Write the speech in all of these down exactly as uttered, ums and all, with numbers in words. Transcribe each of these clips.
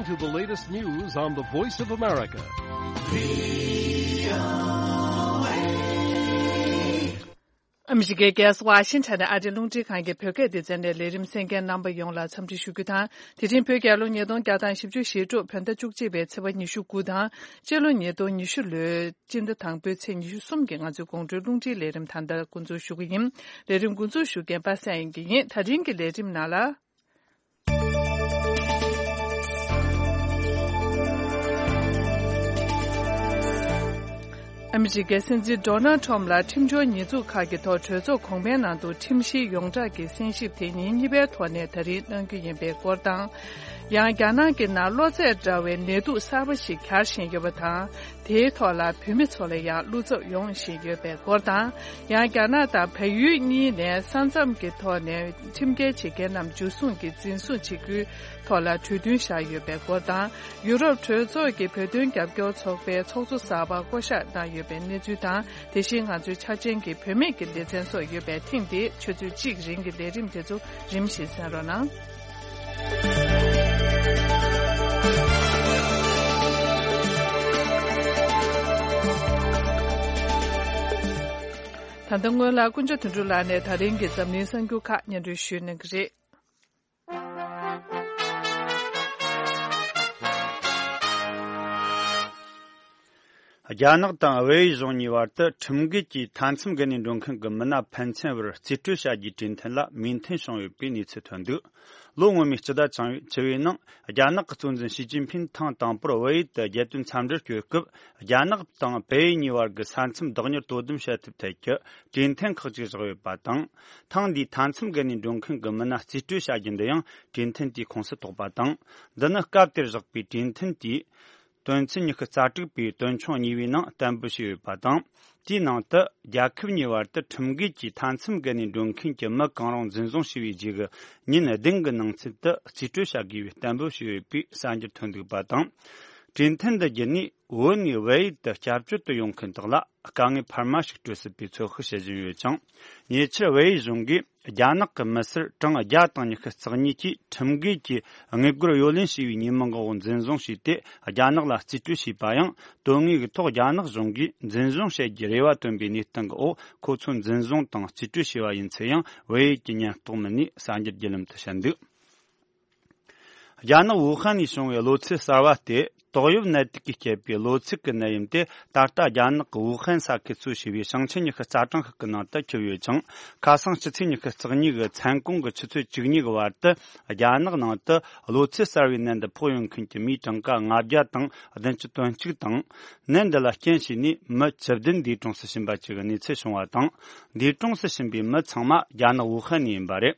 To the latest news on the Voice of America. ཨ་མི་རི་ཀའི་རྒྱལ་ས་ཝ་ཤིང་ཊོན་ནས་ཨ་རིའི་རླུང་འཕྲིན་ཁང་གི་བོད་སྐད་སྡེ་ཚན་ནས་ལས་རིམ་གསན་མཁན་རྣམ་པ་ཡོངས་ལ་འཚམས་འདྲི་ཞུ་རྒྱུ་དང་། དེ་རིང་བོད་རྒྱལ་ལོ་ཉིས་སྟོང་བརྒྱ་དང་བཞི་བཅུ་ཞེ་དྲུག་བོད་ཟླ་བཅུ་གཅིག་པའི་ཚེས་པ་ཉི་ཤུ་དགུ་དང་། སྤྱི་ལོ་ཉིས་སྟོང་ཉི་ཤུ་ལོའི་སྤྱི་ཟླ་དང་པོའི་ཚེས་ཉི་ཤུ་གསུམ་གྱི་ང་ཚོའི་དགོང་དྲོའི་རླུང་འཕྲིན་ལས་རིམ་ད་ལྟ་འགོ་འཛུགས་ཞུ་གི་ཡིན། ལས་རིམ་འགོ་འཛུགས་ཞུ་མཁན་པ་སངས་དབྱངས་སྐྱིད་ཡིན། ད་རིང་གི་ལས་རིམ་ནང་ལ། ཨ་མི་རི་ཀའི་སྲིད་འཛིན་ཌོ་ནལ་ཁྲོམ་ལ་ཁྲིམས་སྦྱོར་ཉེས་འཛུགས་ཁག་གི་ཐོག་གྲོས་ཚོགས་གོང་མའི་ནང་དུ་ཁྲིམས་གཞིའི་ཡོངས་བསྒྲགས་ཀྱི་གསན་ཞིབ་དེ་ཉིན་གཉིས་པའི་ཐོག་ནས་ད་རིང་གནང་རྒྱུ་ཡིན་པའི་སྐོར་དང་། ཡང་རྒྱ་ནག་གི་ནང་གློ་ཚད་འདྲ་བའི་ནད་དུག་གསར་པ་ཞིག་གྱར་བཞིན་ཡོད་པ་དང་། དེའི་ཐོག་ལ་བོད་མི་ཚོ་ལ་ཡང་བློ་འཚབ་ཡོང་བཞིན་ཡོད་པའི་སྐོར་དང་། ཡང་རྒྱ་ནག་དང་བལ་ཡུལ་གཉིས་ནས་ས་མཚམས་ཀྱི་ཐོག་ནས་ཁྲིམས་འགལ་བྱེད་མཁན་རྣམས་འཇུ་བཟུང་གིས་འཛིན་བཟུང་བྱེད་རྒྱུའི་ཐོག་ལ་གྲོས་མཐུན་བཞག་ཡོད་པའི་སྐོར་དང་། ཡུ་རོབ་གྲོས་ཚོགས་ཀྱི་བོད་དོན་རྒྱབ་སྐྱོར་ཚོགས་པའི་ཚོགས་གཙོ་གསར་པ་བསྐོ་གཞག་གནང་ཡོད་པའི་གནས་ཚུལ་དང་། དེ་བཞིན་ང་ཚོའི་འཆར་ཅན་གྱི་བུད་མེད་ཀྱི་ལེ་ཚན་སོགས་ཡོད་པའི་ཐེངས་འདིའི་ཆུ་ཚོད་གཅིག་རིང་གི་ལས་རིམ་དེ་ཚོ་རིམ་བཞིན་གསན་རོགས་གནང་། ད་ལྟ་སྔོན་ལ་ཀུན་ཅ་དོན་གྲུབ་ལགས་ནས་ད་རིང་གི་འཛམ་གླིང་གསར་འགྱུར་ཁག་སྙན་སྒྲོན་ཞུས་གནང་གི་རེད། རྒྱ་ནག་དང་བལ་ཡུལ་གཞུང་གཉིས་བར་དུ་ཁྲིམས་འགལ་གྱིས་མཐའ་མཚམས་བརྒལ་ནས་འགྲོ་མཁན་གྱི་མི་སྣ་ཕན་ཚུན་བར་རྩིས་སྤྲོད་བྱ་རྒྱུའི་གྲོས་མཐུན་ལ་མོས་མཐུན་བྱུང་ཡོད་པའི་གནས་ཚུལ་ཐོན་འདུག་ལོ་སྔོན་མའི་སྤྱི་ཟླ་བཅུ་བའི་ནང་རྒྱ་ནག་གི་གཙོ་འཛིན་ཞི་ཅིན་ཕིན་ཐེངས་དང་པོར་བལ་ཡུལ་དུ་རྒྱལ་དོན་འཚམས་འདྲིར་བསྐྱོད་སྐབས། རྒྱ་ནག་དང་བལ་ཡུལ་གཉིས་བར་གྱི་ས་མཚམས་བདག་གཉེར་དོ་དམ་བྱེད་ཐབས་ཐད་ཀྱི་གྲོས་མཐུན་ཁག་ཅིག་བཞག་ཡོད་པ་དང་། ཐེངས་འདིའི་མཐའ་མཚམས་བརྒལ་ནས་འགྲོ་མཁན་གྱི་མི་སྣ་རྩིས་སྤྲོད་བྱ་རྒྱུ་འདི་ཡང་གྲོས་མཐུན་དེའི་ཁོངས་སུ་གཏོགས་པ་དང་། འདི་ནི་སྐབས་དེར་བཞག་པའི་གྲོས་མཐུན་དེའི་དོན་ཚན་ཉི་ཤུ་རྩ་དྲུག་པའི་དོན་ཆུང་གཉིས་པའི་ནང་གཏན་འབེབས་བྱས་ཡོད་པ་དང་། དེའི་ནང་དུ་རྒྱལ་ཁབ་གཉིས་བར་དུ་ཁྲིམས་འགལ་གྱིས་མཐའ་མཚམས་བརྒལ་ནས་འགྲོ་མཁན་གྱི་མི་གང་རུང་འཛིན་བཟུང་བྱས་པའི་རྗེས་ཀྱི་ཉིན་བདུན་གྱི་ནང་ཚུད་དུ་རྩིས་སྤྲོད་བྱ་དགོས་པའི་གཏན་འབེབས་བྱས་ཡོད་པའི་གསར་འགྱུར་ཐོན་འདུག་པ་དང་། གྲོས་མཐུན་འདི་བརྒྱུད་ནས་བོད་ནས་བལ་ཡུལ་དུ་སྐྱབས་བཅོལ་དུ་ཡོང་མཁན་དག་ལ་དཀའ་ངལ་འཕར་མ་ཞིག་སྤྲོད་སྲིད་པའི་ཚོད་དཔག་བྱེད་བཞིན་ཡོད་ཅིང་། ཉེ་ཆར་བལ་ཡུལ་གཞུང་གིས་རྒྱ་ནག་གི་མི་སེར་གྲངས་བརྒྱ་དང་ཉི་ཤུ་རྩ་གཉིས་ཀྱིས་ཁྲིམས་འགལ་གྱིས་དངུལ་སྒོར་གཡོ་ལེན་བྱས་པའི་ཉེས་མིང་འོག་འཛིན་བཟུང་བྱས་ཏེ། རྒྱ་ནག་ལ་རྩིས་སྤྲོད་བྱས་པ་ཡང་། དོན་དངོས་ཀྱི་ཐོག་རྒྱ་ནག་གཞུང་གིས་འཛིན་བཟུང་བྱེད་རྒྱུའི་རེ་བ་བཏོན་པའི་གནས་སྟངས་ཀྱི་འོག་ཁོ་ཚོ་འཛིན་བཟུང་དང་རྩིས་སྤྲོད་བྱས་པ་ཡིན་ཚེ་ཡང་། བལ་ཡུལ་གྱི་ཉེན་རྟོག་མི་སྣས་གསར་འགྱུར་བརྒྱུད་ལམ་དུ་བཤད་འདུག་རྒྱ་ནག་ཝུ་ཧན་ནས་བྱུང་བའི་གློ་ཚད་གསར་བ་སྟེ། ཏོག་དབྱིབས་ནད་དུག་གིས་བསྐྱེད་པའི་གློ་ཚད་ཀྱི་ནད་ཡམས་དེ། ད་ལྟ་རྒྱ་ནག་གི་ཝུ་ཧན་ས་ཁུལ་གཙོ་བྱས་པའི་ཞིང་ཆེན་ཉི་ཤུ་རྩ་གྲངས་ཤིག་གི་ནང་དུ་ཁྱབ་ཡོད་ཅིང་། ཁ་སང་སྤྱི་ཚེས་ཉི་ཤུ་རྩ་གཉིས་ཀྱི་མཚན་གུང་གི་ཆུ་ཚོད་བཅུ་གཉིས་ཀྱི་བར་དུ། རྒྱ་ནག་ནང་དུ་གློ་ཚད་གསར་བའི་ནད་འདི་ཕོག་ཡོང་མཁན་གྱི་མིའི་གྲངས་ཀ་ལྔ་བརྒྱ་དང་བདུན་ཅུ་དོན་གཅིག་དང་། ནད་འདི་ལ་རྐྱེན་བྱས་ནས་མི་བཅུ་བདུན་འདས་གྲོངས་སུ་ཕྱིན་པ་བཅས་ཀྱི་གནས་ཚུལ་བྱུང་བ་དང་། འདས་གྲོངས་སུ་ཕྱིན་པའི་མི་ཚང་མ་རྒྱ་ནག་ཝུ་ཧན་ནས་ཡིན་པ་རེད།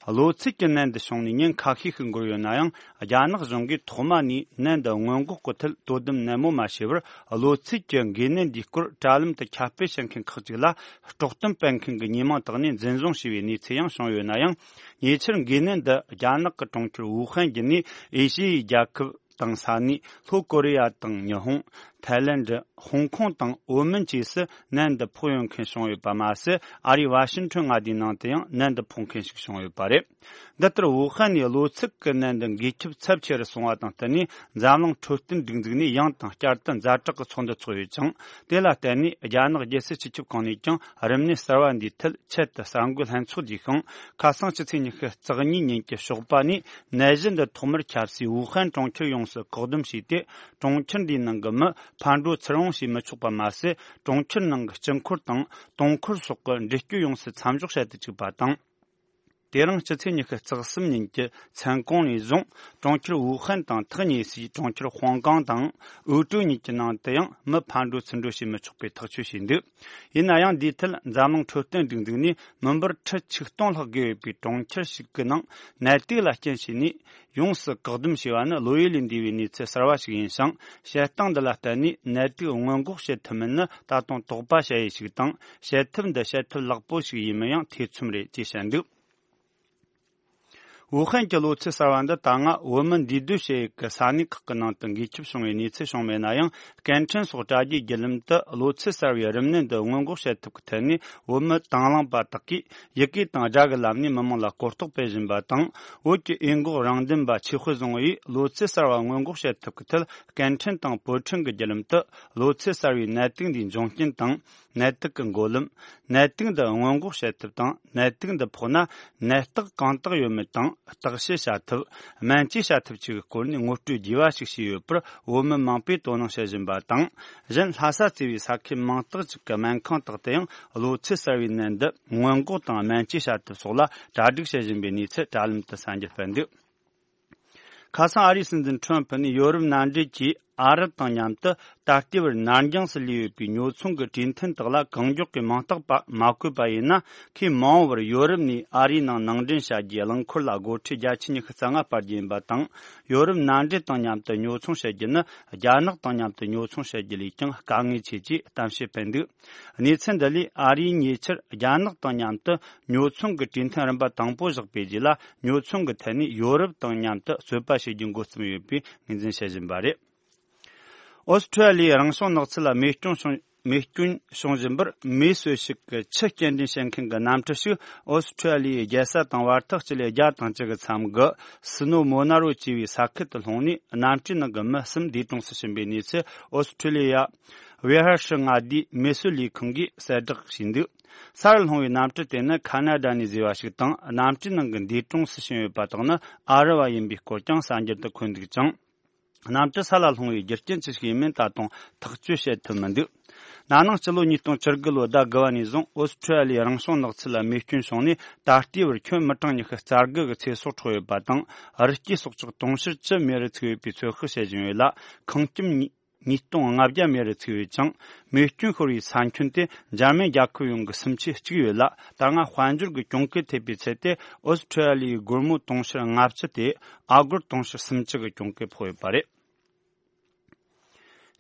གློ་ཚད་ཀྱི་ནད་འདི་བྱུང་ནས་ཉིན་ཁ་ཤས་ཤིག་འགོར་ཡོད་ན་ཡང་། རྒྱ་ནག་གཞུང་གིས་ཐོག་མ་ནས་ནད་འདི་སྔོན་འགོག་གི་ཐད་དོ་དམ་ནན་མོ་མ་བྱས་པར། གློ་ཚད་ཀྱི་འགོས་ནད་འདིའི་སྐོར་དྲ་ལམ་དུ་ཁྱབ་སྤེལ་བྱེད་མཁན་ཁག་ཅིག་ལ་དཀྲོག་གཏམ་སྤེལ་མཁན་གྱི་ཉེས་མིང་བཏགས་ནས་འཛིན་བཟུང་བྱས་པའི་གནས་ཚུལ་ཡང་བྱུང་ཡོད་ན་ཡང་། ཉེ་ཆར་འགོས་ནད་འདི་རྒྱ་ནག་གི་གྲོང་ཁྱེར་ཝུ་ཧན་བརྒྱུད་ནས་ཨེ་ཤི་ཡའི་རྒྱལ་ཁབ་དང་ས་གནས། ལྷོ་ཀོ་རི་ཡ་དང་ཉི་ཧོང་། ཐའི་ལེན་ཌི། ཧོང་ཀོང་དང་ཨོ་མན་བཅས་སུ་ནད་འདི་ཕོག་ཡོང་མཁན་བྱུང་ཡོད་པ་མ་ཟད། ཨ་རིའི་ཝ་ཤིང་ཊོན་མངའ་སྡེའི་ནང་དུ་ཡང་ནད་འདི་ཕོག་མཁན་ཞིག་བྱུང་ཡོད་པ་རེད། འདི་ལྟར་ཝུ་ཧན་ནས་གློ་ཚད་ཀྱི་ནད་འདི་འགོས་ཁྱབ་ཚབས་ཆེ་རུ་སོང་བ་དང་བསྟུན་ནས། འཛམ་གླིང་འཕྲོད་བསྟེན་སྒྲིག་འཛུགས་ནས་ཡང་དང་བསྐྱར་དུ་ཛ་དྲག་གི་ཚོགས་འདུ་འཚོགས་ཡོད་ཅིང་། དེ་ལ་བརྟེན་ནས་རྒྱ་ནག་རྒྱལ་སྲིད་སྤྱི་ཁྱབ་ཁང་ནས་ཀྱང་རིམས་ནད་གསར་བ་འདིའི་ཐད་ཆེད་དུ་གསར་འགོད་ལྷན་ཚོགས་བརྒྱུད་ཤིང་། ཁ་སང་སྤྱི་ཚེས་ཉི་ཤུ་རྩ་གཉིས་ཉིན་གྱི་ཞོགས་པ་ནས་ནད་གཞི་འདི་ཐོག་མར་ཁྱབ་སའི་ཝུ་ཧན་གྲོང་ཁྱེར་ཡོངས་སུ་བཀག་སྡོམ་བྱས་ཏེ། གྲོང་ཁྱེར་འདིའི་ནང་གི་མི་ཕར་འགྲོ་ཚུར་འོང་བྱེད་མི་ཆོག་པ་མ་ཟད། གྲོང་ཁྱེར་ནང་གི་སྤྱི་འཁོར་དང་། དུང་འཁོར་སོགས་ཀྱི་འགྲུལ་སྐྱོད་ཡོངས་སུ་མཚམས་འཇོག་བྱེད་དུ་བཅུག་པ་དང་། དེ་རིང་སྤྱི་ཚེས་ཉི་ཤུ་རྩ་གསུམ་ཉིན་གྱི་མཚན་གུང་ནས་བཟུང་། གྲོང་ཁྱེར་ཝུ་ཧན་དང་ཐག་ཉེ་སའི་གྲོང་ཁྱེར་ཧོང་ཀང་དང་། ཨུ་ཀྲོའུ་གཉིས་ཀྱི་ནང་དུ་ཡང་མི་ཕར་འགྲོ་ཚུར་འགྲོ་བྱེད་མི་ཆོག་པའི་ཐག་གཅོད་བྱས་འདུག་ཡིན་ན་ཡང་། འདིའི་ཐད་འཛམ་གླིང་འཕྲོད་བསྟེན་སྒྲིག་འཛུགས་ནས། མི་འབོར་ཁྲི་ཆིག་སྟོང་ལྷག་བརྒལ་ཡོད་པའི་གྲོང་ཁྱེར་ཞིག་གི་ནང་ནད་དུག་ལ་རྐྱེན་བྱས་ནས། ཡོངས་སུ་བཀག་སྡོམ་བྱས་པ་ནི་བློ་ཡུལ་ལས་འདས་པའི་གནས་ཚུལ་གསར་བ་ཞིག་ཡིན་ཞིང་། བྱེད་སྟངས་འདི་ལ་བརྟེན་ནས་ནད་དུག་སྔོན་འགོག་བྱེད་ཐུབ་མིན་ནི་ད་དུང་དོགས་པ་བྱ་ཡུལ་ཞིག་དང་། བྱེད་ཐབས་འདི་བྱེད་ཐབས་ལེགས་པོ་ཞིག་ཡིན་མིན་ཡང་ཐེ་ཚོམ་རེད་ཅེས་བཤད་འདུག་ཝུ་ཧན་གྱི་གློ་ཚད་གསར་བ་འདི་ད་སྔ་བོད་མི་འདུས་སྡོད་བྱེད་ཡུལ་གྱི་ས་གནས་ཁག་གི་ནང་དུ་འགོས་ཁྱབ་བྱུང་བའི་གནས་ཚུལ་བྱུང་མེད་ན་ཡང་། སྐད་འཕྲིན་སོགས་དྲ་རྒྱའི་བརྒྱུད་ལམ་དུ་གློ་ཚད་གསར་བའི་རིམས་ནད་འདི་སྔོན་འགོག་བྱེད་ཐབས་ཀྱི་ཐད་ནས་བོད་མི་དང་བླངས་པ་དག་གིས་ཡི་གེ་དང་སྒྲ་གི་ལམ་ནས་མི་མང་ལ་གོ་རྟོགས་སྤེལ་བཞིན་པ་དང་། བོད་ཀྱི་འོས་འགོག་རང་འདེམས་པ་ཆོས་དཔལ་བཟང་པོ་ཡིས་གློ་ཚད་གསར་བ་སྔོན་འགོག་བྱེད་ཐབས་ཀྱི་ཐད་སྐད་འཕྲིན་དང་བོད་ཕྲན་གྱི་བརྒྱུད་ལམ་དུ་གློ་ཚད་གསར་བའི་ནད་དུག་འདིའི་འབྱུང་རྐྱེན་དང་། ནད་དུག་གི་འགོ་ལམ། ནད་དུག་འདི་སྔོན་འགོག་བྱེད་ཐབས་དང་། ནད་དུག་འདི་ཕོག་ན་ནད་རྟགས་གང་དག་ཡོད་མེད་དང་། བརྟག་དཔྱད་བྱ་ཐབས། སྨན་བཅོས་བྱ་ཐབས་བཅས་ཀྱི་སྐོར་ནས་ངོ་སྤྲོད་རྒྱས་པ་ཞིག་བྱས་ཡོད་པར་བོད་མི་མང་པོས་དོ་སྣང་བྱེད་བཞིན་པ་དང་། གཞན་ལྷ་ས་བརྩིས་པའི་ས་ཁུལ་མང་དག་ཅིག་གི་སྨན་ཁང་དག་ཏུ་ཡང་གློ་ཚད་གསར་བའི་ནད་འདི་སྔོན་འགོག་དང་སྨན་བཅོས་བྱ་ཐབས་སོགས་ལ་གྲ་སྒྲིག་བྱེད་བཞིན་པའི་གནས་ཚུལ་དྲ་ལམ་དུ་གསར་འགྱུར་སྤེལ་འདུག་ཁ་སང་ཨ་རིའི་སྲིད་འཛིན་ཁྲོམ་ཕུ་ནས་ཡོ་རོབ་མནའ་འབྲེལ་གྱིས་ཨ་རི་དང་མཉམ་དུ་ད་ལྟའི་བར་ནར་འགྱངས་སུ་ལུས་ཡོད་པའི་ཉོ་ཚོང་གི་གྲོས་མཐུན་དག་ལ་གང་མགྱོགས་ཀྱིས་མིང་རྟགས་པ་མ་བཀོད་པ་ཡིན་ན། ཁོས་མ་འོངས་པར་ཡོ་རོབ་ནས་ཨ་རིའི་ནང་ནང་འདྲེན་བྱ་རྒྱུའི་རླངས་འཁོར་ལ་སྒོ་ཁྲལ་བརྒྱ་ཆ་ཉི་ཤུ་རྩ་ལྔ་སྤར་རྒྱུ་ཡིན་པ་དང་། ཡོ་རོབ་མནའ་འབྲེལ་དང་མཉམ་དུ་ཉོ་ཚོང་བྱེད་རྒྱུ་ནི་རྒྱ་ནག་དང་མཉམ་དུ་ཉོ་ཚོང་བྱེད་རྒྱུ་ལས་ཀྱང་དཀའ་ངལ་ཆེ་ཅེས་གཏམ་བཤད་སྤེལ་འདུག་གནས་ཚུལ་འདི་ལས་ཨ་རིའི་ཉེ་ཆར་རྒྱ་ནག་དང་མཉམ་དུ་ཉོ་ཚོང་གི་གྲོས་མཐུན་རིམ་པ་དང་པོ་བཞག་པའི་རྗེས་ལ། ཉོ་ཚོང་གི་ཐད་ནས་ཡོ་རོབ་དང་མཉམ་དུ་རྩོད་པ་བྱེད་རྒྱུ་འགོ་རྩོམ་ཡོད་པའི་ངོས་འཛིན་བྱེད་བཞིན་པ་རེད། ཨོ་སི་ཁྲུ་ལི་ཡའི་རང་བྱུང་ནགས་ཚལ་ལ་རྨས་སྐྱོན་བྱུང་རྨས་སྐྱོན་བྱུང་བཞིན་པར། མེ་གསོད་ཞིག་གི་ཆུ་སྐྱེལ་འདྲེན་བྱེད་མཁན་གྱི་གནམ་གྲུ་ཞིག་ཨོ་སི་ཁྲུ་ལི་ཡའི་རྒྱལ་ས་དང་བར་ཐག་སྤྱི་ལེ་བརྒྱ་དང་གཅིག་གི་མཚམས་ཀྱི་སི་ནོ་མོ་ན་རོ་ཅེས་པའི་ས་ཁུལ་དུ་ལྷུང་ནས། གནམ་གྲུའི་ནང་གི་མི་གསུམ་འདས་གྲོངས་སུ་ཕྱིན་པའི་གནས་ཚུལ་ཨོ་སི་ཁྲུ་ལི་ཡ་ཝེ་ཧར་ཧྲི་མངའ་སྡེའི་མེ་གསོད་ལས་ཁུངས་ཀྱིས་གསལ་བསྒྲགས་བྱས་འདུག་ས་རུ་ལྷུང་བའི་གནམ་གྲུ་དེ་ནི་ཁ་ན་ཌ་ནས་བཟོས་པ་ཞིག་དང་། གནམ་གྲུའི་ནང་གི་འདས་གྲོངས་སུ་ཕྱིན་ཡོད་པ་དག་ནི་ཨ་རི་བ་ཡིན་པའི་སྐོར་ཀྱང་གསར་འགྱུར་དུ་འཁོད་འདུག་ཅིང་། གནམ་གྲུ་ས་ལ་ལྷུང་བའི་རྒྱུ་རྐྱེན་ཅི་ཞིག་ཡིན་མིན་ད་དུང་ཐག་གཅོད་བྱེད་ཐུབ་མི་འདུག་ན་ནིང་སྤྱི་ལོ་ཉིས་སྟོང་བཅུ་དགུ་ལོའི་ཟླ་དགུ་པ་ནས་བཟུང་ཨོ་སི་ཁྲུ་ལི་ཡའི་རང་བྱུང་ནགས་ཚལ་ལ་རྨས་སྐྱོན་བྱུང་ནས། ད་ལྟའི་བར་ཁྱོན་མི་གྲངས་ཉི་ཤུ་རྩ་དགུ་གི་ཚེ་སྲོག་འཕྲོག་ཡོད་པ་དང་། རི་སྐྱེས་སྲོག་ཆགས་དུང་ཕྱུར་བཅུ་མེ་རུ་ཚིག་ཡོད་པའི་ཚོད་དཔག་བྱེད་བཞིན་ཡོད་ལ། ཁང་ཁྱིམ་ཉིས་ཉིས་སྟོང་ལྔ་བརྒྱ་མེ་རུ་ཚིག་ཡོད་ཅིང་། རྨས་སྐྱོན་ཤོར་བའི་ས་ཁྱོན་དེ་འཇར་མན་རྒྱལ་ཁབ་ཡོངས་ཀྱི་སུམ་ཆའི་གཅིག་ཡོད་ལ། ད་སྔ་དཔལ་འབྱོར་གྱི་གྱོང་གུད་ཐེབས་པའི་ཚད་དེ་ཨོ་སི་ཁྲུ་ལི་ཡའི་སྒོར་མོ་དུང་ཕྱུར་ལྔ་བཅུ་སྟེ། ཨ་སྒོར་དུང་ཕྱུར་སུམ་ཅུ་གི་གྱོང་གུད་ཕོག་ཡོད་པ་རེད།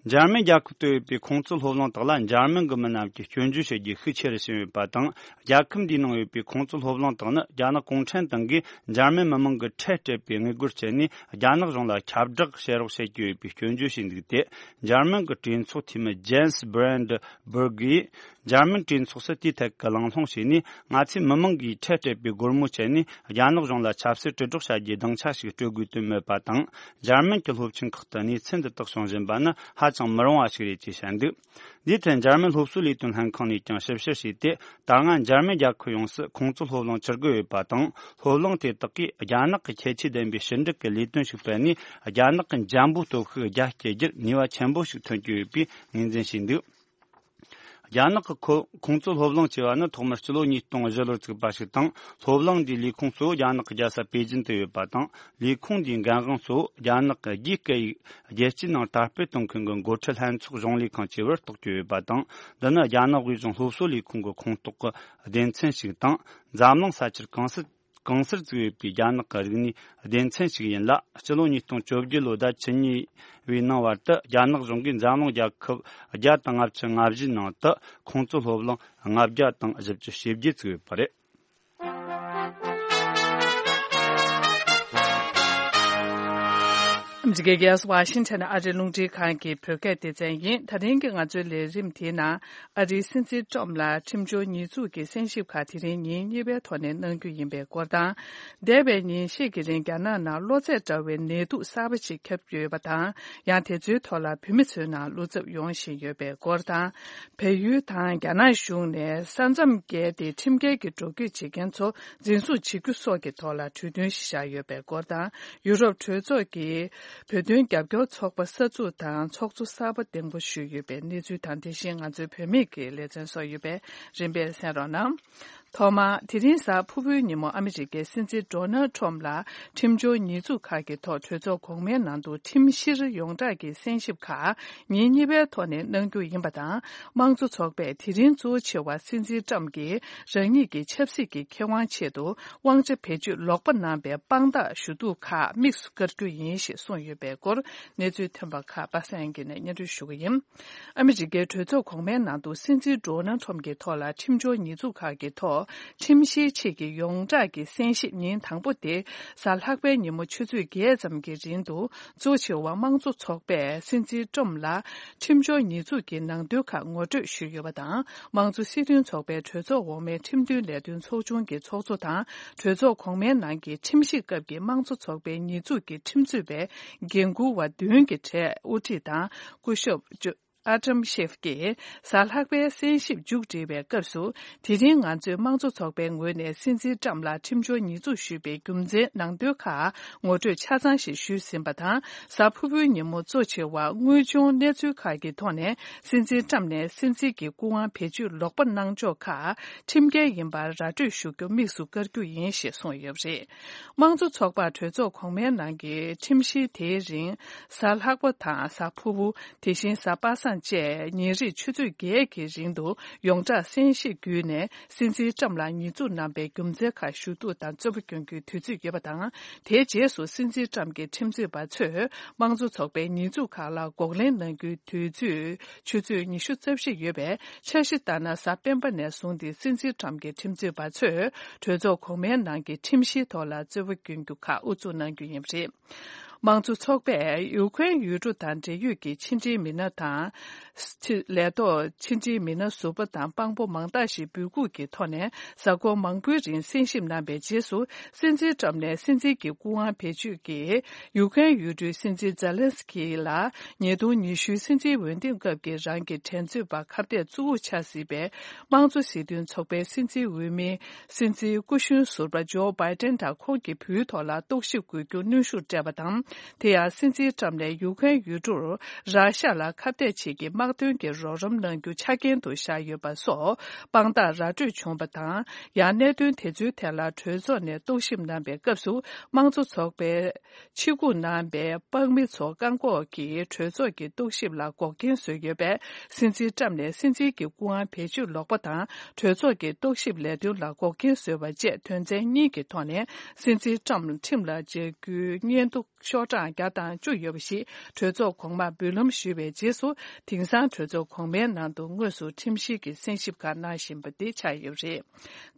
འཇར་མན་རྒྱལ་ཁབ་ཏུ་ཡོད་པའི་ཁོང་ཚོའི་སློབ་གླིང་དག་ལ་འཇར་མན་གྱི་མི་རྣམས་ཀྱིས་སྐྱོན་བརྗོད་བྱེད་རྒྱུ་ཤུགས་ཆེ་རུ་ཕྱིན་ཡོད་པ་དང་། རྒྱལ་ཁབ་འདིའི་ནང་ཡོད་པའི་ཁོང་ཚོའི་སློབ་གླིང་དག་ནི་རྒྱ་ནག་གུང་ཁྲན་ཏང་གིས་འཇར་མན་མི་མང་གི་ཁྲལ་སྤྲད་པའི་དངུལ་སྒོར་བྱས་ནས། རྒྱ་ནག་གཞུང་ལ་ཁྱབ་བསྒྲགས་བྱེད་རོགས་བྱེད་ཀྱི་ཡོད་པའི་སྐྱོན་བརྗོད་བྱས་འདུག་སྟེ། འཇར་མན་གྱི་གྲོས་ཚོགས་འཐུས་མི་ཇེན་སི་བྷི་རན་ཌི་སྦུར་གིས། འཇར་མན་གྲོས་ཚོགས་སུ་དེའི་ཐད་ཀྱི་གླེང་སློང་བྱས་ནས། ང་ཚོའི་མི་མང་གིས་ཁྲལ་སྤྲད་པའི་སྒོར་མོ་སྤྱད་ནས། རྒྱ་ནག་གཞུང་ལ་ཆབ་སྲིད་དྲིལ་སྒྲོག་བྱ་རྒྱུའི་སྡིངས་ཆ་ཞིག་སྤྲོད་དགོས་དོན་མེད་པ་དང་། འཇར་མན་གྱི་སློབ་ཆེན་ཁག་ཏུ་གནས་ཚུལ་འདི་དག་བྱུང་བཞིན་པ་ནི་ཧ་ཅང་མི་རུང་བ་ཞིག་རེད་ཅེས་བཤད་འདུག་འདིའི་ཐད་འཇར་མན་སློབ་གསོའི་ལས་དོན་ལྷན་ཁང་ནས་ཀྱང་ཞིབ་བཤེར་བྱས་ཏེ། ད་སྔ་འཇར་མན་རྒྱལ་ཁབ་ཡོངས་སུ་ཁོང་ཚོའི་སློབ་གླིང་བཅུ་དགུ་ཡོད་པ་དང་། སློབ་གླིང་དེ་དག་གིས་རྒྱ་ནག་གི་ཁྱད་ཆོས་ལྡན་པའི་ཕྱི་འབྲེལ་གྱི་ལས་དོན་ཞིག་སྤེལ་ནས། རྒྱ་ནག་གི་འཇམ་པོའི་སྟོབས་ཤུགས་རྒྱ་སྐྱེད་རྒྱུར་ནུས་པ་ཆེན་པོ་ཞིག་ཐོན་གྱི་ཡོད་པའི་ངོས་འཛིན་བྱས་འདུག་རྒྱ་ནག་གི་ཁོ་ཁོང་ཚོའི་སློབ་གླིང་ཅེས་པ་ནི་ཐོག་མར་སྤྱི་ལོ་ཉིས་སྟོང་བཞི་ལོར་བཙུགས་པ་ཞིག་དང་། སློབ་གླིང་འདིའི་ལས་ཁུངས་གཙོ་བོ་རྒྱ་ནག་གི་རྒྱལ་ས་པེ་ཅིན་དུ་ཡོད་པ་དང་། ལས་ཁུངས་འདིའི་འགན་དབང་གཙོ་བོ་རྒྱ་ནག་གི་རྒྱའི་སྐད་ཡིག་རྒྱལ་སྤྱིའི་ནང་དར་སྤེལ་གཏོང་མཁན་གྱི་འགོ་ཁྲིད་ལྷན་ཚོགས་གཞུང་ལས་ཁང་ཅེས་པར་གཏོགས་ཀྱི་ཡོད་པ་དང་། འདི་ནི་རྒྱ་ནག་དབུས་གཞུང་སློབ་གསོ་ལས་ཁུངས་ཀྱི་ཁོངས་གཏོགས་ཀྱི་སྡེ་ཚན་ཞིག་དང་། འཛམ་གླིང་ས་ཆར་གང་སར་གང་སར་བཙུགས་ཡོད་པའི་རྒྱ་ནག་གི་རིག་གནས་སྡེ་ཚན་ཞིག་ཡིན་ལ། སྤྱི་ལོ་ཉིས་སྟོང་བཅོ་བརྒྱད་ལོའི་ཟླ་བཅུ་གཉིས་པའི་ནང་བར་དུ་རྒྱ་ནག་གཞུང་གིས་འཛམ་གླིང་རྒྱལ་ཁབ་བརྒྱ་དང་ལྔ་བཅུ་ང་བཞིའི་ནང་དུ་ཁོང་ཚོའི་སློབ་གླིང་ལྔ་བརྒྱ་དང་བཞི་བཅུ་ཞེ་བརྒྱད་བཙུགས་ཡོད་པ་རེད། འཇིགས་རྒྱས་ཝ་ཤིང་ཊོན་ཨ་རིའི་རླུང་འཕྲིན་ཁང་གི་བོད་སྐད་སྡེ་ཚན་ཡིན། ད་རིང་གི་ང་ཚོའི་ལས་རིམ་དེའི་ནང་། ཨ་རིའི་སྲིད་འཛིན་ཊམ་ལ་ཁྲིམས་སྦྱོར་ཉེས་འཛུགས་ཀྱི་གསན་ཞིབ་ཁག་དེ་རིང་ཉིན་གཉིས་པའི་ཐོག་ནས་གནང་རྒྱུ་ཡིན་པའི་སྐོར་དང་། འདས་པའི་ཉིན་ཤས་ཀྱི་རིང་རྒྱ་ནག་ནང་གློ་ཚད་འདྲ་བའི་ནད་དུག་གསར་པ་ཞིག་ཁྱབ་ཡོད་པ་དང་། ཡང་དེ་ཚོའི་ཐོག་ལ་བོད་མི་ཚོའི་ནང་བློ་འཚབ་ཡོང་བཞིན་ཡོད་པའི་སྐོར་དང་། བལ་ཡུལ་དང་རྒྱ་ནག་གཞུང་ནས་ས་མཚམས་བརྒལ་ཏེ་ཁྲིམས་འགལ་གྱི་འགྲོ་སྐྱོད་བྱེད་མཁན་ཚོ་འཛིན་བཟུང་བྱེད་རྒྱུ་སོགས་ཀྱི་ཐོག་ལ་གྲོས་མཐུན་ཞིག་བཞག་ཡོད་པའི་སྐོར་དང་། ཡུ་རོབ་གྲོས་ཚོགས་ཀྱི་བོད་དོན་རྒྱབ་སྐྱོར་ཚོགས་པ་གསར་འཛུགས་དང་ཚོགས་གཙོ་གསར་པ་གདན་འགོ་ཞུས་ཡོད་པའི་གནས་ཚུལ་དང་། དེ་བཞིན་ང་ཚོའི་བུད་མེད་ཀྱི་ལེ་ཚན་སོགས་ཡོད་པས་རིམ་པས་གསན་རོགས་གནང་། ཐོག་མར། དེ་རིང་གཟའ་ཕུར་བུའི་ཉིན་མོ་ཨ་མི་རི་ཀའི་སྲིད་འཛིན་ཌོ་ནལ་ཊམ་ལ་ཁྲིམས་སྦྱོར་ཉེས་འཛུགས་ཁག་གི་ཐོག་གྲོས་ཚོགས་གོང་མའི་ནང་དུ་ཁྲིམས་བཤེར་ཡོངས་བསྒྲགས་ཀྱི་གསན་ཞིབ་ཁག་ཉིན་གཉིས་པའི་ཐོག་ནས་གནང་རྒྱུ་ཡིན་པ་དང་། དམངས་གཙོ་ཚོགས་པས་དེ་རིང་གཙོ་ཆེ་བ་སྲིད་འཛིན་ཊམ་གྱིས་རང་ཉིད་ཀྱི་ཆབ་སྲིད་ཀྱི་ཁེ་དབང་ཆེད་དུ་དབང་ཆ་བེད་སྤྱོད་ལོག་པ་གནང་པའི་དཔང་རྟགས་ཞུ་གཏུག་ཁག་དམིགས་སུ་བཀར་རྒྱུ་ཡིན་ཞེས་གསུངས་ཡོད་པའི་སྐོར་གནས་ཚུལ་ཐོན་པ་ཁག་པ་སངས་སྐྱིད་ནས་སྙན་སྒྲོན་ཞུ་གི་ཡིན། ཨ་མི་རི་ཀའི་གྲོས་ཚོགས་གོང་མའི་ནང་དུ་སྲིད་འཛིན་ཌོ་ནལ་ཊམ་གྱི་ཐོག་ལ་ཁྲིམས་སྦྱོར་ཉེས་འཛུགས་ཁག་གི་ཐོག་ཁྲིམས་བཤེར་ཆེད་ཀྱི་ཡོངས་བསྒྲགས་ཀྱི་གསན་ཞིབ་ཉིན་དང་པོ་དེ་གཟའ་ལྷག་པའི་ཉིན་མོ་ཆུ་ཚོད་བརྒྱད་ཙམ་གྱི་རིང་དུ། གཙོ་ཆེ་བ་དམངས་གཙོ་ཚོགས་པས་སྲིད་འཛིན་ཊམ་ལ་ཁྲིམས་སྦྱོར་ཉེས་འཛུགས་ཀྱི་ནང་དོན་ཁག་ངོ་སྤྲོད་ཞུས་ཡོད་པ་དང་། དམངས་གཙོ་སྲིད་དོན་ཚོགས་པའི་གྲོས་ཚོགས་འོག་མའི་ཁྲིམས་དོན་ལས་དོན་ཚོགས་ཆུང་གི་ཚོགས་གཙོ་དང་། གྲོས་ཚོགས་གོང་མའི་ནང་གི་ཁྲིམས་ཞིབ་སྐབས་ཀྱི་དམངས་གཙོ་ཚོགས་པའི་ཉེས་འཛུགས་ཀྱི་ཁྲིམས་རྩོད་པའི་འགན་འཁུར་བ་བདུན་གྱི་གྲས་དབུ་ཁྲིད་དང་། སྐུ་ཞབས་ཨ་ཏམ་ཤེབ་ཀྱིས་གཟའ་ལྷག་པའི་གསན་ཞིབ་མཇུག་སྒྲིལ་བའི་སྐབས་སུ། དེ་རིང་ང་ཚོས་དམངས་གཙོ་ཚོགས་པའི་ངོས་ནས་སྲིད་འཛིན་ཊམ་ལ་ཁྲིམས་སྦྱོར་ཉེས་འཛུགས་ཞུས་པའི་རྒྱུ་མཚན་ནང་དོན་ཁག་ངོ་སྤྲོད་ཆ་ཚང་ཞིག་ཞུས་ཟིན་པ་དང་། གཟའ་ཕུར་བུའི་ཉིན་མོ་གཙོ་ཆེ་བ་དངོས་བྱུང་གནས་ཚུལ་ཁག་གི་ཐོག་ནས་སྲིད་འཛིན་ཊམ་ནས་སྲིད་འཛིན་གྱི་སྐུ་དབང་བེད་སྤྱོད་ལོག་པ་གནང་ཕྱོགས་ཁག་ཁྲིམས་འགལ་ཡིན་པར་ར་སྤྲོད་ཞུ་རྒྱུ་དམིགས་སུ་བཀར་རྒྱུ་ཡིན་ཞེས་གསུངས་ཡོད་པ་རེད། དམངས་གཙོ་ཚོགས་པ་གྲོས་ཚོགས་གོང་མའི་ནང་གི་ཁྲིམས་བཤེར་དེའི་རིང་། གཟའ་ལྷག་པ་དང་གཟའ་ཕུར་བུ། དེ་བཞིན་གཟའ་པ་སངས་བཅས་ཉིན་རེའི་ཆུ་ཚོད་བརྒྱད་ཀྱི་རིང་དུ་ཡོངས་བསྒྲགས་གསན་ཞིབ་བརྒྱུད་ནས། སྲིད་འཛིན་ཊམ་ལ་ཉེས་འཛུགས་གནང་པའི་རྒྱུ་མཚན་ཁག་ཞུ་གཏུག་དང་རྩོད་པ་སྐྱོན་རྒྱུའི་དུས་ཚོད་ཡོད་པ་དང་། དེའི་རྗེས་སུ་སྲིད་འཛིན་ཊམ་གྱི་ཁྲིམས་རྩོད་པ་ཚོས་དམངས་གཙོ་ཚོགས་པའི་ཉེས་འཛུགས་ཁག་ལ་འགོག་ལན་གནང་རྒྱུའི་དུས་ཚོད་ཆུ་ཚོད་ཉི་ཤུ་རྩ་བཞི་ཡོད་པས། འཆར་གཞི་ལྟར་ན། གཟའ་སྤེན་པ་ནས་བཟུང་སྟེ། སྲིད་འཛིན་ཊམ་གྱི་ཁྲིམས་རྩོད་པ་ཚོས་གྲོས་ཚོགས་གོང་མའི་ནང་གི་ཁྲིམས་གཞིའི་ཐོག་ལ་རྩོད་པ་སྐྱོན་རྒྱུ་ཁག་དབུ་འཛུགས་གནང་རྒྱུ་ཡིན་པ་རེད། དམངས་གཙོ་ཚོགས་པས་ཡུ་ཁུན་ཡུལ་གྲུ་དང་འབྲེལ་ཡོད་ཀྱི་ཕྱི་འབྲེལ་མི་སྣ་དང་། ཕྱི་ལས་ཐོག་ཕྱི་འབྲེལ་མི་སྣ་ཟུར་པ་དང་དཔང་པོ་མང་དག་ཞིག་འབོད་འགུག་གི་ཐོག་ནས། གཟའ་འཁོར་མང་པོའི་རིང་གསན་ཞིབ་གནང་པའི་རྗེས་སུ། སྲིད་འཛིན་ཊམ་ནས་སྲིད་འཛིན་གྱི་སྐུ་དབང་བེད་སྤྱོད་ཀྱིས། ཡུ་ཁུན་ཡུལ་གྲུའི་སྲིད་འཛིན་ཛེ་ལན་སི་ཀི་ལ། ཉིས་སྟོང་ཉི་ཤུའི་སྲིད་འཛིན་འོས་འདེམས་སྐབས་ཀྱི་རང་གི་འགྲན་རྩོད་པ་ཁ་གཏད་གཙོ་བོར་ཆགས་སྲིད་པའི་དམངས་གཙོ་སྲིད་དོན་ཚོགས་པའི་སྲིད་འཛིན་འོས་མི། སྲིད་འཛིན་སྐུ་གཞོན་ཟུར་པ་ཇོ་བྷའི་ཏན་དང་ཁོང་གི་བུའི་ཐོག་ལ་རྟོག་ཞིབ་དགོས་རྒྱུ་གནོན་ཤུགས་སྤྲད་པ་དང་། དེ་ཡང་སྲིད་འཛིན་ཊམ་ནས་ཡུ་ཁུན་ཡུལ་གྲུར་ར་ཤ་ལ་ཁ་གཏད་བྱེད་ཀྱི་དམག་དོན་གྱི་རོགས་རམ་གནང་རྒྱུ་ཆ་རྐྱེན་དུ་བཞག་ཡོད་པ་སོགས་དཔང་རྟགས་ར་སྤྲོད་བྱུང་བ་དང་། ཡང་གནད་དོན་དེ་ཚོའི་ཐད་ལ་གྲོས་ཚོགས་ནས་རྟོག་ཞིབ་གནང་པའི་སྐབས་སུ། དམངས་གཙོ་ཚོགས་པའི་ཆེད་འགོ་གནང་པའི་དཔང་མི་ཚོ་བཀག་འགོག་གིས་གྲོས་ཚོགས་ཀྱི་རྟོག་ཞིབ་ལ་འགོག་རྐྱེན་བཟོས་ཡོད་པས། སྲིད་འཛིན་ཊམ་ནས་སྲིད་འཛིན་གྱི་སྐུ་དབང་བེད་སྤྱོད་ལོག་པ་དང་། གྲོས་ཚོགས་ཀྱི་རྟོག་ཞིབ་ལས་དོན་ལ་འགོག་རྐྱེན་བཟོས་པ་བཅས་དོན་ཚན་གཉིས་ཀྱི་ཐོག་ནས། སྲིད་འཛིན་ཊམ་ཁྲིམས་ལ་སྦྱར་རྒྱུའི་སྙན་ཐོ་ཤོག་གྲངས་བརྒྱ་དང་བཅུ་ཡོད་པ་ཞིག་གྲོས་ཚོགས་གོང་མར་འབུལ་ལམ་ཞུས་པའི་རྗེས་སུ། དེང་སང་གྲོས་ཚོགས་གོང་མའི་ནང་དུ་དངོས་སུ་ཁྲིམས་བཤེར་གྱི་གསན་ཞིབ་ཁག་གནང་བཞིན་པ་དེ་ཆགས་ཡོད་པ་རེད།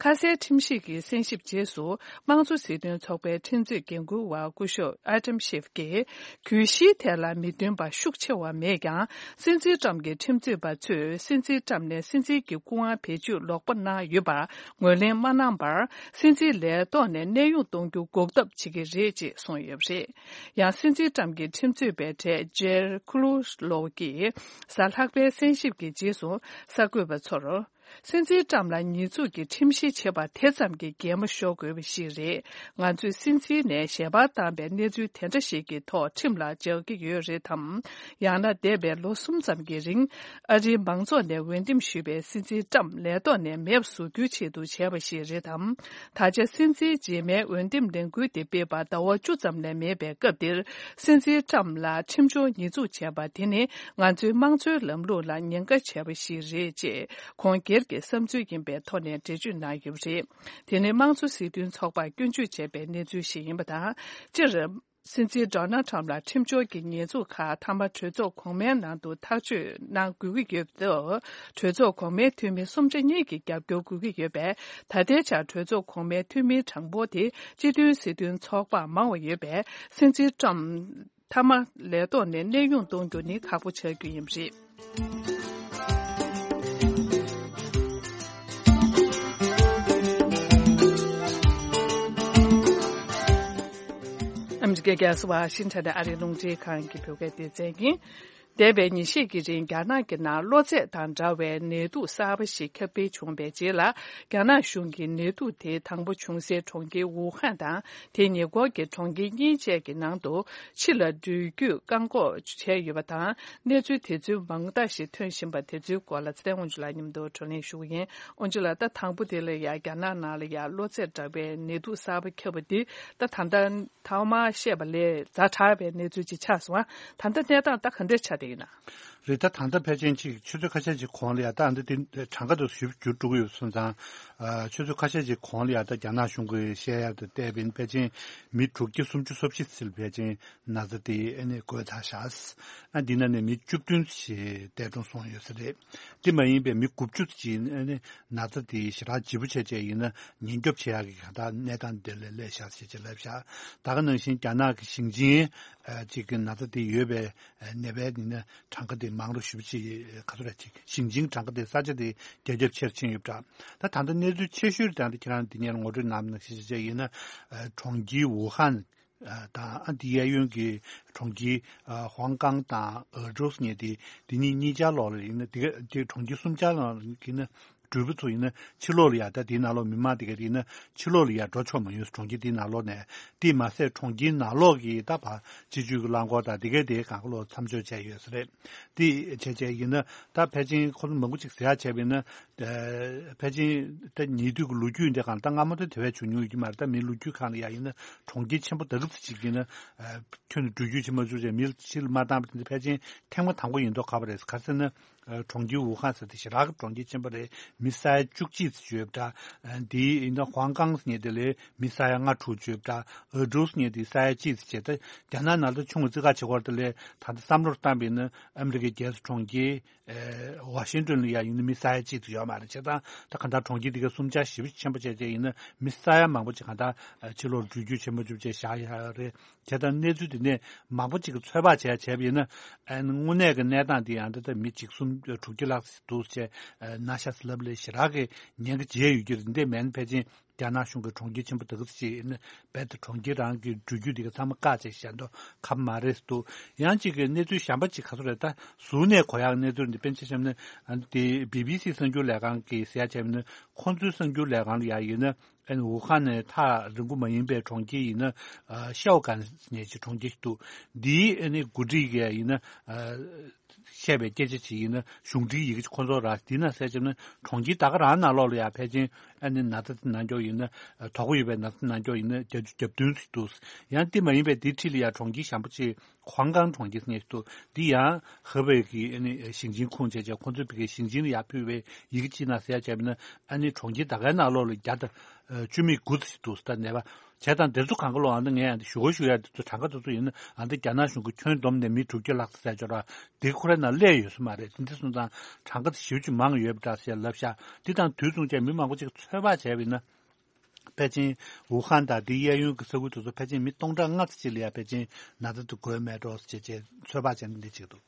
ཁ་གསལ་ཁྲིམས་ཞིབ་ཀྱི་གསན་ཞིབ་རྗེས་སུ། དམངས་གཙོ་སྲིད་དོན་ཚོགས་པའི་ཁྲིམས་རྩོད་འགན་འཁུར་བ་སྐུ་ཞབས་ཨ་ཏམ་ཤེབ་ཀྱིས། གྱོད་གཞིའི་ཐད་ལ་མི་མཐུན་པ་ཤུགས་ཆེ་བ་མེད་ཀྱང་། སྲིད་འཛིན་ཊམ་གྱི་ཁྲིམས་རྩོད་པ་ཚོས་སྲིད་འཛིན་ཊམ་ནས་སྲིད་འཛིན་གྱི་སྐུ་དབང་བེད་སྤྱོད་ལོག་པ་གནང་ཡོད་པར་ངོས་ལེན་མ་གནང་བར། སྲིད་འཛིན་ལས་ཐོག་ནས་གནས་དབྱུང་གཏོང་རྒྱུ་འགོག་ཐབས་བྱེད་ཀྱི་རེད་ཅེས་གསུངས་ཡོད་པ་རེད། ཡང་སྲིད་འཛིན་ཊམ་གྱི་ཁྲིམས་རྩོད་པའི་གྲས་ཇེར་ཁུ་ལུ་ལོ་ཀྱིས་གཟའ་ལྷག་པའི་གསན་ཞིབ་ཀྱི་རྗེས་སུ་གསར་འགོད་པ་ཚོར། སྲིད་འཛིན་ཊམ་ལ་ཉེས་འཛུགས་ཀྱི་ཁྲིམས་གཞི་བྱེད་པ་དེ་ཙམ་གྱིས་འགན་མ་ཤོར་དགོས་པ་ཞིག་རེད། ང་ཚོས་སྲིད་འཛིན་ནས་ཞལ་པར་བཏང་པའི་གནས་ཚུལ་དེ་འདྲ་ཞིག་གི་ཐོག་ཁྲིམས་ལ་སྦྱར་གྱི་ཡོད་རེད་དམ། ཡང་ན་འདས་པའི་ལོ་གསུམ་ཙམ་གྱི་རིང་། ཨ་རིའི་མང་ཚོགས་ནས་འོས་འདེམས་ཞུས་པའི་སྲིད་འཛིན་ཊམ་ལས་ཐོག་ནས་མེད་པ་བཟོ་རྒྱུའི་ཆེད་དུ་བྱས་པ་ཞིག་རེད་དམ། ད་ཆ་སྲིད་འཛིན་རྗེས་མའི་འོས་འདེམས་ལས་འགུལ་དེ་སྤེལ་བར་ཟླ་བ་བཅུ་ཙམ་ལས་མེད་པའི་སྐབས་འདིར། སྲིད་འཛིན་ཊམ་ལ་ཁྲིམས་སྦྱོར་ཉེས་འཛུགས་བྱས་པ་དེ་ནི། ང་ཚོའི་དམངས་གཙོའི་ལམ་ལུགས་ལ་ཉེན་ཁ་བྱས་པ་ཞིག་རེད་ཅེས། ཁོང་སྒེར་གྱི་བསམ་ཚུལ་ཡིན་པའི་ཐོག་ནས་འགྲེལ་བརྗོད་གནང་ཡོད་པ་རེད། དེ་ནི་དམངས་གཙོ་སྲིད་དོན་ཚོགས་པར་སྐྱོན་བརྗོད་བྱས་པའི་གནས་ཚུལ་ཞིག་ཡིན་པ་དང་། སྤྱིར། སྲིད་འཛིན་ཌོ་ནལ་ཊམ་ལ་ཁྲིམས་སྦྱོར་གྱི་ཉེས་འཛུགས་ཁག་མཐའ་མ་གྲོས་ཚོགས་གོང་མའི་ནང་དུ་ཐག་གཅོད་གནང་དགོས་ཀྱི་ཡོད་སྟབས། གྲོས་ཚོགས་གོང་མའི་འཐུས་མི་གསུམ་ཆ་གཉིས་ཀྱི་རྒྱབ་སྐྱོར་དགོས་ཀྱི་ཡོད་པས། ད་ལྟའི་ཆར་གྲོས་ཚོགས་གོང་མའི་འཐུས་མིའི་གྲངས་འབོར་དེ་སྤྱི་མཐུན་སྲིད་དོན་ཚོགས་པར་མང་བ་ཡོད་པས། སྲིད་འཛིན་ཊམ་མཐའ་མ་ལས་ཐོག་ནས་གནས་དབྱུང་གཏོང་རྒྱུ་ནི་ཁག་པོ་ཆགས་རྒྱུ་ཡིན་པ་རེད། ཨ་མི་རི་ཀའི་རྒྱལ་ས་ཝ་ཤིང་ཊོན་ནས་ཨ་རིའི་རླུང་འཕྲིན་ཁང་གི་བོད་སྐད་སྡེ་ཚན་ཡིན། འདས་པའི་ཉིན་ཤས་ཀྱི་རིང་རྒྱ་ནག་གི་ནང་གློ་ཚད་དང་འདྲ་བའི་ནད་དུག་གསར་པ་ཞིག་ཁྱབ་སྤེལ་བྱུང་བའི་རྗེས་ལ། རྒྱ་ནག་གཞུང་གིས་ནད་དུག་དེ་དང་པོ་བྱུང་སའི་གྲོང་ཁྱེར་ཝུ་ཧན་དང་། དེའི་ཉེ་འཁོར་གྱི་གྲོང་ཁྱེར་གཉིས་བཅས་ཀྱི་ནང་དུ་ཕྱི་ལ་འགྲུལ་སྐྱོད་བཀག་འགོག་བྱས་ཡོད་པ་དང་། གནས་ཚུལ་དེ་ཚོའི་མང་དག་ཞིག་ཐོན་བཞིན་པ་དེ་ཚོའི་སྐོར་ལ་ཚེ་བརྟན་དབང་ཕྱུག་ལགས་མཉམ་དུ་བགྲོ་གླེང་ཞུ་གི་ཡིན། དབང་ཕྱུག་ལགས། ད་དང་པོ་དེ་ལ་ཡ་རྒྱ་ནག་ནང་ལ་ཡ་གློ་ཚད་འདྲ་བའི་ནད་དུག་གསར་པ་ཁྱབ་པ་འདི་ད་ད་ལྟ་ཐོག་མར་བཤད་པ་ལས་ཛ་དྲག་པའི་གནས་ཚུལ་ཅིག་ཆགས་སོང་ཨ། ད་ལྟ་གནས་སྟངས་ད་ག་འདྲ་ཆགས་བསྡད། ཡིན་ན། རེད། ད་ད་ལྟ་ཕལ་ཆེར་ཅིག་ཆུ་ཚོད་ཁ་ཤས་ཅིག་གོང་ལ་ཡ་ད་འདི་དེ་གྲངས་ཀ་དེ་ཞིབ་འཇུག་འགྲོ་གི་ཡོད་སོང་ཙང་། ཨ། ཆུ་ཚོད་ཁ་ཤས་ཅིག་གོང་ལ་ཡ་ད་རྒྱ་ནག་གཞུང་གི་བཤད་ཡ་དེ་བལྟས་པ་ཡིན་ན་ཕལ་ཆེར་མི་དྲུག་བརྒྱ་སུམ་ཅུ་སོ་བཞི་ཙམ་ཕལ་ཆེར་ན་ཚ་དེ་ཨ་ནི་འགོས་ཚར་ཤག་ཨ། འདི་ནང་ནས་མི་བཅུ་བདུན་ཞིག་འདས་གྲོངས་སོང་ཡོད་ས་རེད། དེ་མ་ཡིན་པའི་མི་དགུ་བཅུ་ཅིག་ཨ་ནི་ན་ཚ་དེ་ཞེ་དྲག་ལྗིད་པོ་བྱས་བྱས་ཡིན་ན་ཉེན་སྐྱོབ་བྱེད་ཡག་གི་གང་ལྟར་གནས་སྟངས་དེ་ལ་སླེབས་ཤག་ཞེས་བྱས་ལབ་ཤག་ད་ག་ནང་བཞིན་རྒྱ་ནག་གི་ཞིང་ཆེན་ཨ་ཅིག་གི་ན་ཚ་དེ་ཡོད་པའི་ནད་པའི་ནི་གྲངས་ཀ་དེ་མང་རུ་ཞེ་པོ་ཅིག་ག་ཚོད་རེད། ཅིག་ཞིང་ཆེན་གྲངས་ཀ་དེ་ས་ཆ་དེ་རྒྱ་ཁྱབ་ཆེར་ཕྱིན་ཡོད་པ་འདྲ། ད་ད་ལྟ་གནས་ཚུལ་ཆེ་ཤོས་དེ་ད་ཁྱེད་རང་འདི་ཉིད་ངོ་སྤྲོད་གནང་ནང་བཞིན་བྱས་ཡིན་ན། ཨ། གྲོང་ཁྱེར་ཝུ་ཧན་དང་ཨ་འདི་གཡས་གཡོན་གྱི་གྲོང་ཁྱེར་ཨ་ཧོང་ཀང་དང་ཨུ་ཀྲུག་ཟེར་མཁན་དེ་དེ་གཉིས་གཉིས་ཆར་ལོགས་ལ་ཡིན་ན། དེ་ག་དེ་གྲོང་ཁྱེར་གསུམ་ཆར་ལོགས་ལ་ཡིན་ན། འབྲུག་པ་ཚོ་ཡིན་ན་ཕྱི་ལོགས་ལ་ཡ། ད་དེའི་ནང་ལོགས་མི་མང་དེ་ག་དེ་ཡིན་ན་ཕྱི་ལོགས་ལ་ཡ་འགྲོ་ཆོག་མ་ཡོང་། གྲོང་ཁྱེར་དེའི་ནང་ལོགས་ནས། དེས་མ་ཟད་གྲོང་ཁྱེར་ནང་ལོགས་ཀྱི་ད་ཕར་སྤྱི་སྤྱོད་ཀྱི་རླངས་འཁོར་དང་དེ་ག་དེ་གང་ག་ལོག་མཚམས་འཇོག་བྱས་ཡོད་ས་རེད། དེ་བྱས་བྱས་ཡིན་ན་ད་ཕལ་ཆེར་ཁོ་ཚོ་མང་པོ་ཅིག་ཟེར་ཡག་བྱས་པ་ཡིན་ན། ཨ། ཕལ་ཆེར་ད་ཉེ་དུས་ཀྱི་ལོ་རྒྱུས་འདི་གང་ལྟར་སྔ་མོ་དེ་དེ་བས་བྱུང་མྱོང་ཡོད་ཀྱི་མ་རེད། ད་མིའི་ལོ་རྒྱུས་སྒང་ལ་ཡ་ཡིན་ན་གྲོང་ཁྱེར་ཆེན་པོ་དེ་ག་ཙམ་ཅིག་ཡིན་ན། ཨ། ཁྱོན་ནས་འགྲུལ་བསྐྱོད་བྱེད་མ་བཅུག་བྱས་མི་ཕྱིར་མ་བཏང་པ་དེ་ཕལ་ཆེར་ཐེངས་མ་དང་པོ་ཡིན་མདོག་ཁ་པོ་རེད། ག་རེ་ཟེར་ན། ཨ། གྲོང་ཁྱེར་ཝུ་ཧན་ཟེར་དེ་ཞེ་དྲག་གི་གྲོང་ཁྱེར་ཆེན་པོ་རེད། མི་ས་ཡ་བཅུ་གཅིག་ཙམ་ཡོད་པ་འདྲ། ཨ། དེ་ཡིན་ན་ཧོང་ཀང་ཟེར་མཁན་དེ་ལ་མི་ས་ཡ་ལྔ་དྲུག་ཡོད་པ་འདྲ། ཨུ་ཀྲུག་ཟེར་མཁན་དེ་ས་ཡ་གཅིག་ཙམ་བྱས། ད་རྒྱ་ནག་ནང་ལ་ཆུང་བ་རྩིས་ཁ་བྱེད་སྐོར་དེ་ལ་ད་ལྟ་བསམ་བློར་བཏང་པ་ཡིན་ན་ཨ་མི་རི་ཀའི་རྒྱལ་ས་གྲོང་ཁྱེར། ཨེ། ཝ་ཤིང་ཏོན་ལ་ཡ་ཡིན་ན་མི་ས་ཡ་གཅིག་ཙམ་ཡོད་མ་རེད། བྱས་ཙང་ད་གང་ལྟར་གྲོང་ཁྱེར་འདི་ག་གསུམ་ཆར་ཞེ་པོ་ཆེན་པོ་བྱས་བྱས་ཡིན་ན་མི་ས་ཡ་མང་པོ་ཅིག་གང་ལྟར་ཕྱི་ལོགས་འགྲུལ་བསྐྱོད་བྱེད་མ་བཅུག་བྱས་བཞག་ཡག་རེད། བྱས་ཙང་གནས་ཚུལ་འདི་ནས་མང་པོ་ཅིག་གིས་ཚོད་དཔག་བྱས་བྱས་པ་ཡིན་ན། ཨ་ནི་དངོས་གནས་ཀྱི་གནས་སྟངས་འདི་ཡང་ད་ལྟ་མི་གཅིག་གསུམ་དྲུག་བརྒྱ་ལྷག་ཙམ་འདུག་ཅེས་ན་ཤ་ཟ་ལབ་ལས་ཞེ་དྲག་གི་ཉེན་ཁ་འཇལ་ཡོད་ཀྱི་རེད། འདི་མིན་ཕལ་ཆེར་རྒྱ་ནག་གཞུང་གི་གྲོང་ཁྱེར་ཆེན་པོ་དེ་ག་ཙམ་ཅིག་ཡིན་ན་རྦད་དེ་གྲོང་ཁྱེར་རང་གི་འགྲུལ་བསྐྱོད་འདི་ག་ཚང་མ་བཀག་བྱས་བཞག་མདོག་ཁ་པོ་མ་རེད་འདུག་ཡང་གཅིག་གི་གནས་ཚུལ་གཞན་པ་ཅིག་ག་ཚོད་རེད། ད་གཟུགས་ནས་གོ་ཡག་གནས་ཚུལ་འདི་དཔེར་ན་ཆ་བཞག་ན། ཨ་ནི་དེ་བི་བི་སི་གསར་འགྱུར་ལས་ཁང་གིས་ཟེར་ཡག་བྱས་པ་ཡིན་ན། ཁོང་ཚོའི་གསར་འགྱུར་ལས་ཁང་ལ་ཡ་ཡིན་ན། ཨ་ནི་ཝུ་ཧན་ནས་ཐག་རིང་པོ་མ་ཡིན་པའི་གྲོང་ཁྱེར་ཡིན་ན། ཨ། ཤའོ་ཀན་ཟེར་མཁན་ཅིག་གྲོང་ཁྱེར་ཞིག་འདུག་འདིའི་ཨ་ནི་འགོ་ཁྲིད་ཀྱིས་ཡིན་ན། ཨ། བཤད་པའི་སྐད་ཆ་ཅིག་ཡིན་ན། གཞུང་འབྲེལ་ཡི་གེ་ཅིག་ཁོང་ཚོར་རག་འདི་ན་གསལ་བྱས་ན་གྲོང་ཁྱེར་ད་ག་རང་ནང་ལོགས་ལ་ཡ་ཕལ་ཆེར་ཨ་ནི་ན་ཚ་དེ་ན་མཁན་ཡིན་ན། དོགས་པ་ཡོད་པའི་ན་ཚ་ན་མཁན་ཡིན་ན་བརྒྱད་ཅུ་གྱ་བདུན་ཙམ་འདུག་ཡང་དེ་མ་ཡིན་པའི་དེའི་འཁྲིས་ལ་ཡ་གྲོང་ཁྱེར་གཞན་པ་ཅིག་ཧོང་ཀང་གྲོང་ཁྱེར་ཟེར་མཁན་ཞིག་འདུག་འདི་ཡང་ཧུ་པེ་གི་ཨ་ནི་ཞིང་ཆེན་ཁུངས་བྱས་བྱས་ཁོང་ཚོས་ཕ་གིའི་ཞིང་ཆེན་ལ་ཡ་ཕུལ་བའི་ཡི་གེ་ཅིག་ན་གསལ་བྱས་པ་ན། ཨ་ནི་གྲོང་ཁྱེར་ད་གའི་ནང་ལོགས་ལ་བརྒྱ་དང་བཅུ་མེད་དགུ་ཙམ་ཞིག་འདུག་ད་ནད་པ། བྱས་ཙང་དེ་ཚོ་གང་ག་ལོག་ཨ་ནི་ངས་ཨ་ནི་ཞུ་ག་ཞུ་ཡ་དེ་ཚོ་གྲངས་ཀ་དེ་ཚོ་ཡིན་ན། ཨ་ནི་རྒྱ་ནག་གཞུང་གིས་ཁྱོན་བསྡོམས་ནས་མི་དྲུག་བརྒྱ་ལྷག་ཙམ་ཟེར་ཆོག་ར། དེ་ཁོ་རའི་ནང་སླེབས་ཡོད་ས་མ་རེད། དེ་འདྲ་སོང་ཙང་གྲངས་ཀ་དེ་ཞེ་པོ་ཅིག་མང་ཡོད་པ་འདྲ་ཟེར་ལབ་ཤག་འདི་དང་དུས་མཚུངས་བྱས་མི་མང་པོ་ཅིག་ཚོད་དཔག་བྱས་པ་ཡིན་ན། ཕལ་ཆེར་ཝུ་ཧན་དང་དེའི་གཡས་གཡོན་གྱི་ས་ཁུལ་དེ་ཚོ་ཕལ་ཆེར་མི་སྟོང་ཕྲག་ལྔ་ཙམ་ཅིག་ལ་ཡ་ཕལ་ཆེར་ན་ཚ་དེ་འགོས་མེད་འགྲོ་ཟེར་བྱས་ཚོད་དཔག་བྱས་ནས་འདི་བྱེད་ཀྱི་འདུག་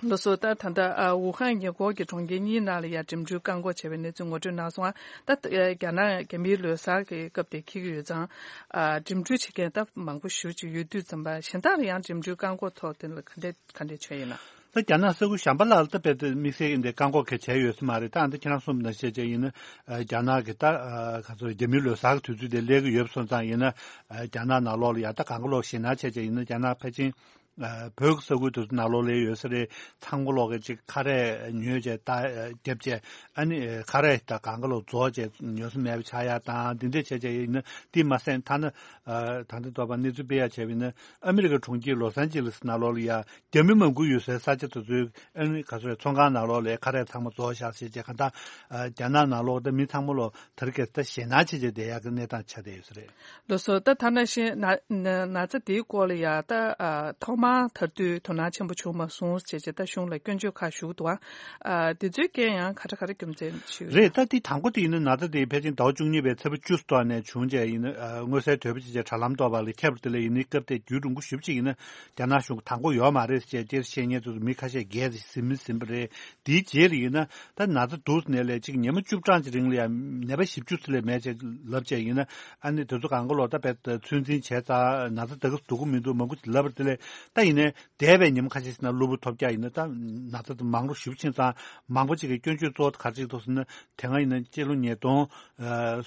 ལགས་སོ། ད་ད་ལྟ་ཨ་ཝུ་ཧན་ཉེ་འཁོར་གྱི་གྲོང་ཁྱེར་གཉིས་ནང་ལ་ཡ་འགྲིམ་འགྲུལ་བཀག་འགོག་བྱས་པའི་གནས་ཚུལ་ངོ་སྤྲོད་གནང་སོང་ང་། ད་ཨ་རྒྱ་ནག་རྒྱ་མིའི་ལོ་གསར་གྱི་སྐབས་དེ་འཁེལ་གྱི་ཡོད་ཙང་། ཨ་འགྲིམ་འགྲུལ་བྱེད་མཁན་ད་མང་པོ་ཞེ་པོ་ཅིག་ཡོད་དུས་ཙམ་པ། གཞན་དག་ལ་ཡང་འགྲིམ་འགྲུལ་བཀག་འགོག་ཐོག་དེ་ལ་ག་འདྲས་ག་འདྲས་བྱས་ཡོད་ན། ད་རྒྱ་ནག་ས་ཁུལ་གཞན་པ་ལ་ད་རྦད་དེ་དམིགས་བསལ་གྱི་འདི་བཀག་འགོག་གལ་བྱས་ཡོད་ས་མ་རེད། ད་ཨ་ནི་ཁྱེད་རང་གསུངས་པ་ནང་བཞིན་བྱས་བྱས་ཡིན་ན། ཨ་རྒྱ་ནག་གི་ད་ཨ་ག་ཚོད་རྒྱ་མིའི་ལོ་གསར་གྱི་དུས་ཚོད་དེ་སླེབས་ཀྱི་ཡོད་པ་སོང་ཙང་ཡིན་ན། ཨ་རྒྱ་ནག་ནང་ལོགས་ལ་ཡ་ད་གང་ག་ལོག་ཞེད་སྣང་བྱས་བྱས་ཡིན་ན། རྒྱ་ནག་ཕལ་ཆེར་ཨ་བོད་ཀྱི་ས་ཁུལ་དེ་ཚོ་ནང་ལོགས་ལ་ཡོད་ས་རེད། ཚང་མ་ལོག་གི་ཅིག་ཁ་རས་ཉོས་བྱས་ད་ཨ་རྒྱབ་བྱས། ཨ་ནི་ཨ་ཁ་རས་ད་གང་ག་ལོག་རྫོགས་བྱས་ཉོ་ས་མེད་པ་ཆགས་ཡ་དང་འདི་འདྲས་བྱས་བྱས་ཡིན་ན། དེ་མ་ཟད་ཐ་ན་ཨ་ད་ལྟ་ལྟོས་པ་གནས་ཚུལ་སྤེལ་ཡ་བྱས་པ་ཡིན་ན། ཨ་མི་རི་ཀའི་གྲོང་ཁྱེར་ལོ་སན་ཇི་ལིས་ནང་ལོགས་ལ་ཡ་རྒྱ་མི་མང་པོ་ཡོད་སའི་ས་ཆ་དེ་ཚོའི་ཨ་ནི་ག་ཚོད་རེད། ཚོང་ཁང་ནང་ལོགས་ལ་ཁ་རས་ཚང་མ་རྫོགས་བཞག་ཟེར་བྱས། གང་ལྟར་ཨ་རྒྱ་ནག་ནང་ལོགས་ད་མི་ཚང་མ་ལོག་དེ་རིང་ཁ་སང་ད་ཞེད་སྣང་བྱས་བྱས་བསྡད་ཡག་གི་གནས་སྟངས་ཆགས་བསྡད་ཡོད་ས་རེད། ལགས་སོ། ད་ཐ་ན་ཤི་ན་ན་ན་ཚ་དེའི་སྐོར་ལ་ཡ་ད་ཨ་ཐོག་མར་ཐར་དུས་དོ་སྣང་ཆེན་པོ་བྱུང་མ་སོང་ཟེར་བྱས་ད་གཞུང་ལ་སྐྱོན་བརྗོད་ཁག་ཞུགས་འདུག་ཨ། ཨ་དེ་ཚོའི་རྐྱེན་ཡང་ག་འདྲ་ག་འདྲ་རྒྱུ་མཚན་ཞིག་རེད། ད་དེ་དང་པོ་དེ་ཡིན་ན་ན་ཚ་དེ་ཕལ་ཆེར་ཟླ་བ་བཅུ་གཉིས་པའི་ཚེས་པ་བཅུ་ཙམ་ནས་བྱུང་བྱས་ཡིན་ན། ཨ་མངོན་གསལ་དོད་པོ་བྱས་བྱས་དྲ་ལམ་ཐོག་པ་ལ་ཁྱབ་པ་དེ་ལ་ཡིན་ནའི་སྐབས་དེ་རྒྱུན་རིང་པོ་ཞེ་པོ་ཅིག་ཡིན་ན་རྒྱ་ནག་གཞུང་གིས་དང་པོ་ཡོད་མ་རེད་ཟེར་བྱས་སྤྱིར་བཤད་མཁན་ཚོ་མི་ཁ་ཤས་རྒས་ཟིན་མི་ཟིན་པ་རེད། དེའི་རྗེས་ལ་ཡིན་ན་ད་ན་ཚ་འདུག་ཟེར་ནས་ལས་གཅིག་ཉི་མ་བཅུ་གྲངས་ཀྱི་རིང་ལ་ཡང་ནད་པ་བཞི་བཅུ་ཙམ་ལས་མེད་ཅེས་ལབ་བྱས་ཡིན་ན། ཨ་ནི་དེ་ཚོ་གང་ག་ལོག་ད་བས་ཚོད་འཛིན་བྱས་ཙང་ན་ཚ་དེ་ག་སྡུག་གི་མི་འདུག་མང་པོ་ཅིག་ལབ་པ་དེ་ལས། ད་ཡིན་ནའི་འདས་པའི་ཉིན་མོ་ཁ་ཤས་ཤིག་ན་གློ་བུར་ཐོལ་རྒྱག་ཡིན་ན་ད་ན་ཚ་དེ་མང་རུ་ཞེ་པོ་ཕྱིན་ཙང་། མང་པོ་ཅིག་གིས་སྐྱོན་བརྗོད་གཙོ་བོ་ག་རེ་བྱེད་ཀྱི་འདུག་ཟེར་ན། དེ་སྔ་ཡིན་ན་སྤྱི་ལོ་ཉིས་སྟོང་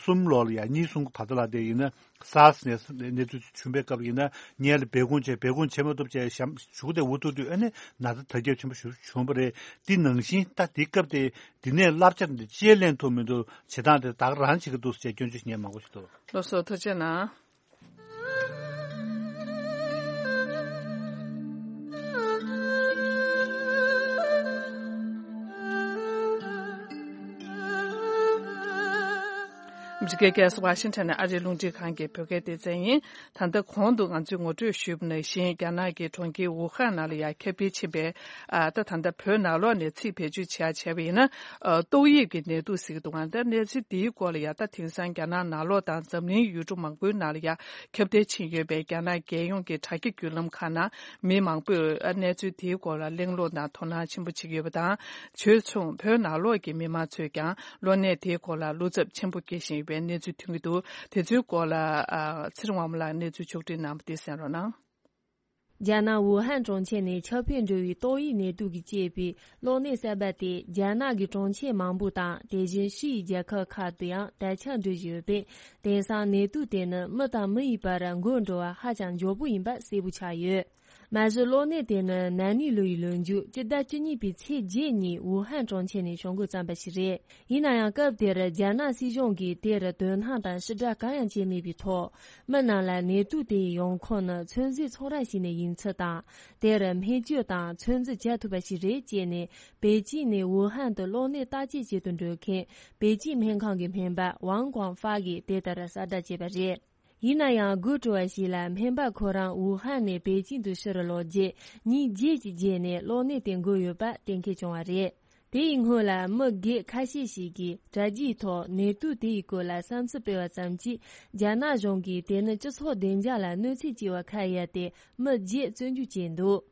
གསུམ་ལོ་ལ་ཡ་གཉིས་གསུམ་གྱི་བར་དུ་ལ་དེ་ཡིན་ན། སཱར་སི་ནས་གནས་ཚུལ་བྱུང་བའི་སྐབས་ཡིན་ན་ངས་ལ་སྦས་སྐུང་བྱས། སྦས་སྐུང་བྱེད་མ་ཐུབ་བྱས་ཞབས་ཞུ་དེ་འུ་ཐུག་དུས་ཨ་ནི་ན་ཚ་དར་ཁྱབ་ཆེན་པོ་ཞིག་བྱུང་བ་རེད། འདི་ནང་བཞིན་ད་དེ་སྐབས་དེ་འདི་ནས་བསླབ་བྱ་འདི་ཅི་ལེན་ཐུབ་མི་འདུག་བྱེད་སྟངས་དེ་ད་ག་རང་བྱེད་ཀྱི་འདུག་ཟེར་སྐྱོན་བརྗོད་ཞུ་མཁན་མང་པོ་ཞིག་འདུག་ལགས་སོ། ཐུགས་རྗེ་གནང་། ཨ་མེ་རི་ཀའི་རྒྱལ་ས་ཝ་ཤིང་ཊོན་ནས་ཨ་རིའི་རླུང་འཕྲིན་ཁང་གི་བོད་སྐད་སྡེ་ཚན་ཡིན། ད་ལྟ་གོང་དུ་ང་ཚོས་ངོ་སྤྲོད་ཞུས་པ་ནང་བཞིན། རྒྱ་ནག་གི་གྲོང་ཁྱེར་ཝུ་ཧན་ནང་ལ་ཡང་ཁྱབ་གདལ་ཕྱིན་པའི། ཨ། ད་ད་ལྟ་བོད་ནང་ལོགས་ནས་ཚིག་བེད་སྤྱོད་བྱས་བྱས་པ་ཡིན་ན། ཨ། ཏོག་དབྱིབས་ཀྱི་ནད་དུག་ཟེར་གྱི་འདུག་ག་ད་གནས་ཚུལ་འདིའི་སྐོར་ལ་ཡང་ད་དེང་སང་རྒྱ་ནག་ནང་ལོགས་དང་འཛམ་གླིང་ཡུལ་གྲུ་མང་པོའི་ནང་ལ་ཡང་ཁྱབ་གདལ་ཕྱིན་ཡོད་པའི་རྒྱ་ནག་རྒྱལ་ཡོངས་ཀྱི་དྲ་རྒྱའི་བརྒྱུད་ལམ་ཁག་ནང་མི་མང་པོས་གནས་ཚུལ་དེའི་སྐོར་ལ་གླེང་སློང་དང་དོ་སྣང་ཆེན་པོ་བྱེད་ཀྱི་ཡོད་པ་དང་། བྱས་ཙང་བོད་ནང་ལོགས་ཀྱི་མི་མང་ཚོས་ཀྱང་གློ་ནད་དེའི་སྐོར་ལ་བློ་འཚབ་ཆེན་པོ་སྐྱེ་བཞིན་ཡོད་པའི་གནས་ཚུལ་ཐོན་གྱི་འདུག་དེ་ཚོའི་སྐོར་ལ། ཨ། ཚེ་རིང་དབང་མོ་ལགས་གནས་ཚུལ་ཕྱོགས་སྒྲིག་གནང་བ་དེ་གསན་རོགས་གནང་། རྒྱ་ནག་ཝུ་ཧན་གྲོང་ཁྱེར་ནས་ཁྱབ་སྤེལ་འགྲོ་བའི་ཏོག་དབྱིབས་ནད་དུག་གིས་བསྐྱེད་པའི་གློ་ནད་གསར་པ་དེ་རྒྱ་ནག་གི་གྲོང་ཁྱེར་མང་པོ་དང་། དེ་བཞིན་ཕྱི་ཡི་རྒྱལ་ཁབ་ཁག་ཏུ་ཡང་དར་ཁྱབ་འགྲོ་བཞིན་ཡོད་པས། དེང་སང་ནད་དུག་དེ་ནི་མི་དང་མི་ཡི་བར་འགོ་འགྲོ་བ་ཧ་ཅང་མགྱོགས་པོ་ཡིན་པ་གསལ་པོ་ཆགས་ཡོད། མ་གཞི་གློ་ནད་དེ་ནི་ན་ནིང་ལོ་ཡི་ལོ་མཇུག་སྤྱི་ཟླ་བཅུ་གཉིས་པའི་ཚེས་བརྒྱད་ཉིན་ཝུ་ཧན་གྲོང་ཁྱེར་ནས་བྱུང་འགོ་བརྩམས་པ་ཞིག་རེད། ཡིན་ན་ཡང་སྐབས་དེར་རྒྱ་ནག་སྲིད་གཞུང་གིས་དེར་དོ་སྣང་དང་ཕྱི་བསྒྲགས་གང་ཡང་བྱས་མེད་པའི་ཐོག་མི་རྣམས་ལ་ནད་དུག་དེ་ཡི་ཡོང་ཁུངས་ནི་ཚོད་འཛིན་ཚོང་ར་ཞིག་ནས་ཡིན་ཚུལ་དང་། དེར་སྨན་བཅོས་དང་ཚོད་འཛིན་བྱ་ཐུབ་པ་ཞིག་རེད་ཅེས་ནས་པེ་ཅིན་ནས་ཝུ་ཧན་དུ་གློ་ནད་བརྟག་དཔྱད་བྱེད་དུ་འགྲོ་མཁན་པེ་ཅིན་སྨན་ཁང་གི་སྨན་པ་ཝང་ཀོང་ཧྥ་གིས་དེ་ལྟར་གསལ་བསྒྲགས་བྱས་པ་རེད། ཡིན་ན་ཡང་དགོད་བྲོ་བ་ཞིག་ལ་སྨན་པ་ཁོ་རང་ཝུ་ཧན་ནས་པེ་ཅིན་དུ་ཕྱིར་ལོག་རྗེས་ཉིན་བརྒྱད་ཀྱི་རྗེས་ནས་གློ་ནད་དེ་འགོས་ཡོད་པ་གཏན་འཁེལ་བྱུང་བ་རེད། དེ་ཡི་སྔོན་ལ་མི་སྒེར་ཁ་ཤས་ཤིག་གིས་དྲ་རྒྱའི་ཐོག་ནད་དུག་དེ་ཡི་སྐོར་ལ་བསམ་ཚུལ་སྤེལ་བ་ཙམ་གྱིས། རྒྱ་ནག་གཞུང་གིས་དེ་ནི་སྤྱི་ཚོགས་བདེ་འཇགས་ལ་གནོད་འཚེ་བྱས་པ་ཁ་ཡ་སྟེ་མི་བརྒྱད་བཙོན་འཇུག་བྱས་འདུག་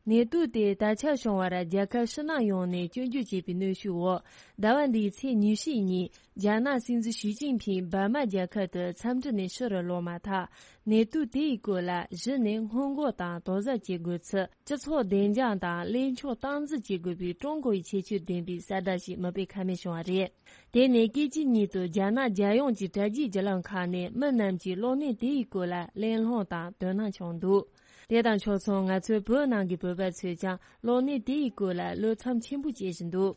ནད་དུག་དེ་དར་ཁྱབ་བྱུང་བར་རྒྱལ་ཁབ་ཕྱི་ནང་ཡོངས་ནས་སྐྱོན་བརྗོད་བྱས་པའི་གནོན་ཤུགས་འོག་ཟླ་བ་འདིའི་ཚེས་ཉི་ཤུ་ཉིན་རྒྱ་ནག་སྲིད་འཛིན་ཞི་ཅིན་ཕིང་འབར་མ་རྒྱལ་ཁབ་ཏུ་འཚམས་འདྲི་ནས་ཕྱིར་ལོག་མ་ཐག་ནད་དུག་དེ་ཡི་སྐོར་ལ་གཞི་ནས་སྔོན་འགོག་དང་དོགས་ཟབ་བྱེད་དགོས་ཚུལ། སྤྱི་ཚོགས་བདེ་འཇགས་དང་གླེང་ཕྱོགས་སྟངས་འཛིན་བྱེད་དགོས་པའི་ཀྲུང་གོ་ཡི་ཁྱད་ཆོས་ལྡན་པའི་གསལ་བསྒྲགས་ཤིག་མི་སྤེལ་ཁ་མེད་བྱུང་བ་རེད། དེ་ནས་སྐད་ཅིག་ཉིད་དུ་རྒྱ་ནག་རྒྱལ་ཡོངས་ཀྱི་དྲ་རྒྱའི་བརྒྱུད་ལམ་ཁག་ནས་མི་རྣམས་ཀྱིས་གློ་ནད་དེ་ཡི་སྐོར་ལ་གླེང་སློང་དང་དོ་སྣང་བྱུང་འདུག་དེ་དང་ཕྱོགས་མཚུངས་ང་ཚོའི་བོད་ནང་གི་བོད་པ་ཚོས་ཀྱང་གློ་ནད་དེ་ཡི་སྐོར་ལ་བློ་འཚབ་ཆེན་པོ་བྱེད་བཞིན་འདུག་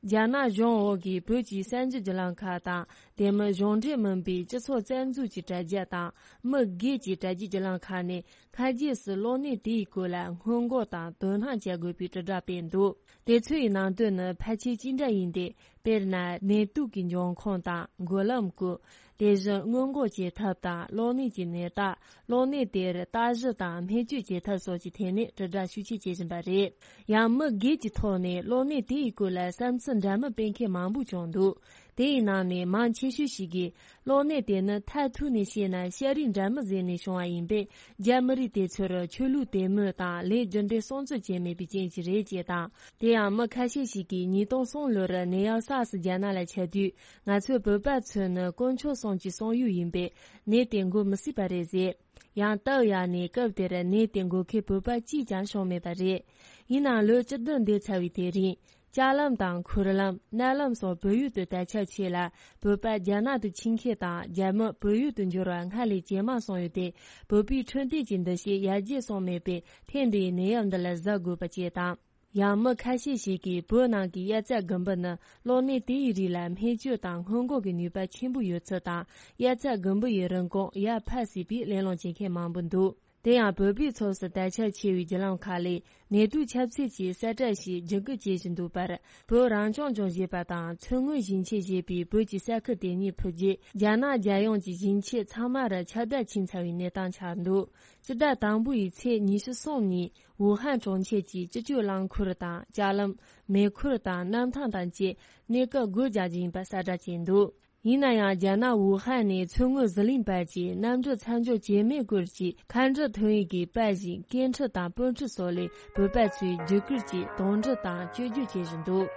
རྒྱ་ནག་གཞུང་འོག་གི་བོད་ཀྱི་གསར་འགྱུར་བརྒྱུད་ལམ་ཁག་དང་། དེ་མིན་གཞུང་འབྲེལ་མིན་པའི་སྤྱི་ཚོགས་རྩ་འཛུགས་ཀྱི་དྲ་རྒྱ་དང་། མི་སྒེར་གྱི་དྲ་རྒྱའི་བརྒྱུད་ལམ་ཁག་ནས་ཁ་རྗེས་སུ་གློ་ནད་དེ་ཡི་སྐོར་ལ་སྔོན་འགོག་དང་དོ་སྣང་བྱ་དགོས་པའི་དྲིལ་བསྒྲགས་སྤེལ་འདུག་དེ་ཚོ་ཡི་ནང་དོན་ནི་ཕལ་ཆེར་གཅིག་འདྲ་ཡིན་ཏེ། དཔེར་ན། ནད་དུག་གི་འབྱུང་ཁུངས་དང་འགོས་ལམ་སྐོར། དེ་བཞིན་སྔོན་འགོག་བྱེད་ཐབས་དང་གློ་ནད་ཀྱི་ནད་རྟགས། གློ་ནད་དེར་བརྟག་ཞིབ་དང་སྨན་བཅོས་བྱེད་ཐབས་སོགས་ཀྱི་ཐད་ནས་དྲིལ་བསྒྲགས་ཤུགས་ཆེ་བྱེད་བཞིན་པ་རེད། ཡང་མི་སྒེར་གྱི་ཐོག་ནས་གློ་ནད་དེ་ཡི་སྐོར་ལ་བསམ་ཚུལ་འདྲ་མིན་སྤེལ་མཁན་མང་པོ་བྱུང་འདུག་དེ་ཡི་ནང་ནས་མང་ཆེ་ཤོས་ཤིག་གིས། གློ་ནད་དེ་ནི་མཐར་ཐུག་ནས་བཤད་ན་ཤ་རིགས་འདྲ་མིན་ཟོས་ནས་བྱུང་བ་ཡིན་པས། རྒྱ་མི་རིགས་དེ་ཚོར་ཆོས་ལུགས་དད་མོས་དང་ལས་རྒྱུ་འབྲས་སྲུང་བརྩི་བྱས་མེད་པའི་རྐྱེན་གྱིས་རེད་ཅེས་དང་། དེ་ཡང་མི་ཁ་ཤས་ཤིག་གིས་ཉིས་སྟོང་གསུམ་ལོར་ནད་ཡམས་སཱར་སི་རྒྱ་ནག་ལ་ཁྱབ་དུས། ང་ཚོའི་བོད་པ་ཚོས་ནི་དཀོན་མཆོག་གསུམ་གྱི་གསང་ཡུལ་ཡིན་པས་ནད་དེ་འགོ་མི་སྲིད་པ་རེད་ཟེར། ཡང་སྟབས་ཡག་ནས་སྐབས་དེར་ནད་དེ་འགོ་མཁན་བོད་པ་གཅིག་ཀྱང་བྱུང་མེད་པ་རེད། ཡིན་ནའང་ལོ་བཅུ་བདུན་འདས་ཚར་བའི་དེ་རིང་། ལྕགས་ལམ་དང་། ཁུར་ལམ། མནལ་ལམ་སོགས་བོད་ཡུལ་དུ་དར་ཁྱབ་ཆེ་ལ། བོད་པ་རྒྱ་ནག་ཏུ་ཕྱིན་མཁན་དང་རྒྱ་མི་བོད་ཡུལ་དུ་འབྱོར་བ་སྔར་ལས་ཇེ་མང་སོང་ཡོད་དེ། བོད་པའི་འཕྲོད་བསྟེན་གྱི་འདུ་ཤེས་ཡར་རྒྱས་སོང་མེད་པས། ཐེངས་འདིའི་ནད་ཡམས་འདི་ལ་གཟབ་དགོས་པ་བཅས་དང་། ཡང་མི་ཁ་ཤས་ཤིག་གིས་བོད་ནང་གི་དབྱར་རྩྭ་དགུན་འབུ་ནི་གློ་ནད་དེ་ཡི་རིགས་ལ་སྨན་བཅོས་དང་སྔོན་འགོག་གི་ནུས་པ་ཆེན་པོ་ཡོད་ཚུལ་དང་། དབྱར་རྩྭ་དགུན་འབུ་ཡི་རིན་གོང་ཡར་འཕར་སྲིད་པའི་གླེང་སློང་བྱེད་མཁན་མང་པོ་འདུག་དེ་ཡང་བོད་པའི་ཚོགས་སུ་དར་ཁྱབ་ཆེ་བའི་བརྒྱུད་ལམ་ཁག་ལས་ནད་དུག་ཁྱབ་ཚད་ཀྱི་གསལ་བསྒྲགས་ཤིག་བརྒྱུད་སྐུར་བྱེད་བཞིན་འདུག་པར། བོད་རང་སྐྱོང་ལྗོངས་ཞེས་པ་དང་མཚོ་སྔོན་ཞིང་ཆེན་ཞེས་པའི་བོད་ཀྱི་ས་ཁུལ་དེ་གཉིས་ཕུད་རྗེས་རྒྱ་ནག་རྒྱལ་ཡོངས་ཀྱི་ཞིང་ཆེན་ཚང་མར་ཁྱབ་བརྡལ་ཕྱིན་ཚར་བའི་གནས་སྟངས་ཆགས་འདུག་སྤྱི་ཟླ་དང་པོ་ཡི་ཚེས་ཉི་ཤུ་གསུམ་ཉིན་ཝུ་ཧན་གྲོང་ཁྱེར་གྱི་སྤྱི་སྤྱོད་རླངས་འཁོར་དང་ལྕགས་ལམ། མེ་འཁོར་དང་གནམ་ཐང་དང་བཅས་གནས་སྐབས་སྒོ་རྒྱག་རྒྱུ་ཡིན་པ་གསལ་བསྒྲགས་བྱས་འདུག་ཡིན་ན་ཡང་རྒྱ་ནག་ཝུ་ཧན་ནས་མཚོ་སྔོན་ཟི་ལིང་བར་གྱི་གནམ་གྲུ་མཚམས་འཇོག་བྱེད་མེད་སྐོར་གྱི་མཁའ་འགྲུལ་ཐོན་ཡིག་གི་པར་བཞིན་སྐད་འཕྲིན་དང་སྤོས་འཕྲུལ་སོགས་ལས་བོད་པ་ཚོས་བརྒྱུད་སྐུར་གྱིས་དོགས་འདྲི་དང་བཅོས་བསྒྱུར་བྱེད་བཞིན་འདུག་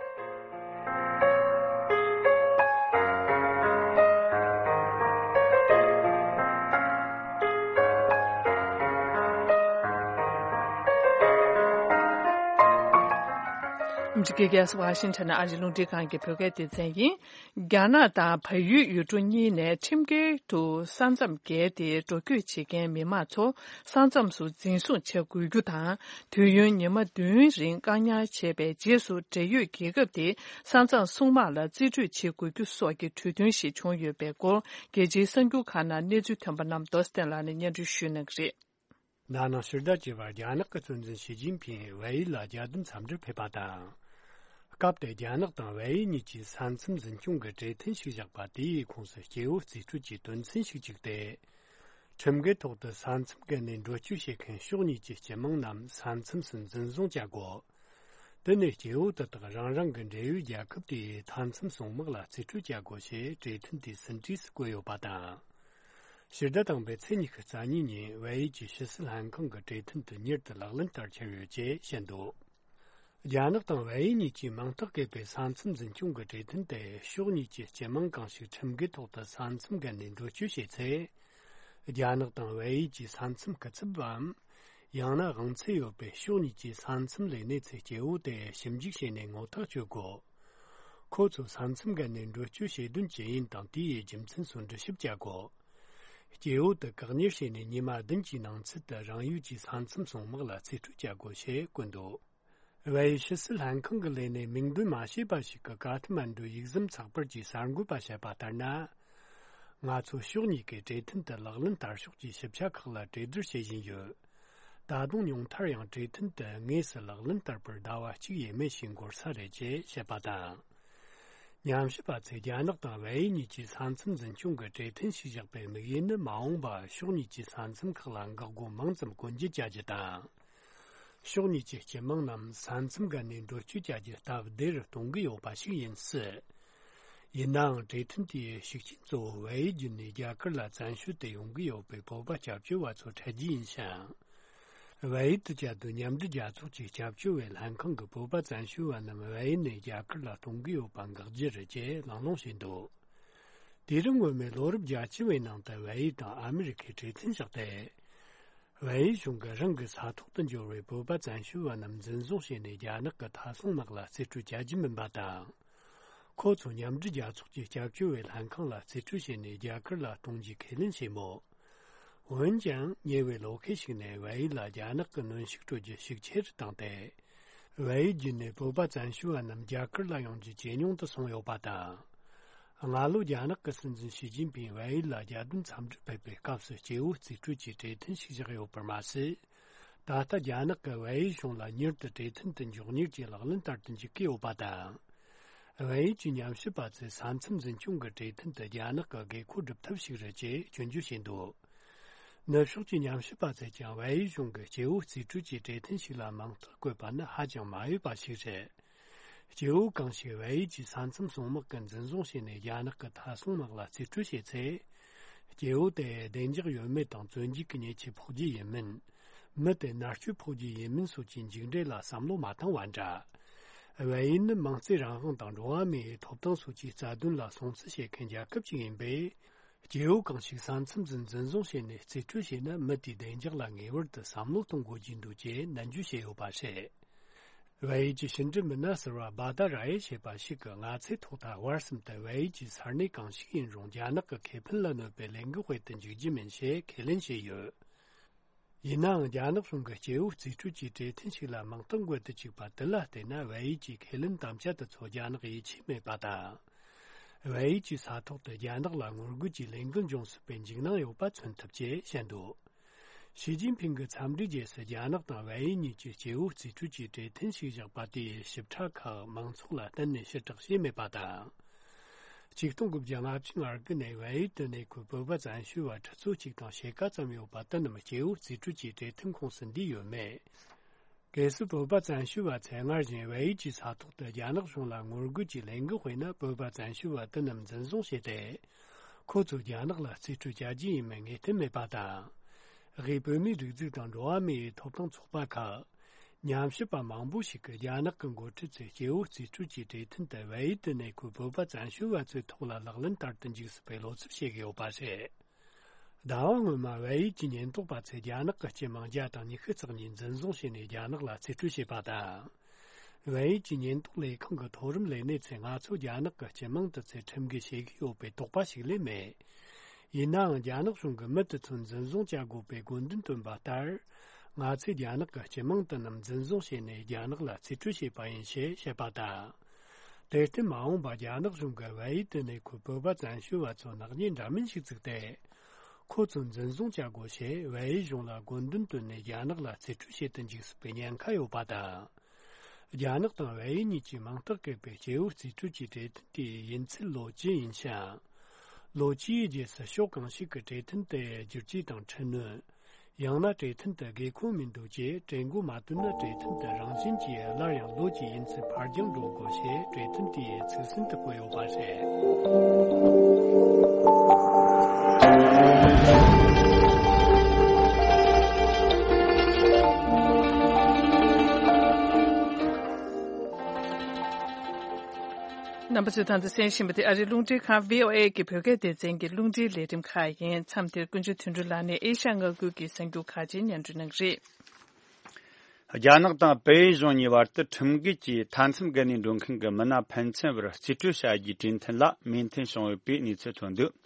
འདི་ག་ཝ་ཤིང་ཊོན་ཨ་རིའི་རླུང་འཕྲིན་ཁང་གི་བོད་སྐད་སྡེ་ཚན་ཡིན། རྒྱ་ནག་དང་བལ་ཡུལ་ཡུལ་གྲུ་གཉིས་ནས་ཁྲིམས་འགལ་དུ་ས་མཚམས་བརྒལ་ཏེ་འགྲོ་སྐྱོད་བྱེད་མཁན་མི་མང་ཚོ་ས་མཚམས་སུ་འཛིན་བཟུང་བྱ་དགོས་རྒྱུ་དང་། དུས་ཡུན་ཉི་མ་བདུན་རིང་བཀག་ཉར་བྱས་པའི་རྗེས་སུ་འབྲེལ་ཡོད་རྒྱལ་ཁབ་དེས་ས་མཚམས་སྲུང་དམག་ལ་རྩིས་སྤྲོད་བྱེད་དགོས་རྒྱུ་སོགས་ཀྱི་གྲོས་མཐུན་ཞིག་བྱུང་ཡོད་པའི་སྐོར། རྒྱལ་སྤྱིའི་གསར་འགྱུར་ཁག་ནང་གནས་ཚུལ་ཐོན་པ་རྣམས་རྡོ་སྟེང་ལགས་ནས་སྙན་སྒྲོན་ཞུ་གནང་གི་རེད། ན་ནིང་ཕྱི་ཟླ་བཅུ་པར་རྒྱ་ནག་གི་སྲིད་འཛིན་ཞི་ཅིན་ཕིང་བལ་ཡུལ་ལ་རྒྱལ་དོན་འཚམས་འདྲིར་ཕེབས་པ་དང་། སྐབས་དེར་རྒྱ་ནག་དང་བལ་ཡུལ་གཉིས་ཀྱིས་ས་མཚམས་འཛིན་སྐྱོང་གི་གྲོས་མཐུན་ཞིག་བཞག་པ་དེའི་ཁོངས་སུ་སྐྱེ་བོ་རྩིས་སྤྲོད་ཀྱི་དོན་ཚན་ཞིག་བཅུག་སྟེ། ཁྲིམས་འགལ་ཐོག་ཏུ་ས་མཚམས་བརྒལ་ནས་འགྲོ་སྐྱོད་བྱེད་མཁན་ཕྱོགས་གཉིས་ཀྱི་སྤྱི་དམངས་རྣམས་ས་མཚམས་སུ་འཛིན་བཟུང་བྱ་དགོས། དེ་ནས་སྐྱེ་བོ་དེ་དག་རང་རང་གི་འབྲེལ་ཡོད་རྒྱལ་ཁབ་དེའི་མཐའ་མཚམས་སྲུང་དམག་ལ་རྩིས་སྤྲོད་བྱ་དགོས་ཞེས་གྲོས་མཐུན་དེའི་ཟིན་བྲིས་སུ་བཀོད་ཡོད་པ་དང་། ཕྱི་ཟླ་དང་པོའི་ཚེས་ཉི་ཤུ་རྩ་གཉིས་ཉིན་བལ་ཡུལ་གྱི་ཕྱི་སྲིད་ལྷན་ཁང་གི་གྲོས་མཐུན་དེ་མྱུར་དུ་ལག་ལེན་བསྟར་འཆར་ཡོད་ཅེས་བཤད་འདུག་རྒྱ་ནག་དང་བལ་ཡུལ་གཉིས་ཀྱིས་མིང་རྟགས་བཀོད་པའི་ས་མཚམས་འཛིན་སྐྱོང་གི་གྲོས་མཐུན་དེ་ཕྱོགས་གཉིས་ཀྱི་སྤྱི་དམངས་གང་ཞིག་ཁྲིམས་འགལ་ཐོག་ཏུ་ས་མཚམས་བརྒལ་ནས་འགྲོ་སྐྱོད་བྱས་ཚེ། རྒྱ་ནག་དང་བལ་ཡུལ་གྱི་ས་མཚམས་སྐུ་ཚབ་བམ། ཡང་ན་དབང་ཚད་ཡོད་པའི་ཕྱོགས་གཉིས་ཀྱི་ས་མཚམས་ལས་གནས་ཚུལ་སྐྱེ་བོ་དེ་ཞིབ་འཇུག་བྱས་ནས་ངོ་ཐག་གཅོད་དགོས། ཁོ་ཚོ་ས་མཚམས་བརྒལ་ནས་འགྲོ་སྐྱོད་བྱེད་དོན་ཅི་ཡིན་དང་དེའི་རྒྱུ་མཚན་སོགས་འགྲེལ་བཤད་བྱ་དགོས། སྐྱེ་བོ་དེ་བཀག་ཉར་བྱས་ནས་ཉི་མ་བདུན་གྱི་ནང་ཚུད་དུ་རང་ཡུལ་གྱི་ས་མཚམས་སྲུང་དམག་ལ་རྩིས་སྤྲོད་བྱ་དགོས་ཞེས་བཀོད་འདུག་བལ་ཡུལ་ཕྱི་སྲིད་ལྷན་ཁང་གི་ལས་སྣེ་མིང་འདོན་མ་བྱས་པ་ཞིག་གིས་ཀ་ཐ་མན་ཌུ་ཡིག་ཟམ་ཚགས་པར་གྱི་གསར་འགོད་པ་བཤད་པ་ལྟར་ན། ང་ཚོ་ཕྱོགས་གཉིས་ཀས་གྲོས་མཐུན་དུ་ལག་ལེན་བསྟར་ཕྱོགས་ཀྱི་ཞིབ་ཆ་ཁག་ལ་གྲོས་བསྡུར་བྱེད་བཞིན་ཡོད། ད་དུང་ཉུང་མཐར་ཡང་གྲོས་མཐུན་དུ་དངོས་སུ་ལག་ལེན་བསྟར་པར་ཟླ་བ་གཅིག་ཡས་མས་ཤིག་འགོར་ས་རེད་ཅེས་བཤད་པ་དང་། ཉམས་ཞིབ་པ་ཚོས་རྒྱ་ནག་དང་བལ་ཡུལ་གཉིས་ཀྱིས་ས་མཚམས་འཛིན་སྐྱོང་གི་གྲོས་མཐུན་ཞིག་བཞག་པའི་དམིགས་ཡུལ་ནི་མ་འོངས་པར་ཕྱོགས་གཉིས་ཀྱི་ས་མཚམས་ཁག་ལ་འགག་སྒོ་མང་ཙམ་སྐོང་འབྱེད་བྱ་རྒྱུ་དང་། ཕྱོགས་གཉིས་ཀྱི་སྤྱི་དམངས་རྣམས་ས་མཚམས་བརྒལ་ནས་འགྲོ་སྐྱོད་བྱ་རྒྱུ་སྟབས་བདེ་རུ་གཏོང་གི་ཡོད་པ་ཞིག་ཡིན་སྲིད། ཡིན་ནའང་གྲོས་མཐུན་དེའི་ཤུགས་རྐྱེན་གཙོ་བོ་བལ་ཡུལ་བརྒྱུད་ནས་རྒྱ་གར་ལ་བཙན་བྱོལ་དུ་ཡོང་གི་ཡོད་པའི་བོད་པ་སྐྱབས་བཅོལ་བ་ཚོ་འཕྲད་རྒྱུ་ཡིན་ཞིང་། བལ་ཡུལ་དུ་བཅའ་སྡོད་མཉམ་འབྲེལ་རྒྱལ་ཚོགས་ཀྱི་སྐྱབས་བཅོལ་བའི་ལྷན་ཁང་གིས་བོད་པ་བཙན་བྱོལ་བ་རྣམས་བལ་ཡུལ་ནས་རྒྱ་གར་ལ་གཏོང་གི་ཡོད་པ་འགག་རྒྱུ་རེད་ཅེས་གླེང་སློང་བྱས་འདུག་དུས་རབས་སྔོན་མའི་ལོ་རབས་བརྒྱད་ཅུ་བའི་ནང་དུ་བལ་ཡུལ་དང་ཨ་མི་རི་ཁས་གྲོས་མཐུན་བཞག་སྟེ། བལ་ཡུལ་གཞུང་གིས་རང་གི་ས་ཐོག་ཏུ་འབྱོར་བའི་བོད་པ་བཙན་བྱོལ་བ་རྣམས་འཛིན་བཟུང་བྱས་ནས་རྒྱ་ནག་གི་མཐའ་སྲུང་དམག་ལ་རྩིས་སྤྲོད་བྱ་རྒྱུ་མིན་པ་དང་། ཁོ་ཚོ་མཉམ་འབྲེལ་རྒྱལ་ཚོགས་ཀྱི་སྐྱབས་བཅོལ་བའི་ལྷན་ཁང་ལ་རྩིས་སྤྲོད་བྱས་ནས་རྒྱ་གར་ལ་གཏོང་རྒྱུའི་ཁས་ལེན་བྱས་མོད། འོན་ཀྱང་ཉེ་བའི་ལོ་ཤས་ཤིག་ནས་བལ་ཡུལ་ལ་རྒྱ་ནག་གིས་གནོན་ཤུགས་སྤྲོད་རྒྱུ་ཤུགས་ཆེ་རུ་བཏང་སྟེ། བལ་ཡུལ་བརྒྱུད་ནས་བོད་པ་བཙན་བྱོལ་བ་རྣམས་རྒྱ་གར་ལ་ཡོང་རྒྱུ་ཇེ་ཉུང་དུ་སོང་ཡོད་པ་དང་། སྔ་ལོ་རྒྱ་ནག་གི་སྲིད་འཛིན་ཞི་ཅིན་ཕིང་བལ་ཡུལ་ལ་རྒྱལ་དོན་འཚམས་འདྲིར་ཕེབས་པའི་སྐབས་སུ་སྐྱེ་བོ་རྩིས་སྤྲོད་ཀྱི་གྲོས་མཐུན་ཞིག་བཞག་ཡོད་པར་མ་ཟད། ད་ལྟ་རྒྱ་ནག་གིས་བལ་ཡུལ་གཞུང་ལ་མྱུར་དུ་གྲོས་མཐུན་དུ་མགྱོགས་མྱུར་གྱིས་ལག་ལེན་བསྟར་དུ་འཇུག་གི་ཡོད་པ་དང་། བལ་ཡུལ་གྱི་ཉམས་ཞིབ་པ་ཚོས་ས་མཚམས་འཛིན་སྐྱོང་གི་གྲོས་མཐུན་དེ་རྒྱ་ནག་གི་དགོས་མཁོ་སྒྲུབ་ཐབས་ཤིག་རེད་ཅེས་སྐྱོན་བརྗོད་བྱས་འདུག་ནུབ་ཕྱོགས་ཀྱི་ཉམས་ཞིབ་པ་ཚོས་ཀྱང་བལ་ཡུལ་གཞུང་གིས་སྐྱེ་བོ་རྩིས་སྤྲོད་ཀྱི་གྲོས་མཐུན་ཞིག་ལ་མིང་རྟགས་བཀོད་པ་ནི་ཧ་ཅང་མ་འོས་པ་ཞིག་རེད། སྐྱེ་བོ་གང་ཞིག་བལ་ཡུལ་གྱི་ས་མཚམས་སྲུང་དམག་གིས་འཛིན་བཟུང་བྱས་ནས་རྒྱ་ནག་གི་མཐའ་སྲུང་དམག་ལ་རྩིས་སྤྲོད་བྱས་ཚེ། སྐྱེ་བོ་དེ་བདེ་འཇགས་ཡོད་མེད་དང་བཙོན་འཇུག་གི་ཉེས་ཆད་ཕོག་རྒྱུ་ཡིན་མིན། མི་དེ་མནར་གཅོད་ཕོག་རྒྱུ་ཡིན་མིན་སོགས་ཀྱི་མཇུག་འབྲས་ལ་བསམ་བློ་མ་བཏང་བ་འདྲ། བལ་ཡུལ་ནི་མིང་བརྩེ་རང་དབང་དང་འགྲོ་བ་མིའི་ཐོབ་ཐང་སོགས་ཀྱི་རྩ་དོན་ལ་སྲུང་བརྩི་བྱེད་མཁན་རྒྱལ་ཁབ་ཅིག་ཡིན་པས། སྐྱེ་བོ་གང་ཞིག་ས་མཚམས་སུ་འཛིན་བཟུང་བྱས་ནས་རྩིས་སྤྲོད་བྱས་ན་མི་དེའི་བདེ་འཇགས་ལ་ངེས་པར་དུ་བསམ་བློ་གཏོང་དགོས་ཀྱི་འདུག་ཅེས་ནན་བརྗོད་བྱས་ཡོད་པ་རེད། བལ་ཡུལ་གྱི་ཕྱི་འབྲེལ་མི་སྣ་ཟུར་པ་བྷ་ད་ར་ཡེ་ཞེས་པ་ཞིག་གིས་ང་ཚོའི་ཐོག་མཐའ་བར་གསུམ་དུ་བལ་ཡུལ་གྱི་ས་གནས་གང་ཞིག་ཡིན་རུང་རྒྱ་ནག་གི་ཁེ་ཕན་ལ་གནོད་པའི་ལས་འགུལ་སྤེལ་དུ་འཇུག་རྒྱུ་མིན་ཞེས་ཁས་ལེན་བྱས་ཡོད། ཡིན་ནའང་རྒྱ་ནག་གཞུང་གིས་སྐྱེ་བོ་རྩིས་སྤྲོད་ཀྱི་གྲོས་མཐུན་ཞིག་ལ་མིང་རྟགས་འགོད་དུ་བཅུག་པ་དེ་ལ་བལྟས་ན་བལ་ཡུལ་གྱི་ཁས་ལེན་དམ་བཅའ་དེ་ཚོ་རྒྱ་ནག་ཡིད་ཆེས་མེད་པ་དང་། བལ་ཡུལ་གྱི་ས་ཐོག་ཏུ་རྒྱ་ནག་ལ་ངོ་རྒོལ་གྱི་ལས་འགུལ་འབྱུང་སྲིད་པའི་འཇིགས་སྣང་ཡོད་པ་མཚོན་ཐུབ་ཅེས་བཤད་འདུག་ཞི་ཅིན་ཕིང་གི་འཚམས་འདྲིའི་རྗེས་སུ་རྒྱ་ནག་དང་བལ་ཡུལ་གཉིས་ཀྱི་སྐྱེ་བོ་རྩིས་སྤྲོད་ཀྱི་གྲོས་མཐུན་ཞིག་བཞག་པ་དེའི་ཞིབ་ཕྲ་ཁག་མང་ཚོགས་ལ་གཏན་ནས་ཕྱིར་བསྒྲགས་བྱས་མེད་པ་དང་། ཆིག་སྟོང་དགུ་བརྒྱ་ལྔ་བཅུ་ང་དགུ་ནས་བལ་ཡུལ་དུ་གནས་འཁོད་བོད་པ་བཙན་བྱོལ་བ་ཁྲི་ཚོ་གཅིག་དང་ཕྱེད་ཀ་ཙམ་ཡོད་པ་དེ་རྣམས་སྐྱེ་བོ་རྩིས་སྤྲོད་ཀྱི་གྲོས་མཐུན་ཁོངས་སུ་འདུས་ཡོད་མེད། གལ་སྲིད་བོད་པ་བཙན་བྱོལ་བ་ཚོས་སྔར་བཞིན་བལ་ཡུལ་གྱི་ས་ཐོག་ཏུ་རྒྱ་ནག་གཞུང་ལ་ངོ་རྒོལ་གྱི་ལས་འགུལ་སྤེལ་ན་བོད་པ་བཙན་བྱོལ་བ་དེ་རྣམས་འཛིན་བཟུང་བྱས་ཏེ། ཁོ་ཚོ་རྒྱ་ནག་ལ་རྩིས་སྤྲོད་བྱ་རྒྱུ་ཡིན་མིན་ངེས་གཏན་མེད་པ་དང་། དབུས་བོད་མིའི་སྒྲིག་འཛུགས་དང་འགྲོ་བ་མིའི་ཐོབ་ཐང་ཚོགས་པ་ཁག་ཉམས་ཞིབ་པ་མང་པོ་ཞིག་གིས་རྒྱ་ནག་གི་འགོ་ཁྲིད་ཚོས་སྐྱེ་བོ་རྩིས་སྤྲོད་ཀྱི་གྲོས་མཐུན་དེ་བལ་ཡུལ་དུ་གནས་འཁོད་བོད་པ་བཙན་བྱོལ་བ་ཚོའི་ཐོག་ལ་ལག་ལེན་བསྟར་དུ་འཇུག་སྲིད་པའི་བློ་འཚབ་བྱེད་ཀྱི་ཡོད་པ་རེད། ཟླ་བ་སྔོན་མ་བལ་ཡུལ་གྱི་ཉེན་རྟོག་པ་ཚོས་རྒྱ་ནག་གི་སྤྱི་དམངས་བརྒྱ་དང་ཉི་ཤུ་རྩ་གཉིས་འཛིན་བཟུང་བྱས་ནས་རྒྱ་ནག་ལ་རྩིས་སྤྲོད་བྱས་པ་དང་། བལ་ཡུལ་གྱི་ཉེན་རྟོག་ལས་ཁང་གི་མཐོ་རིམ་ལས་སྣེ་ཚོས་ང་ཚོ་རྒྱ་ནག་གི་སྤྱི་དམངས་དེ་ཚོས་ཁྲིམས་འགལ་བྱེད་ཀྱི་ཡོད་པའི་དོགས་པ་ཞིག་སླེབས་མེད། ཡིན་ནའང་རྒྱ་ནག་གཞུང་གིས་མི་དེ་ཚོ་འཛིན་བཟུང་བྱ་དགོས་པའི་དགོས་འདུན་བཏོན་པ་ལྟར། ང་ཚོས་རྒྱ་ནག་གི་སྤྱི་དམངས་དེ་རྣམས་འཛིན་བཟུང་བྱས་ནས་རྒྱ་ནག་ལ་རྩིས་སྤྲོད་བྱས་པ་ཡིན་ཞེས་བཤད་པ་དང་། དེར་བརྟེན་མ་འོངས་པར་རྒྱ་ནག་གཞུང་གིས་བལ་ཡུལ་དུ་གནས་འཁོད་བོད་པ་བཙན་བྱོལ་བ་ཚོར་ནག་ཉེས་འདྲ་མིན་ཞིག་བཙུགས་ཏེ། ཁོ་ཚོ་འཛིན་བཟུང་བྱ་དགོས་ཞེས་བལ་ཡུལ་གཞུང་ལ་དགོས་འདུན་བཏོན་ནས་རྒྱ་ནག་ལ་རྩིས་སྤྲོད་བྱེད་དུ་འཇུག་སྲིད་པའི་ཉེན་ཁ་ཡོད་པ་དང་། རྒྱ་ནག་དང་བལ་ཡུལ་གཉིས་ཀྱིས་མིང་རྟགས་བཀོད་པའི་སྐྱེ་བོ་རྩིས་སྤྲོད་ཀྱི་གྲོས་མཐུན་དེའི་ཡུན་ཚད་ལོ་བཅུ་ཡིན་ཞིང་། ལོ་བཅུའི་རྗེས་སུ་ཕྱོགས་གང་ཞིག་གིས་གྲོས་མཐུན་དེ་བསྒྱུར་བཅོས་དང་འཕྲི་སྣོན། ཡང་ན་གྲོས་མཐུན་དུ་དགོས་མཁོ་མི་འདུག་ཅེས་གྲོས་འགོ་མ་བཏོན་ན། གྲོས་མཐུན་དེ་རང་བཞིན་གྱིས་སླར་ཡང་ལོ་གཅིག་ཡུན་ཚད་ཕར་འགྱངས་འགྲོ་དགོས་ཞེས་གྲོས་མཐུན་དེའི་ཚིག་ཟིན་དུ་བཀོད་ཡོད་པ་རེད། རྣམ་པ་ཚོས་ད་ལྟ་གསན་བཞིན་པ་དེ་ཨ་རིའི་རླུང་འཕྲིན་ཁང་བྷི་ཨོ་ཨེ་གི་བོད་སྐད་སྡེ་ཚན་གྱི་རླུང་འཕྲིན་ལས་རིམ་ཁག་ཡིན། མཚམས་འདིར་ཀུན་མཆོག་དོན་གྲུབ་ལགས་ནས་ཨེ་ཤ་མངའ་ཁུལ་གྱི་གསར་འགྱུར་ཁག་ཅིག་སྙན་སྒྲོན་གནང་གི་རེད། རྒྱ་ནག་དང་བལ་ཡུལ་གཞུང་གཉིས་བར་དུ་ཁྲིམས་འགལ་གྱིས་མཐའ་མཚམས་བརྒལ་ནས་འགྲོ་མཁན་གྱི་མི་སྣ་ཕན་ཚུན་བར་རྩིས་སྤྲོད་བྱ་རྒྱུའི་གྲོས་མཐུན་ལ་མོས་མཐུན་བྱུང་ཡོད་པའི་གནས་ཚུལ་ཐོན་འདུག་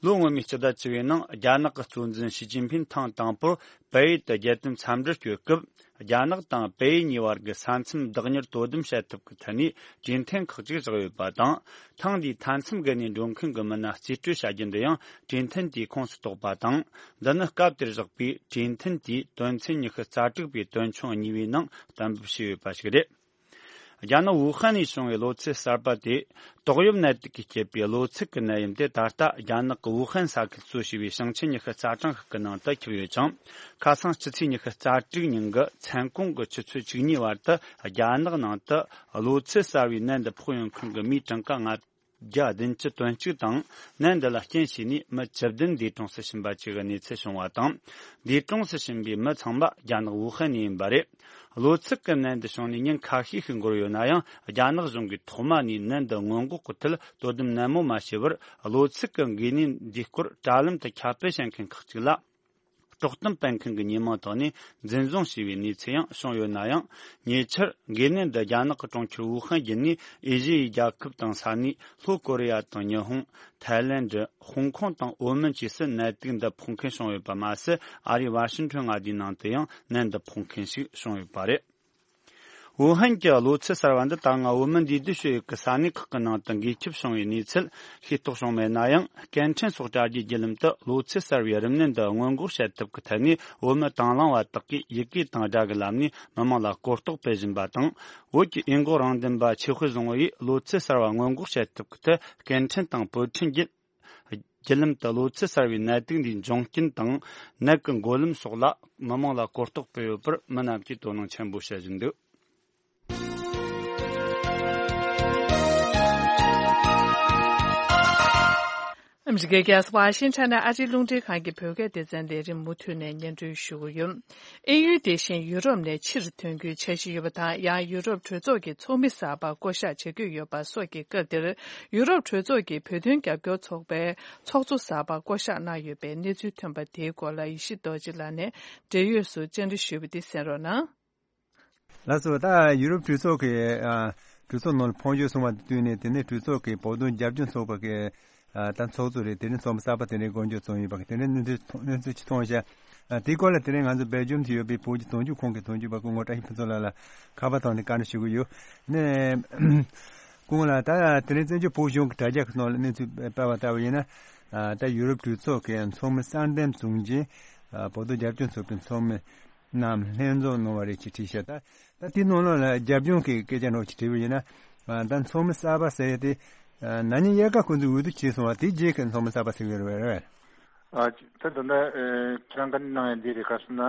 ལོ་སྔོན་མའི་སྤྱི་ཟླ་བཅུ་པའི་ནང་རྒྱ་ནག་གི་གཙོ་འཛིན་ཞི་ཅིན་ཕིན་ཐེངས་དང་པོར་བལ་ཡུལ་དུ་རྒྱལ་དོན་འཚམས་འདྲིར་བསྐྱོད་སྐབས། རྒྱ་ནག་དང་བལ་ཡུལ་གཉིས་བར་གྱི་ས་མཚམས་བདག་གཉེར་དོ་དམ་བྱེད་ཐབས་ཀྱི་ཐད་ནས་གྲོས་མཐུན་ཁག་ཅིག་བཞག་ཡོད་པ་དང་། ཐེངས་འདིའི་མཐའ་མཚམས་བརྒལ་ནས་འགྲོ་མཁན་གྱི་མི་སྣ་རྩིས་སྤྲོད་བྱ་རྒྱུ་འདི་ཡང་གྲོས་མཐུན་དེའི་ཁོངས་སུ་གཏོགས་པ་དང་། འདི་ནི་སྐབས་དེར་བཞག་པའི་གྲོས་མཐུན་དེའི་དོན་ཚན་ཉི་ཤུ་རྩ་དྲུག་པའི་དོན་ཆུང་གཉིས་པའི་ནང་གཏན་འབེབས་བྱས་ཡོད་པ་ཞིག་རེད། རྒྱ་ནག་ཝུ་ཧན་ནས་བྱུང་བའི་གློ་ཚད་གསར་པ་དེ། ཏོག་དབྱིབས་ནད་དུག་གིས་བསྐྱེད་པའི་གློ་ཚད་ཀྱི་ནད་ཡམས་དེ་ད་ལྟ་རྒྱ་ནག་གི་ཝུ་ཧན་ས་ཁུལ་གཙོ་བྱས་པའི་ཞིང་ཆེན་ཉི་ཤུ་རྩ་གྲངས་ཤིག་གི་ནང་དུ་ཁྱབ་ཡོད་ཅིང་། ཁ་སང་སྤྱི་ཚེས་ཉི་ཤུ་རྩ་དྲུག་ཉིན་གྱི་མཚན་གུང་གི་ཆུ་ཚོད་བཅུ་གཉིས་བར་དུ་རྒྱ་ནག་ནང་དུ་གློ་ཚད་གསར་བའི་ནད་འདི་ཕོག་ཡོང་མཁན་གྱི་མིའི་གྲངས་ཀ་ལྔ་བརྒྱ་བདུན་ཅུ་དོན་གཅིག་དང་། ནད་འདི་ལ་རྐྱེན་བྱས་ནས་མི་བཅུ་བདུན་འདས་གྲོངས་སུ་ཕྱིན་པ་བཅས་ཀྱི་གནས་ཚུལ་བྱུང་བ་དང་། འདས་གྲོངས་སུ་ཕྱིན་པའི་མི་ཚང་མ་རྒྱ་ནག་ཝུ་ཧན་ནས་ཡིན་པ་རེད། གློ་ཚད་ཀྱི་ནད་འདི་བྱུང་ནས་ཉིན་ཁ་ཤས་ཤིག་འགོར་ཡོད་ན་ཡང་། རྒྱ་ནག་གཞུང་གིས་ཐོག་མ་ནས་ནད་འདི་སྔོན་འགོག་གི་ཐད་དོ་དམ་ནན་མོ་མ་བྱས་པར། གློ་ཚད་ཀྱི་འགོས་ནད་འདིའི་སྐོར་དྲ་ལམ་དུ་ཁྱབ་སྤེལ་བྱེད་མཁན་ཁག་ཅིག་ལ། དཀྲོག་གཏམ་སྤེལ་མཁན་གྱི་ཉེས་མིང་ཐོག་ནས་འཛིན་བཟུང་བྱས་པའི་གནས་ཚུལ་ཡང་བྱུང་ཡོད་ན་ཡང་། ཉེ་ཆར་འགོས་ནད་འདི་རྒྱ་ནག་གི་གྲོང་ཁྱེར་ཝུ་ཧན་བརྒྱུད་ནས་ཨེ་ཤི་ཡའི་རྒྱལ་ཁབ་དང་ས་གནས་ལྷོ་ཀོ་རི་ཡ་དང་ཉི་ཧོང་། ཐའི་ལེན་ཌི། ཧོང་ཀོང་དང་ཨོ་མན་བཅས་སུ་ནད་དུག་འདི་ཕོག་མཁན་བྱུང་ཡོད་པ་མ་ཟད། ཨ་རིའི་ཝ་ཤིང་ཊོན་མངའ་སྡེའི་ནང་དུ་ཡང་ནད་འདི་ཕོག་མཁན་ཞིག་བྱུང་ཡོད་པ་རེད། ཝུ་ཧན་གྱི་གློ་ཚད་གསར་བ་འདི་ད་སྔ་བོད་མི་འདུས་སྡོད་བྱེད་ཡུལ་གྱི་ས་གནས་ཁག་གི་ནང་དུ་འགོས་ཁྱབ་བྱུང་བའི་གནས་ཚུལ་ཤེས་རྟོགས་བྱུང་མེད་ན་ཡང་། སྐད་འཕྲིན་སོགས་དྲ་རྒྱའི་བརྒྱུད་ལམ་དུ་གློ་ཚད་གསར་བའི་རིམས་ནད་འདི་སྔོན་འགོག་བྱེད་ཐབས་ཀྱི་ཐད་ནས་བོད་མི་དང་བླངས་པ་དག་གིས་ཡི་གེ་དང་སྒྲ་གི་ལམ་ནས་མི་མང་ལ་གོ་རྟོགས་སྤེལ་བཞིན་པ་དང་། བོད་ཀྱི་འོས་འགོག་རང་བདེན་པ་ཆོས་དཔལ་བཟང་པོ་ཡིས་གློ་ཚད་གསར་བ་སྔོན་འགོག་བྱེད་ཐབས་ཀྱི་ཐད་སྐད་འཕྲིན་དང་བོད་ཕྲན་བརྒྱུད། བརྒྱུད་ལམ་དུ་གློ་ཚད་གསར་བའི་ནད་དུག་འདིའི་འབྱུང་རྐྱེན་དང་། ནད་ཀྱི་འགོས་ལམ་སོགས་ལ་མི་མང་ལ་གོ་རྟོགས་སྤེལ་ཡོད་པར་མི་རྣམས་ཀྱིས་དོ་སྣང་ཆེན་པོ་བྱེད་བཞིན་འདུག་ཨ་མི་རི་ཀའི་རྒྱལ་ས་ཝ་ཤིང་ཊོན་ནས་ཨ་རིའི་རླུང་འཕྲིན་ཁང་གི་བོད་སྐད་སྡེ་ཚན་ལས་རིམ་མུ་མཐུད་ནས་སྙན་སྒྲོན་ཞུ་གི་ཡོད། དབྱིན་ཡུལ་དེ་བཞིན་ཡུ་རོབ་ནས་ཕྱིར་ཐོན་རྒྱུའི་འཆར་གཞི་ཡོད་པ་དང་། ཡང་ཡུ་རོབ་གྲོས་ཚོགས་ཀྱི་ཚོགས་མི་གསར་པ་བསྐོ་གཞག་བྱ་རྒྱུ་ཡོད་པ་སོགས་ཀྱི་སྐབས་འདིར། ཡུ་རོབ་གྲོས་ཚོགས་ཀྱི་བོད་དོན་རྒྱབ་སྐྱོར་ཚོགས་པའི་ཚོགས་གཙོ་གསར་པ་བསྐོ་གཞག་གནང་ཡོད་པའི་གནས་ཚུལ་ཐོན་པ་དེའི་སྐོར་ལ་ཡེ་ཤེས་རྡོ་རྗེ་ལགས་ནས་འབྲེལ་ཡོད་སུ་བཅར་འདྲི་ཞུས་པ་དེ་གསན་རོགས་གནང་། ལགས་སོ། ད་ཡུ་རོབ་གྲོས་ཚོགས་ཀྱི་ཨ་གྲོས་ཚོགས་ནང་ལ་ཕོན་ཆེན་སོང་བ་དེ་བསྟུན་ནས། དེ་ནས་གྲོས་ཚོགས་ཀྱི་བོད་དོན་རྒྱབ་སྐྱོར་ཚོགས་པ་གི་ཨ་ད་ཚོགས་གཙོ་རེད། དེ་ནས་ཚོགས་མི་གསར་པ་དེ་ནས་དགོངས་འཇོག་བྱུང་ཡོད་པ། དེ་ནས་གནས་ཚུལ་གནས་ཚུལ་ཅིག་མཐོང་ཤག་ཨ་དེའི་སྐོར་ལ་དེ་ནས་ང་ཚོ་སྦེལ་ཇམ་དུ་ཡོད་པའི་བོད་ཀྱི་དོན་གཅོད་ཁང་གི་དོན་གཅོད་པ་སྐུ་ངོ་བཀྲ་ཤིས་ཕུན་ཚོགས་ལགས་ལ་ཁ་པར་ཐོག་ནས་བཀའ་འདྲི་ཞུ་གི་ཡོད། ནས་སྐུ་ངོ་ལགས། ད་དེ་རིང་བཙན་བྱོལ་བོད་གཞུང་གི་དྲ་རྒྱ་གི་ནང་ལ་གནས་ཚུལ་སྤེལ་བ་ལྟ་བུ་ཡིན་ན། ཨ་ད་ཡུ་རོབ་གྲོས་ཚོགས་ཀྱི་ཚོགས་མི་གསར་འདེམས་བྱུང་རྗེས། ཨ་བོད་དོན་རྒྱབ་སྐྱོར་ཚོགས་པའི་ཚོགས་མི་རྣམས་ལྷན་འཛོམས་གནང་བ་རེད་ཅེས་བྲིས་ཤག་ད་ད་དེའི་ནང་ལོགས་ལ་རྒྱབ་ལྗོངས་ཀྱི་སྐད་ཆ་འདྲ་བོ་ཅིག་དྲིས་པ་ཡིན་ན། ཨ་ད་ཚོགས་མི་གསར་པ་ཟེར་ཡ་དེ་ཨ་ན་ནིང་དབྱར་ཁ་ཁོང་ཚོས་འོས་བསྡུ་བྱས་སོང་བ་དེའི་རྗེས་ཀྱི་ཚོགས་མི་གསར་པ་ཟེར་གྱི་རེད་པས། ཨ་ད་ད་ལྟ་ཨ་ཁྱེད་རང་བཀའ་འདྲི་གནང་ཡ་འདི་རེད། ག་ཟེར་ན།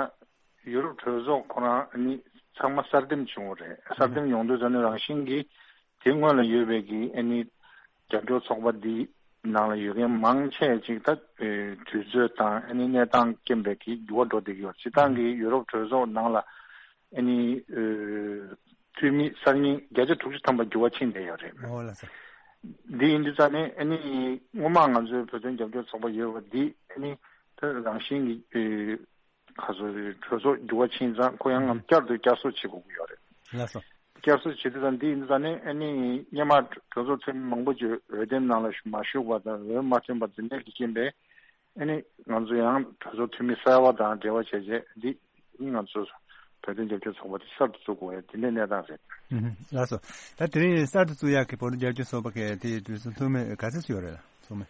ཡུ་རོབ་གྲོས་ཚོགས་ཁོ་རང་ནི་ཚང་མ་གསར་འདེམས་བྱུང་བ་རེད། གསར་འདེམས་ཡོང་དུས་ཙམ་ནས་རང་བཞིན་གྱིས་དེ་སྔོན་ལ་ཡོད་པའི་གི་ཨ་ནི་རྒྱབ་སྐྱོར་ཚོགས་པ་འདི་ནང་ལ་ཡོད་མཁན་མང་ཆེ་ཅིག་ད་ཨེ་དུས་ཚོད་དང་ཨ་ནི་གནས་སྟངས་རྐྱེན་པས་གི་འགྱུར་བ་འགྲོ་བསྡད་ཀྱི་ཡོད་རེད། སྤྱིར་བཏང་གི་ཡུ་རོབ་གྲོས་ཚོགས་ནང་ལ་ཨ་ནི་ཨེ་འཐུས་མི་གསར་རྙིང་བརྒྱ་ཆ་དྲུག་ཅུ་ཐམ་པ་འགྱུར་བ་ཕྱིན་བསྡད་ཡོད་རེད། འོ་ལགས་སོ། འདི་ཡིན་དུས་ཙམ་ནས་ཨ་ནི་སྔོན་མ་ང་ཚོའི་བོད་དོན་རྒྱབ་སྐྱོར་ཚོགས་པ་ཡོད་པ་འདི་ཨ་ནི་ད་རང་བཞིན་གྱི་ཨེ་ཁ་སོ་གྲོས་ཚོགས་འགྱུར་བ་ཕྱིན་ཙང་ཁོ་ཡང་ངམ་བསྐྱར་དུ་བསྐྱར་གསོ་བྱེད་དགོས་ཀྱི་ཡོད་རེད། ལགས་སོ། བསྐྱར་གསོ་བྱེད་དུས་ཙང་འདི་ཡིན་དུས་ཙང་ནི་ཨ་ནི་སྔོན་མ་གྲོས་ཚོགས་འཐུས་མི་མང་པོ་ཅིག་འོས་འདེམས་ནང་ལ་མ་ཞུགས་པ་དང་འོས་མ་ཐོན་པ་འདི་འདྲ་གི་རྐྱེན་པས་ཨ་ནི་ང་ཚོ་ཡང་གྲོས་ཚོགས་འཐུས་མི་གསར་པ་དང་འབྲེལ་བ་བྱས་རྗེས་འདི་ནི་ང་ཚོ་བོད་དོན་རྒྱབ་སྐྱོར་ཚོགས་པ་དེ་གསར་དུ་བཙུགས་དགོས་ཡ་དེ་འདྲའི་གནས་སྟངས་རེད། ཨུ་ཧུ། ལགས་སོ། ད་དེ་རིང་གསར་དུ་བཙུགས་ཡག་གི་བོད་དོན་རྒྱབ་སྐྱོར་ཚོགས་པ་གི་དེའི་གྲོས་ཚོགས་འཐུས་མི་ག་ཚོད་ཡོད་རེད་ལགས་ཚོགས་མི།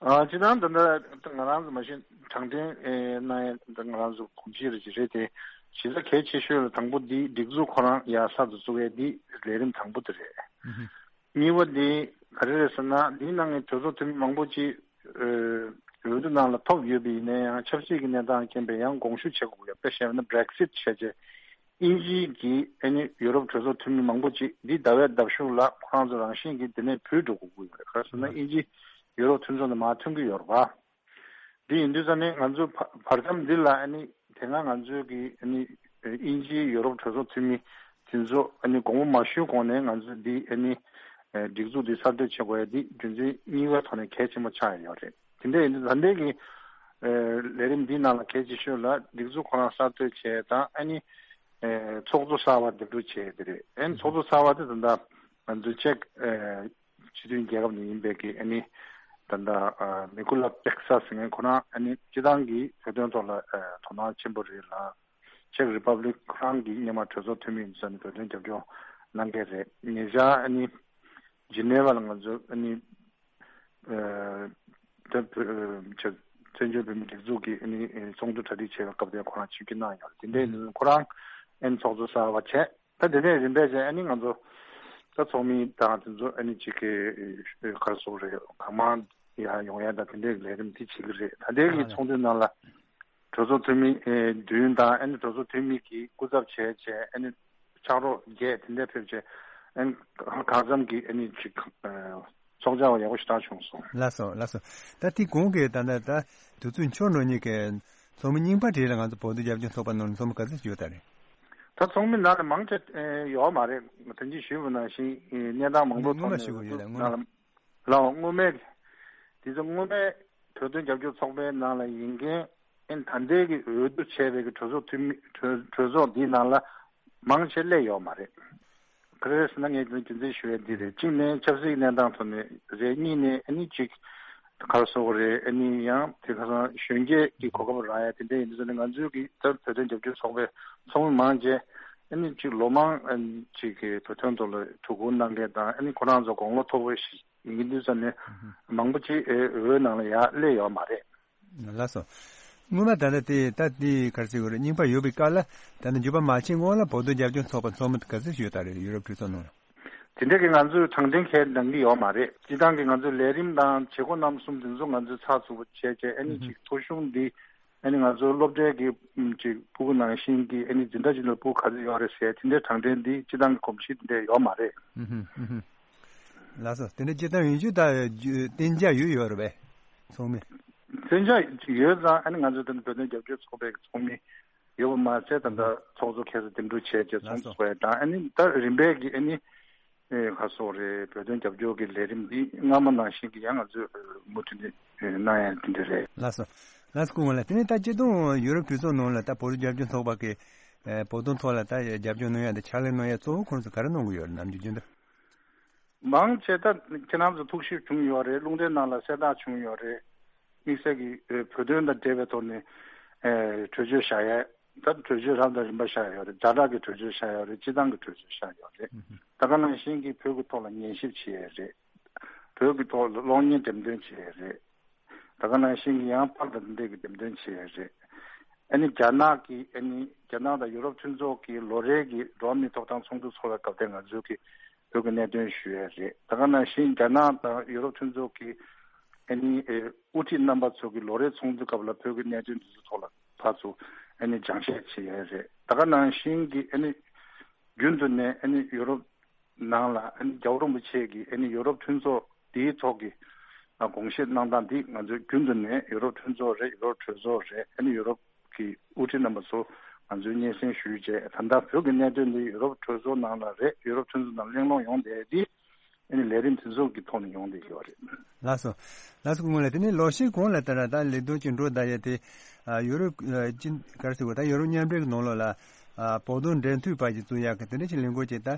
ཨ་སྤྱིར་བཏང་ད་ལྟ་ང་རང་ཚོ་མ་གཞི་དྲང་འདེམས་ཨེ་གནང་ཡ་ད་ང་རང་ཚོ་གོམས་གཤིས་རེ་ཅིག་རེད་དེ། གཞི་རྩ་གལ་ཆེ་ཤོས་ལ་དང་པོ་འདི་སྒྲིག་འཛུགས་ཁོ་རང་ཡར་གསར་དུ་བཙུགས་ཡས་འདི་ལས་རིམ་དང་པོ་དེ་རེད། གཉིས་པ་འདི་ག་རེ་རེད་ཟེར་ན། འདིའི་ནང་གི་གྲོས་ཚོགས་འཐུས་མི་མང་པོ་ཅིག་ཨ་འོས་བསྡུ་ནང་ལ་ཐོབ་ཡོད་པ་ཡིན་ན་ཡང་ཆབ་སྲིད་ཀྱི་གནས་སྟངས་རྐྱེན་པས་ཡང་དགོངས་ཞུ་བྱེད་དགོས་ཡོད། དཔེ་བཤད་ན་Brexit་བྱས་རྗེས་དབྱིན་ཇིའི་གི་ཨ་ནི་ཡུ་རོབ་གྲོས་ཚོགས་འཐུས་མི་མང་པོ་ཅིག་འདི་ཟླ་བའི་ཟླ་གཞུག་ལ་ཁོ་རང་ཚོ་རང་བཞིན་གྱིས་འདི་ནས་བུད་འགྲོ་དགོས་ཀྱི་ཡོད་རེད། ག་རེ་ཟེར་ན་དབྱིན་ཇི་ཡུ་རོབ་མཐུན་ཚོགས་ནས་མར་ཐོན་གྱི་ཡོད་རེད་པ། འདི་ཡིན་དུས་ཙང་ནས་ང་ཚོ་བར་བར་མཚམས་འདི་ལ་ཨ་ནི་དེ་སྔ་ང་ཚོའི་གི་ཨ་ནི་དབྱིན་ཇིའི་ཡུ་རོབ་གྲོས་ཚོགས་འཐུས་མི་དེ་ཚོ་ཨ་ནི་དགོངས་པ་མ་ཞུས་གོང་ནས་ང་ཚོས་འདི་ཨ་ནི་སྒྲིག་འཛུགས་འདི་གསར་གཏོད་བྱེད་དགོས་ཡ་འདི་རྒྱུ་མཚན་གཉིས་ཀའི་ཐོག་ནས་གལ་ཆེན་པོ་ཆགས་ཡོད་རེད། དེ་འདྲ་ཡིན་དུས་ད་ལྟའི་གི་ལས་རིམ་འདིའི་ནང་ལ་གལ་ཆེ་ཤོས་ལ་སྒྲིག་འཛུགས་ཁོ་རང་གསར་གཏོད་བྱས་དང་ཨ་ནི་ཚོགས་གཙོ་གསར་བ་འདེམས་སྒྲུག་བྱས་དེ་རེད། ཨ་ནི་ཚོགས་གཙོ་གསར་བ་དེ་ད་ལྟ་ང་ཚོའི་ཅེཀ་སྤྱི་མཐུན་རྒྱལ་ཁབ་ནས་ཡིན་པའི་གི་ཨ་ནི་ད་ལྟ་ཨ་མི་ཀུ་ལ་པེག་ས་ཟེར་མཁན་ཁོ་རང་ཨ་ནི་སྤྱི་བཏང་གི་བོད་དོན་ཐོག་ལ་ཨ་དོ་སྣང་ཆེན་པོ་རེད་ལ། ཅེཀ་རི་པབ་ལིག་ཁོ་རང་གི་སྔོན་མ་གྲོས་ཚོགས་འཐུས་མི་ཡིན་ཙང་ནི་བོད་དོན་རྒྱབ་སྐྱོར་གནང་མཁན་རེད། ཉེ་ཆར་ཨ་ནི་ཇི་ནེ་ཝ་ལ་ང་ཚོ་ཨ་ནི་ཨ་བོད་ཨ་བཙན་བྱོལ་བོད་མིའི་སྒྲིག་འཛུགས་ཀྱི་ཨ་ནི་ཚོགས་འདུ་གྲ་སྒྲིག་བྱེད་པའི་སྐབས་དེར་ཁོ་རང་ཆིབས་བསྒྱུར་གནང་ཡོད་རེད། དེ་འདྲའི་ཁོ་རང་ཨ་ནི་ཚོགས་གཙོ་གསར་བ་བྱས། ད་དེ་ནས་རིམ་པས་བྱས་ཨ་ནི་ང་ཚོ་ད་ཚོགས་མི་དང་དེ་ཚོ་ཨ་ནི་གཅིག་གི་ག་རེ་ཟེར་དགོས་རེད། གང་མང་ཡར་ཡོང་ཡ་དང་དེ་འདྲའི་ལས་རིམ་དེ་བྱེད་ཀྱི་རེད། ད་ལྟའི་གི་ཚོགས་འདུའི་ནང་ལ་གྲོས་ཚོགས་འཐུས་མི་ཨེ་བདུན་དང་ཨ་ནི་གྲོས་ཚོགས་འཐུས་མི་གི་སྐུ་ཚབ་བྱས་བྱས་ཨ་ནི་ཕྱག་རོགས་བརྒྱད་དེ་འདྲ་ཕེབས་བྱས་ཨ་ནི་གང་འཚམ་གི་ཨ་ནི་གཅིག་ཚོགས་བཅར་བ་ཡག་པོ་ཞེ་དྲག་བྱུང་སོང་། ལགས་སོ་ལགས་སོ། ད་དེ་གོང་གི་ད་ལྟ་ད་དུས་ཚོད་འཁྱོལ་འགྲོ་མཁན་གི་ཚོགས་མི་རྙིང་པ་དེ་ལ་ང་ཚོ་བོད་དོན་རྒྱབ་སྐྱོར་ཚོགས་པ་ནང་ལ་ཚོགས་མི་ག་ཚོད་ཡོད་ད་རེད། ད་ཚོགས་མི་ནང་ལ་མང་ཆེ་ཨེ་ཡོད་མ་རེད། ད་གིན་ཞུས་པ་ནང་བཞིན་ཨེ་གནས་སྟངས་མང་པོ་སྔོན་མ་ཐོག་ནས་ཞུ་དགོས་ཡོད་ལ་སྔོན་མ། ནང་ལ་ལའོ་སྔོན་མའི་དེ་ཚོ་སྔོན་མའི་བོད་དོན་རྒྱབ་སྐྱོར་ཚོགས་པའི་ནང་ལ་ཡིན་མཁན་ཨེ་ད་ལྟའི་གི་འོས་བསྡུ་བྱས་པའི་གི་གྲོས་ཚོགས་འཐུས་མི་གྲོས་གྲོས་ཚོགས་འདིའི་ནང་ལ་མང་ཆེ་སླེབས་ཡོད་མ་རེད། ག་རེ་རེད་ཟེར་ན་ངས་རྒྱུ་མཚན་ཞུ་ཡས་འདི་རེད། གཅིག་ནས་ཆབ་སྲིད་གནས་སྟངས་ཐོག་ནས་རེད། གཉིས་ནས་ཨ་ནི་གཅིག་ག་རེ་ཟེར་དགོས་རེད། ཨ་ནི་ཡང་དེ་ག་རང་གཞོན་སྐྱེས་ཀྱི་གོ་སྐབས་རག་ཡ་དེ་འདྲ་ཡིན་དུས་ཙང་ནས་ང་ཚོའི་གི་ད་བོད་དོན་རྒྱབ་སྐྱོར་ཚོགས་པའི་ཚོགས་མི་མང་ཆེ་ཨ་ནི་གཅིག་ལོ་མང་ཨ་ནི་གཅིག་གི་བོད་དོན་ཐོག་ལ་ཐུགས་ཁུར་གནང་མཁན་དང་ཨ་ནི་ཁོ་རང་ཚོ་དགུང་ལོ་མཐོ་པོ་ཞིག་ཡིན་དུས་ཙང་ནས་མང་པོ་ཅིག་ཨེ་འོས་ནང་ལ་ཡར་སླེབས་ཡོད་མ་རེད། ལགས་སོ། སྔོན་མ་ད་ལྟ་དེ་ད་དེ་ག་རེ་ཟེར་དགོས་རེད། རྙིང་པ་ཡོད་པའི་སྐབས་ལ་ད་ནི་འགྱུར་བ་མ་ཕྱིན་སྔོན་ལ་བོད་དོན་རྒྱབ་སྐྱོར་ཚོགས་པ་ཚོགས་མི་ག་ཚོད་ཡོད་ད་རེད། ཡུ་རོབ་གྲོས་ཚོགས་ནང་ལ། དེ་འདྲ་གི་ང་ཚོས་དྲང་བདེན་ཁས་ལེན་གྱི་ཡོད་མ་རེད། སྤྱི་བཏང་གི་ང་ཚོའི་ལས་རིམ་དང་བྱེད་སྒོ་རྣམ་གསུམ་དེ་ཚོ་ང་ཚོས་ཚགས་ཚུད་པོ་བྱས་བྱས་ཨ་ནི་ཅིག་ཐོ་གཞུང་འདི་ཨ་ནི་ང་ཚོའི་སློབ་གྲྭའི་གི་ཅིག་ཕྲུ་གུ་ནང་བཞིན་གྱི་ཨ་ནི་འཛིན་གྲྭ་ཅིག་ནང་ཕྲུ་གུ་ག་ཚོད་ཡོད་རེད་ཟེར་དེ་འདྲའི་དྲང་བདེན་འདི་སྤྱི་བཏང་གི་གོམས་གཤིས་དེ་འདྲ་ཡོད་མ་རེད། ལགས་སོ། དེ་འདྲ་སྤྱིར་བཏང་ཡོང་རྒྱུ་ད་གཏན་འཇགས་ཡོད་ཡོད་རེད་པས། ཚོགས་མི། གཏན་འཇགས་ཡོད་ཙང་ཨ་ནི་ང་ཚོ་དེ་ནི་བོད་དོན་རྒྱབ་སྐྱོར་ཚོགས་པའི་ཚོགས་མི་ཡོད་པ་མ་ཟད་ད་ལྟ་ཚོགས་གཙོ་ཁ་སང་འདེམས་སྒྲུག་བྱས་རྗེས་ཚོགས་གཙོ་ཡ་དང་ཨ་ནི་ད་རིམ་པས་ཀྱི་ཨ་ནི་ཨེ་ག་རེ་ཟེར་དགོས་རེད། བོད་དོན་རྒྱབ་སྐྱོར་གྱི་ལས་རིམ་འདི་སྔ་མ་ནང་བཞིན་གྱི་ཡང་ང་ཚོས་མུ་མཐུད་ནས་གནང་ཡ་དེ་འདྲ་རེད། ལགས་སོ། ལགས་སོ་སྐུ་ངོ་ལགས། དེ་ནས་ད་སྤྱི་བཏང་ཡུ་རོབ་གྲོས་ཚོགས་ནང་ལ་ད་བོད་དོན་རྒྱབ་སྐྱོར་ཚོགས་པ་གི་བོད་དོན་ཐོག་ལ་ད་རྒྱབ་སྐྱོར་གནང་ཡ་དང་ཕྱག་ལས་གནང་ཡ་གཙོ་བོ་ཁོང་ཚོ་ག་རེ་གནང་གི་ཡོད་རེད། ནམ་རྒྱུན་རྒྱུན་དུ། མང་ཆེ་ད་ཁྱེད་རང་ཚོ་ཐུགས་ཞིབ་བྱུང་ཡོད་རེད། རླུང་འཕྲིན་ནང་ལ་གསལ་བསྒྲགས་བྱུང་ཡོད་རེད། དམིགས་བསལ་གྱི་ཨེ་བོད་དོན་དང་འབྲེལ་བའི་ཐོག་ནས་ཨེ་གྲོས་ཆོད་བཞག་ཡས། ད་གྲོས་ཆོད་རབ་དང་རིམ་པ་བཞག་ཡོད་རེད། ཛ་དྲག་གི་གྲོས་ཆོད་བཞག་ཡོད་རེད། སྤྱི་བཏང་གི་གྲོས་ཆོད་བཞག་ཡོད་རེད། ད་ག་ནང་བཞིན་གྱི་བོད་ཀྱི་ཐོག་ལ་ཉན་ཞིབ་བྱེད་ཡས་རེད། བོད་ཀྱི་ཐོག་ལ་གློག་བརྙན་འགྲེམས་སྟོན་བྱེད་ཡས་རེད། ད་ག་ནང་བཞིན་གྱི་ཡང་པར་དང་འདི་འདྲའི་གི་འགྲེམས་སྟོན་བྱེད་ཡས་རེད། ཨ་ནི་རྒྱ་ནག་གི་ཨ་ནི་རྒྱ་ནག་དང་ཡུ་རོབ་མཐུན་ཚོགས་ཀྱི་ལོ་རེའི་གི་འགྲོ་བ་མིའི་ཐོབ་ཐང་ཚོགས་འདུ་ཚོགས་པའི་སྐབས་དེ་ང་ཚོའི་གི་བོད་ཀྱི་གནད་དོན་ཞུ་ཡས་རེད། ད་ག་ནང་བཞིན་རྒྱ་ནག་དང་ཡུ་རོབ་མཐུན་ཚོགས་ཀྱི་ཨ་ནི་ཨེ་དབུ་ཁྲིད་རྣམ་པ་ཚོ་གི་ལོ་རེའི་ཚོགས་འདུའི་སྐབས་ལ་བོད་ཀྱི་གནད་དོན་འདི་ཚོ་ཐོག་ལ་ཕར་ཚུར་ཨ་ནི་སྦྱང་བཤད་བྱེད་ཡས་རེད། ད་ག་ནང་བཞིན་གྱི་ཨ་ནི་རྒྱུན་དུ་ནས་ཨ་ནི་ཡུ་རོབ་ནང་ལ་ཨ་ནི་རྒྱལ་བ་རིན་པོ་ཆེ་གིས་ཨ་ནི་ཡུ་རོབ་མཐུན་ཚོགས་འདིའི་ཐོག་གི་ཨ་དགོངས་བཞེས་གནང་སྟངས་འདི་ང་ཚོས་རྒྱུན་དུ་ནས་ཡུ་རོབ་མཐུན་ཚོགས་རེད། ཡུ་རོབ་གྲོས་ཚོགས་རེད། ཨ་ནི་ཡུ་རོབ་ཀྱི་དབུ་ཁྲིད་རྣམ་པ་ཚོ་ང་ཚོས་སྙན་སེང་ཞུས་རྗེས་ད་ལྟ་བོད་ཀྱི་གནད་དོན་འདི་ཡུ་རོབ་གྲོས་ཚོགས་ནང་ལ་རེད། ཡུ་རོབ་མཐུན་ཚོགས་ནང་གླེང་སློང་ཡོང་བསྡད་འདི་ཨ་ནི་ལས་རིམ་དེ་ཚོ་གི་ཐོག་ནས་ཡོང་བསྡད་ཡོད་རེད། ལགས་སོ། ལགས་སོ་སྐུ་ངོ་ལགས། དེ་ནས་ལོ་ཤས་གོང་ལ་ལྟར་ད་ལས་དོན་ཅིག་འགྲོ་བསྡད་ཡ་དེ་ཨ་ཡུ་རོབ་ཨ་ཅི་ག་རེ་ཟེར་དགོས། ད་ཡུ་རོབ་མཉམ་འབྲེལ་གྱི་ནང་ལོགས་ལ་ཨ་བོད་དོན་འབྲེལ་མཐུད་པ་ཅིག་བཙུགས་ཡག་གི་དེ་འདྲ་ཅིག་ལས་འགུལ་ཅིག་ད་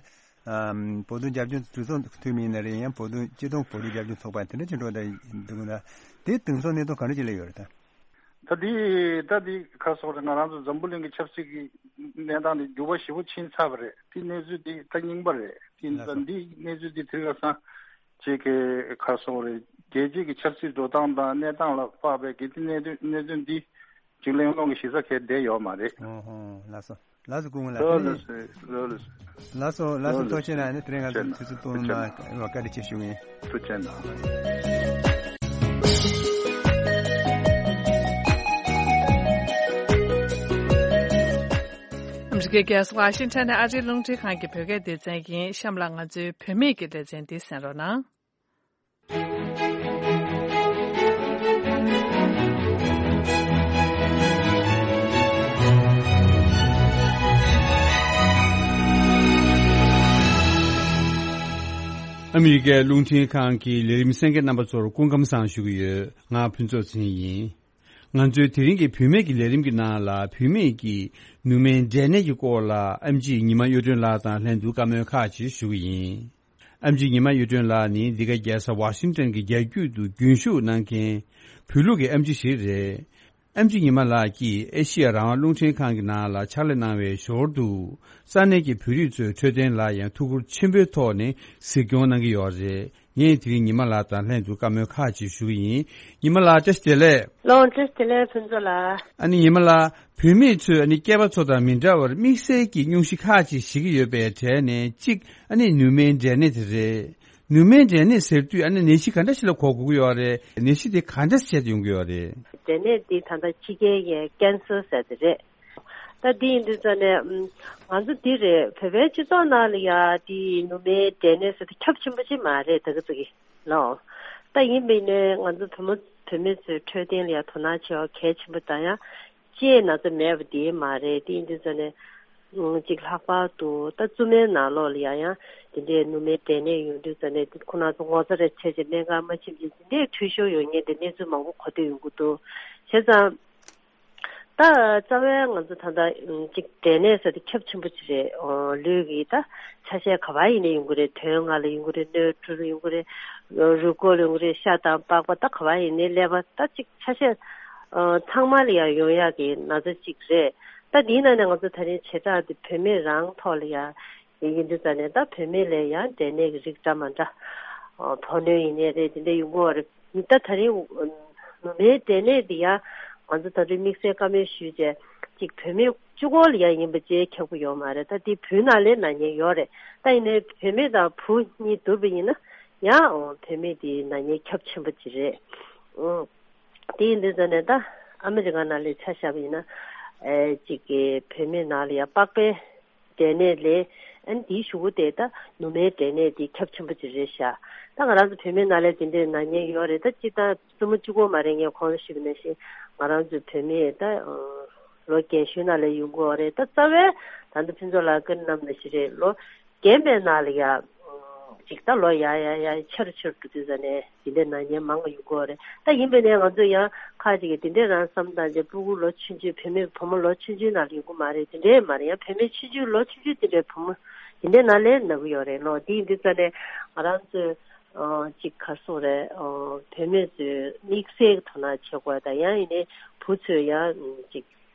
ཨ་བོད་དོན་རྒྱབ་ལྗོངས་གྲོས་ཚོགས་འཐུས་མི་ཡིན་ན་རེད། ཡང་བོད་དོན་སྤྱི་བཏང་བོད་རིགས་རྒྱབ་ལྗོངས་ཚོགས་པ་དེ་འདྲ་ཅིག་འགྲོ་བསྡད་འདུག་ན་དེ་དེང་སང་གནས་སྟངས་ག་འདྲ་ཅིག་སླེབས་ཡོད་རེད་ད། ད་འདི་ད་འདི་ག་རེ་ཟེར་དགོས་རེད། ང་རང་ཚོ་འཛམ་བུ་གླིང་གི་ཆབ་སྲིད་ཀྱི་གནས་སྟངས་འདི་འགྱུར་བ་ཞེ་པོ་ཕྱིན་ཚར་བ་རེད། འདི་གནས་ཚུལ་འདི་ད་རྙིང་པ་རེད། འདི་ལགས་ད་སོ། འདི་གནས་ཚུལ་འདི་དེ་ག་སང་ཅིག་གི་ག་རེ་ཟེར་དགོས་རེད། རྒྱལ་སྤྱིའི་གི་ཆབ་སྲིད་འགྲོ་སྟངས་དང་གནས་སྟངས་ལ་དཔག་པའི་གི་འདི་གནད་དོན་གནད་དོན་འདི་ཅིག་གླེང་སློང་གི་གཞི་རྩ་གལ་བསྡད་ཡོད་མ་རེད། ཨོ་ཧོ་ལགས་སོ། ལགས་སོ། སྐུ་ངོ་ལགས། ལགས་སོ། ལགས་སོ། ལགས་སོ། ལགས་སོ། ཐུགས་རྗེ་གནང་། ཨ་ནི་དེ་རིང་ང་ཚོ་དུས་ཚོད་བཏོན་གནང་བ་བཀའ་དྲིན་ཆེ་ཞུ་གི་ཡིན། ཐུགས་རྗེ་གནང་། ཨ་མི་རི་ཀའི་རྒྱལ་ས་ཝ་ཤིང་ཊོན་ནས་ཨ་རིའི་རླུང་འཕྲིན་ཁང་གི་བོད་སྐད་སྡེ་ཚན་ཡིན། གཤམ་ལ་ང་ཚོའི་བུད་མེད་ཀྱི་ལེ་ཚན་འདི་གསན་རོགས་གནང་། ཨ་མི་རི་ཀའི་རླུང་འཕྲིན་ཁང་གི་ལས་རིམ་གསན་མཁན་རྣམ་པ་ཚོར་སྐུ་ཁམས་བཟང་ཞུ་གི་ཡོད། ང་ཕུན་ཚོགས་ཚེ་རིང་ཡིན། ང་ཚོའི་དེ་རིང་གི་བུད་མེད་ཀྱི་ལས་རིམ་གྱི་ནང་ལ། བུད་མེད་ཀྱི་ནུ་མའི་འབྲས་ནད་ཀྱི་སྐོར་ལ་ཨེམ་ཆི་ཉི་མ་གཡུ་སྒྲོན་ལགས་དང་ལྷན་དུ་བཀའ་མོལ་ཁག་ཅིག་ཞུ་གི་ཡིན། ཨེམ་ཆི་ཉི་མ་གཡུ་སྒྲོན་ལགས་ནི་འདི་ག་རྒྱལ་ས་ཝ་ཤིང་ཊོན་གྱི་རྒྱ་རྒྱུད་དུ་རྒྱུན་ཞུགས་གནང་མཁན་བོད་ལུགས་ཀྱི་ཨེམ་ཆི་ཞིག་རེད། ཨེམ་ཆི་ཉི་མ་ལགས་ཀྱིས་ཨེ་ཤི་ཡ་རང་དབང་རླུང་འཕྲིན་ཁང་གི་ནང་ལ་ཕྱག་ལས་གནང་བའི་ཞོར་དུ། ས་གནས་ཀྱི་བོད་རིགས་ཚོའི་འཕྲོད་བསྟེན་ལ་ཡང་ཐུགས་ཁུར་ཆེན་པོའི་ཐོག་ནས་གཟིགས་སྐྱོང་གནང་གི་ཡོད་རེད། ངས་དེ་རིང་ཉི་མ་ལགས་དང་ལྷན་དུ་བཀའ་མོལ་ཁག་ཅིག་ཞུ་གི་ཡིན། ཉི་མ་ལགས། བཀྲ་ཤིས་བདེ་ལེགས། ལགས་སོ། བཀྲ་ཤིས་བདེ་ལེགས་ཕུན་ཚོགས་ལགས། ཨ་ནི་ཉི་མ་ལགས། བུད་མེད་ཚོས་ཨ་ནི་སྐྱེས་པ་ཚོ་དང་མི་འདྲ་བར་དམིགས་བསལ་གྱི་སྙུང་གཞི་ཁག་ཅིག་བཞེས་ཀྱི་ཡོད་པའི་གྲས་ནས་གཅིག་ཨ་ནི་ནུ་མའི་འབྲས་ནད་དེ་རེད། ནུ་མའི་འབྲས་ནད་ཟེར་དུས་ཨ་ནི་ནད་གཞི་ག་འདྲ་ཞིག་ལ་གོ་དགོས་ཀྱི་ཡོད་རེད། ནད་གཞི་དེ་ག་འདྲ་བྱས་ཏེ་ཡོང་གི་ཡོད་རེད། འབྲས་ནད་འདི་ད་ལྟ་ཕྱི་རྒྱལ་ཡའི་ཀན་སར་ཟེར་དེ་རེད། ད་འདི་ཡིན་དུས་ཙང་ནས་ཨམ། ང་ཚོ་འདི་རེད། བོད་པའི་སྤྱི་ཚོགས་ནང་ལ་ཡ་འདི་ནུ་མའི་འབྲས་ནད་ཟེར་དེ་ཁྱབ་ཆེན་པོ་ཅིག་མ་རེད་ད་ག་ཚོད་ཀྱི་ལོ། ད་ཡིན་པས་ནས་ང་ཚོ་བུ་མོ་བུད་མེད་ཚོའི་འཕྲོད་བསྟེན་ལ་ཡ་དོ་སྣང་བྱེད་པ་གལ་ཆེན་པོ་དང་ཡང་། ལྕེའི་ན་ཚ་མེད་པ་དེ་མ་རེད། དེ་ཡིན་དུས་ཙང་ནས་ཨང་། གཅིག་ལྷག་པར་དུ་ད་བཙུན་མའི་ནང་ལོགས་ལ་ཡང་ཡང་དེ་འདྲའི་ནུ་མའི་འབྲས་ནད་ཡོང་དུས་ཙང་ནས་དེ་ཁོ་རང་ཚོ་ངོ་ཚ་རེ་བྱས་བྱས་སྨན་ཁང་མ་ཕྱིན་ཅིག་དེ་འདྲའི་འཐུས་ཤོར་ཡོང་མཁན་དེ་གནས་ཚུལ་མང་པོ་གོ་ཐོས་ཡོང་གི་འདུག་བྱས་ཙང་། ད་རྩ་བའི་ང་ཚོ་ད་ལྟ་ཨང་། གཅིག་འབྲས་ནད་ཟེར་དེ་ཁྱབ་ཆེན་པོ་ཅིག་རེད། ཨོ། ལུས་ཀྱི་ད་ཆ་ཤས་ག་པར་ཡིན་ནའི་ཡོང་གི་རེད། དོན་ལྔ་ལ་ཡོང་གི་རེད། སྣོད་འཕྲུལ་ལ་ཡོང་གི་རེད། རུས་ཁོག་ལ་ཡོང་གི་རེད། ཤ་དང་པགས་པ་ད་ག་པར་ཡིན་ནའི་ཀླད་པ་ད་གཅིག་ཆ་ཤས། ཨ། ཚང་མ་ལ་ཡང་ཡོང་ཡག་གི་ན་ཚ་གཅིག་རེད། ད་འདིའི་ནང་ནས་ང་ཚོ་ད་རིང་བྱེ་བྲག་འདི་བུད་མེད་རང་ཐོག་ལ་ཡང་ཡིན་དུས་ཙང་ནས་ད་བུད་མེད་ལ་ཡང་འབྲས་ནད་ཀྱི་རིགས་འདྲ་མ་འདྲ། ཨ། ཕོ་གནོན་ཡིན་ནའི་རེད། དེ་འདྲ་ཡོང་གི་ཡོད་རེད། ད་ད་རིང་ནུ་མའི་འབྲས་ནད་འདི་ཡང་ང་ཚོ་ད་རིང་དམིགས་བསལ་བཀའ་མོལ་ཞུས་བྱས་གཅིག་བུད་མེད་གཅིག་པོ་ལ་ཡང་ཡིན་པ་བྱས་ཁྱབ་ཀྱི་ཡོད་མ་རེད། ད་འདི་བུའི་ནང་ལའི་ན་མཁན་ཡོད་རེད། ད་ཡིན་ནའི་བུད་མེད་དང་བུ་གཉིས་བསྡུར་བ་ཡིན་ན་ཡང་བུད་མེད་འདི་ན་མཁན་ཁྱབ་ཆེན་པོ་ཅིག་རེད། ཨང་། དེ་ཡིན་དུས་ཙང་ནས་ད་ཨ་མི་རི་ཀ་ནང་ལ་ཆ་བཞག་པ་ཡིན་ན། ཨེ། གཅིག་གི་བུད་མེད་ནང་ལ་ཡང་པགས་པའི་འབྲས་ནད་ལས་ཨ་ནི་དེའི་གཞུག་གུ་དེ་ད་ནུ་མའི་འབྲས་ནད་དེ་ཁྱབ་ཆེན་པོ་ཅིག་རེད་ཤག་ད་ང་རང་ཚོ་བུད་མེད་ནང་ལ་དེ་འདྲའི་ན་མཁན་ཡོད་རེད། ད་སྤྱིར་བཏང་བཙུན་མོ་གཅིག་པོ་མ་རེད། ངས་གོང་དུ་ཞུས་པ་ནང་བཞིན་ང་རང་ཚོའི་བུད་མེད་ད་ལོ་རྒན་གཞོན་ནང་ལ་ཡོང་གི་ཡོད་རེད། ད་རྩ་བའི་ད་ལྟ་ཕུན་ཚོགས་ལགས་བཀའ་གནང་ནང་བཞིན་རེད། ལོ་རྒན་པའི་ནང་ལ་ཡ། ཅིག་ད་ལོ་ཡ་ཡ་ཡ་ཆེ་རུ་ཆེ་རུ་འགྲོ་དུས་ཙ་ནས་དེ་འདྲའི་ན་མཁན་མང་བ་ཡོང་གི་ཡོད་རེད། ད་ཡིན་པས་ནས་ང་ཚོ་ཡང་ཁ་ཅིག་གིས་དེ་འདྲའི་རང་བསམ་བཏང་རྗེས་སྤུ་གུ་ལོ་ཆུང་ཆུང་། བུད་མེད་བུ་མོ་ལོ་ཆུང་ཆུང་ནང་ལ་ཡོང་གི་མ་རེད། དེ་འདྲའི་མ་རེད། ཡང་བུད་མེད་ཆུང་ཆུང་ལོ་ཆུང་ཆུང་དེ་འདྲའི་བུ་མོ་དེ་འདྲའི་ནང་ལའི་ན་གི་ཡོད་རེད་ལོ། དེ་ཡིན་དུས་ཙ་ནས་ང་རང་ཚོས་ཨ་ཅིག་ག་རེ་ཟེར་དགོས་རེད། ཨ་བུད་མེད་ཚོས་དམིགས་བསལ་གྱི་དོ་སྣང་བྱེད་དགོས་དང་། ཡང་ཡིན་ནའི་བུ་ཚོས་ཡང་ཅིག་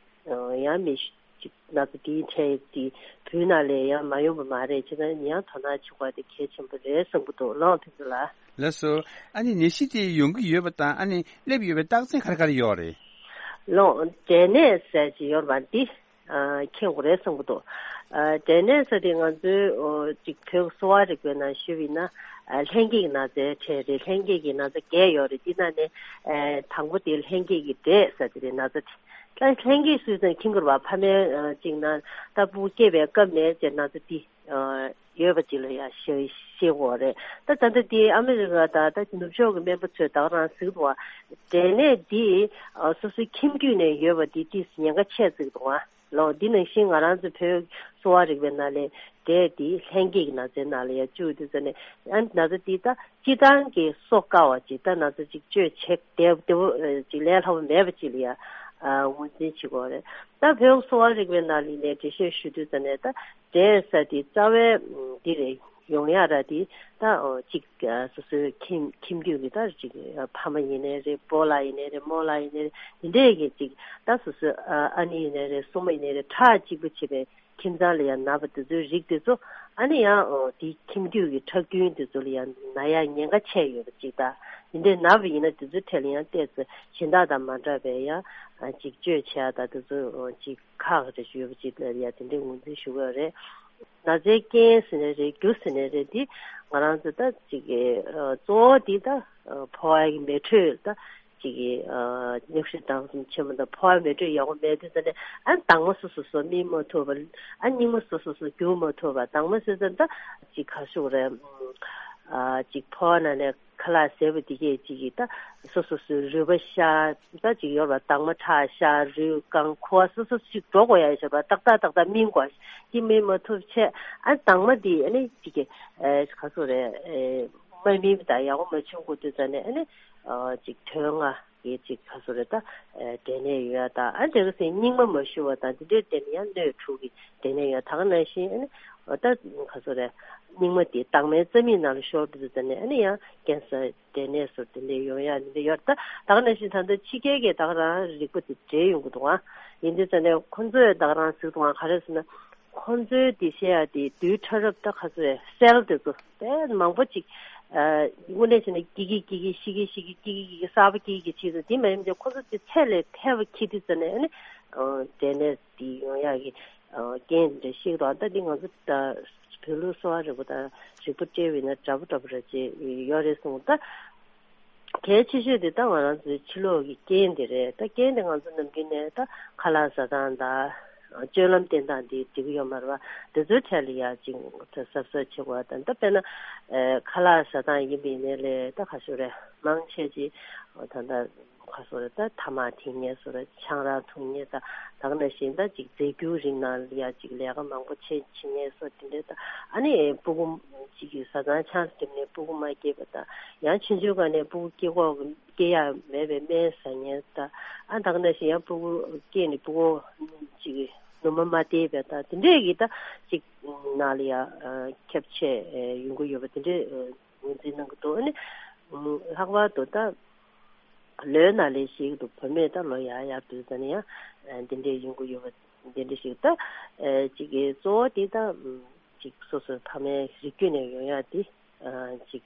ཡང་མི་ཅིག་ན་ཚ་དེའི་འཕྲལ་དེ་བུའི་ནང་ལ་ཡང་མ་ཡོང་བ་མ་རེད། བྱས་ཙང་ཡང་དོ་སྣང་བྱེད་དགོས་དེ་གལ་ཆེན་པོ་རེད་བསམ་གྱི་འདུག་ལགས་ཕུན་ཚོགས་ལགས། ལགས་སོ། ཨ་ནི་ནད་གཞི་དེ་ཡོང་གི་ཡོད་པ་དང་ཨ་ནི་སླེབས་ཡོད་པའི་རྟགས་མཚན་ག་རེ་ག་རེ་ཡོད་རེད། ལགས། འབྲས་ནད་ཟེར་གྱི་ཡོད་པ་འདི་ཨ་མཁྱེན་དགོས་རེད་བསམ་གྱི་འདུག་ཨ་འབྲས་ནད་ཟེར་དེ་ང་ཚོའི་ཨོ་ཅིག་བོད་གསོ་བ་རིག་པའི་ནང་ཞུས་པ་ཡིན་ན་ཨ་ལྷན་སྐྱེས་ཀྱི་ན་ཚའི་གྲས་རེད། ལྷན་སྐྱེས་ཀྱི་ན་ཚ་བརྒྱད་ཡོད་རེད། དེ་ནང་ནས་ཨ་དང་པོ་དེ་ལྷན་སྐྱེས་ཀྱི་འབྲས་ཟེར་དེ་རེད། ན་ཚ་དེ། ད་ལྷན་སྐྱེས་སུ་ཙང་ཁྱིམ་གུར་བ་ཕ་མའི་ཨ་གཅིག་ན་ད་སྤུ་གུ་སྐྱེས་པའི་སྐབས་ནས་ཅེ་ན་ཚ་འདི་ཨ་ཡོད་པ་ཅིག་ལ་ཡང་ཤེས་ཤེས་དགོས་རེད། ད་ད་ལྟ་འདི་ཨ་མི་རི་ཀ་དང་ད་ནུབ་ཕྱོགས་ཀྱི་སྨན་པ་ཚོས་ད་ག་རང་གཟིགས་འདུག་བ། འབྲས་ནད་འདི་ཨ་སོ་སོའི་ཁྱིམ་རྒྱུད་ནས་ཡོད་པ་འདི་ཏིས་ཉེན་ཁ་ཆེ་གཟིགས་འདུག་བ། ལོ། འདི་ནང་བཞིན་ང་རང་ཚོ་བོད་གསོ་བ་རིག་པའི་ནང་ལས་འབྲས་འདི་ལྷན་སྐྱེས་ཀྱི་ན་ཚའི་ནང་ལ་ཡང་བཅུག་དུས་ཙ་ནས་ཨ་ན་ཚ་འདི་ད་སྤྱི་བཏང་གི་གསོ་དཀའ་བ་ཅིག་ད་ན་ཚ་ཅིག་བཅོས་བྱེད་བདེ་བདེ་པོ་ཅིག་ལས་སླ་པོ་མེད་པ་ཅིག་ལ་ཡང་ངོས་འཛིན་བྱེད་དགོས་རེད། ད་བོད་གསོ་བ་རིག་པའི་ནང་ལ་ནས་འགྲེལ་བཤད་ཞུ་དུས་ཙ་ནས་ད་འབྲས་ཟེར་འདི་རྩ་བའི་འདི་རེད། ཡོང་ཡ་ར་དེ་ད་ཨོ་གཅིག་ཨ་སོ་སོའི་ཁྱིམ་ཁྱིམ་རྒྱུད་ཀྱི་ད་གཅིག་ཨ་ཕ་མ་ཡིན་ནའི་རེད། སྤོ་ལགས་ཡིན་ནའི་རེད། རྨོ་ལགས་ཡིན་ནའི་རེད། དེ་འདྲས་ཀྱི་གཅིག་ད་སོ་སོའི་ཨ་ཨ་ནེ་ཡིན་ནའི་རེད། སྲུ་མོ་ཡིན་ནའི་རེད། ཁྲག་གཅིག་པ་བྱེད་པའི་ཁྱིམ་ཚང་ལ་ཡང་ན་བ་དེ་ཚོའི་རིགས་དེ་ཚོ་ ཨ་ནི་ཡང་དེའི་ཁྱིམ་རྒྱུད་ཀྱི་ཁྲག་རྒྱུན་དེ་ཚོ་ལ་ཡང་ན་ཡག་ཉེན་ཁ་ཆེ་ཡོད་པ་ཅིག་དང་། དེ་འདྲའི་ན་བ་ཡིན་ན་དེ་ཚོའི་གྲས་ལ་ཡང་ཏོག་ཙམ་གཞན་དག་དང་མ་འདྲ་བའི་ཡང་ཅིག་བཅོས་བྱེད་ཡག་དང་དེ་ཚོ་ཅིག་ཁག་རེ་ཞིག་ཡོད་པ་ཅིག་ལ་ཡང་དེ་འདྲའི་ངོས་འཛིན་ཞུ་གི་ཡོད་རེད། ན་ཚའི་རྐྱེན་ཟེར་ནའི་རེད། རྒྱུ་ཟེར་ནའི་རེད། འདི་ང་རང་ཚོ་ད་ཅིག་གི་གཙོ་བོ་འདི་ད་ཕོ་བ་ཡི་མེ་དྲོད་ད་ཅིག་གི་ཨ་སྙུགས་ཤེད་དང་གསུམ་ཆེན་མོ་དང་ཕོ་བ་མེ་དྲོད་ཡག་པོ་མེད་དུས་ཙ་ནས། ཨ་དྭངས་མ་སོ་སོ་སོ་སྨིན་མ་ཐུབ་པ། ཨ་སྙིགས་མ་སོ་སོ་སོ་རྒྱུག་མ་ཐུབ་པ། དྭངས་མ་ཟེར་ཙ་ད་ཅིག་ག་ཞུ་རེད། ཨ་ཅིག་ཕོ་བ་ནང་ནས་ཁ་ལག་བཟས་པ་དེ་གས་ཅིག་གི་ད་སོ་སོ་སོའི་རུས་པ་ཤ་ད་ཅིག་ཡོད་པ། དྭངས་མ་ཁྲག་ཤ་རུས་རྐང་ཁུ་བ་སོ་སོ་ཅིག་འགྲོ་དགོས་ཡ་ཞེས་པ། ཏག་ཏག་ཏག་ཏག་སྨིན་དགོས། དེ་སྨིན་མ་ཐུབ་ཆེད་ཨ་དྭངས་མ་དེ་ཨ་ནི་ཅིག་གི་ཨ་ག་ཞུ་རེད། ཨེ་མ་སྨིན་པ་དང་ཡག་པོ་མ་བྱུང་དགོས་དུས་ཙ་ནས་ཨ་ནི་ཨ་ཅིག་དོན་ལྔ་གི་ཅིག་ག་ཞུ་རེད། ད་ཨེ་འབྲས་ནད་ཡོང་ཡ་དང་། ཨ་དེ་ག་ཟེར་སྙིགས་མ་མ་ཞུ་བ་དང་། དེ་འདྲའི་སྟེང་ནས་ཡང་སྣོད་དྲུག་གི་འབྲས་ནད་ཡོང་ཡ། ད་ག་ནང་བཞིན་ཨ་ནི་ད་ག་ཞུ་རེད། སྙིགས་མ་དེ་དྭངས་མའི་རྩ་མིག་ནང་ལ་ཤོར་དུས་ཙ་ནས་ཨ་ནི་ཡང་ཀན་སར་འབྲས་ནད་སོགས་དེ་འདྲའི་ཡོང་ཡ་དེ་འདྲ་ཡོད། ད་ད་ག་ནང་བཞིན་ད་ལྟ་ཕྱི་རྒྱལ་གྱི་ད་ག་རང་རིག་པ་དེ་འདྲ་ཡོང་གི་འདུག་ཨ། ཡིན་དུས་ཙ་ནས་ཁོང་ཚོས་ད་ག་རང་ཟེར་གི་འདུག་ཨ། ག་རེ་ཟེར་ན། ཁོང་ཚོའི་དེ་བཤད་ཡ་དེ་རྡུལ་ཕྲ་རབ་ད་ག་ཚོད་རེད། སེལ་དེ་ཚོ་དཔེ་མང་པོ་ཅིག་ཨ་དངོས་གནས་བྱས་ན་སྐྱིད་ཀྱི་སྐྱིད་ཀྱི་ཤི་ཀྱི་ཤི་ཀྱི་སྐྱིད་ཀྱི་སྐྱིད་ཀྱི་གསར་པ་སྐྱིད་ཀྱི་བྱས་ཚོ། དེ་མ་ཡིན་ཏེ་ཁོང་ཚོ་དེ་ཚད་ལས་ཐལ་བ་འཁྱེར་དུས་ཙ་ནས་ཨ་ནི་ཨ་འབྲས་ནད་དེ་ཡོང་ཡག་གི་ཨ་རྐྱེན་དེ་འདྲ་ཤེས་ཀྱི་འདུག་ད་འདི་ང་ཚོ་ད་བོད་ལུགས་གསོ་བ་རིག་པ་དང་རིག་པ་སྤྲད་པ་ཡིན་ན་འདྲ་པོ་འདྲ་པོ་རེད་ཅེས་ཡོད་རེད་གསུངས། ད་གལ་ཆེ་ཤོས་དེ་ད་ང་རང་ཚོའི་ཕྱི་ལོགས་ཀྱི་རྐྱེན་དེ་རེད། ད་རྐྱེན་དེ་ང་ཚོ་ནམ་རྒྱུན་ནས་ད་ཁ་ལག་ཟ་སྟངས་དང་སྤྱོད་ལམ་བསྟེན་སྟངས་དེ་འགྲིག་གི་ཡོད་མ་རེད་པ། དེ་ཚོའི་གྲས་ལ་ཡ་ཅིག་ད་གཟབ་གཟབ་བྱེད་དགོས་པ་དང་། ད་དཔེར་ན་ཨེ་ཁ་ལག་ཟ་སྟངས་ཡིན་པ་ཡིན་ནའི་ལས་ད་ག་ཞུ་རེད། མང་ཆེ་ཅིག་ད་ད་ག་ཞུ་རེད། ད་ཐ་མག་འཐེན་མཁན་སོགས་རེད། ཆང་རག་འཐུང་མཁན་དང་། ད་ག་ནང་བཞིན་ད་ཅིག་རྫས་འགྱུར་རིགས་ནང་ལ་ཡ་ཅིག་ལས་ཀ་མང་པོ་བྱེད་བྱེད་མཁན་སོགས་དེ་འདྲ་དང་། ཨ་ནི་སྤུ་གུ་ཅིག་གི་བཟའ་ཚང་ཆང་འཐེན་ནས་སྤུ་གུ་མ་སྐྱེས་པ་དང་། ཡང་ཆུང་ཆུང་སྒང་ནས་སྤུ་གུ་སྐྱེ་གོ་སྐྱེ་ཡ་མེད་པའི་སྨན་ཟ་མཁན་དང་། ཨ་ད་ག་ནང་བཞིན་ཡང་སྤུ་གུ་སྐྱེས་ནས་སྤུ་གུ་ཅིག་ནུ་མ་མ་བསྟེན་པ་དང་། དེ་འདྲས་ཀྱི་ད་ཅིག་ནང་ལ་ཡ་ཁྱབ་ཆེ་ཡོང་གི་ཡོད་པ་དེ་འདྲས་ངོས་འཛིན་གནང་གི་འདུག་ཨ་ནི་ལྷག་པར་དུ་ད་ལོའི་ནང་ལས་ཤིག་ཏུ་བུད་མེད་ད་ལོ་ཡར་ཡར་དུས་ཙམ་ནས་ཡང་འདི་འདྲས་ཡོང་གི་ཡོད་པ་འདི་འདྲས་ཤིག་ད་ཅིག་གི་གཙོ་བོ་དེ་ད་ཅིག་སོ་སོའི་ཕ་མའི་རིགས་རྒྱུད་ནས་ཡོང་ཡག་དེ་ཅིག་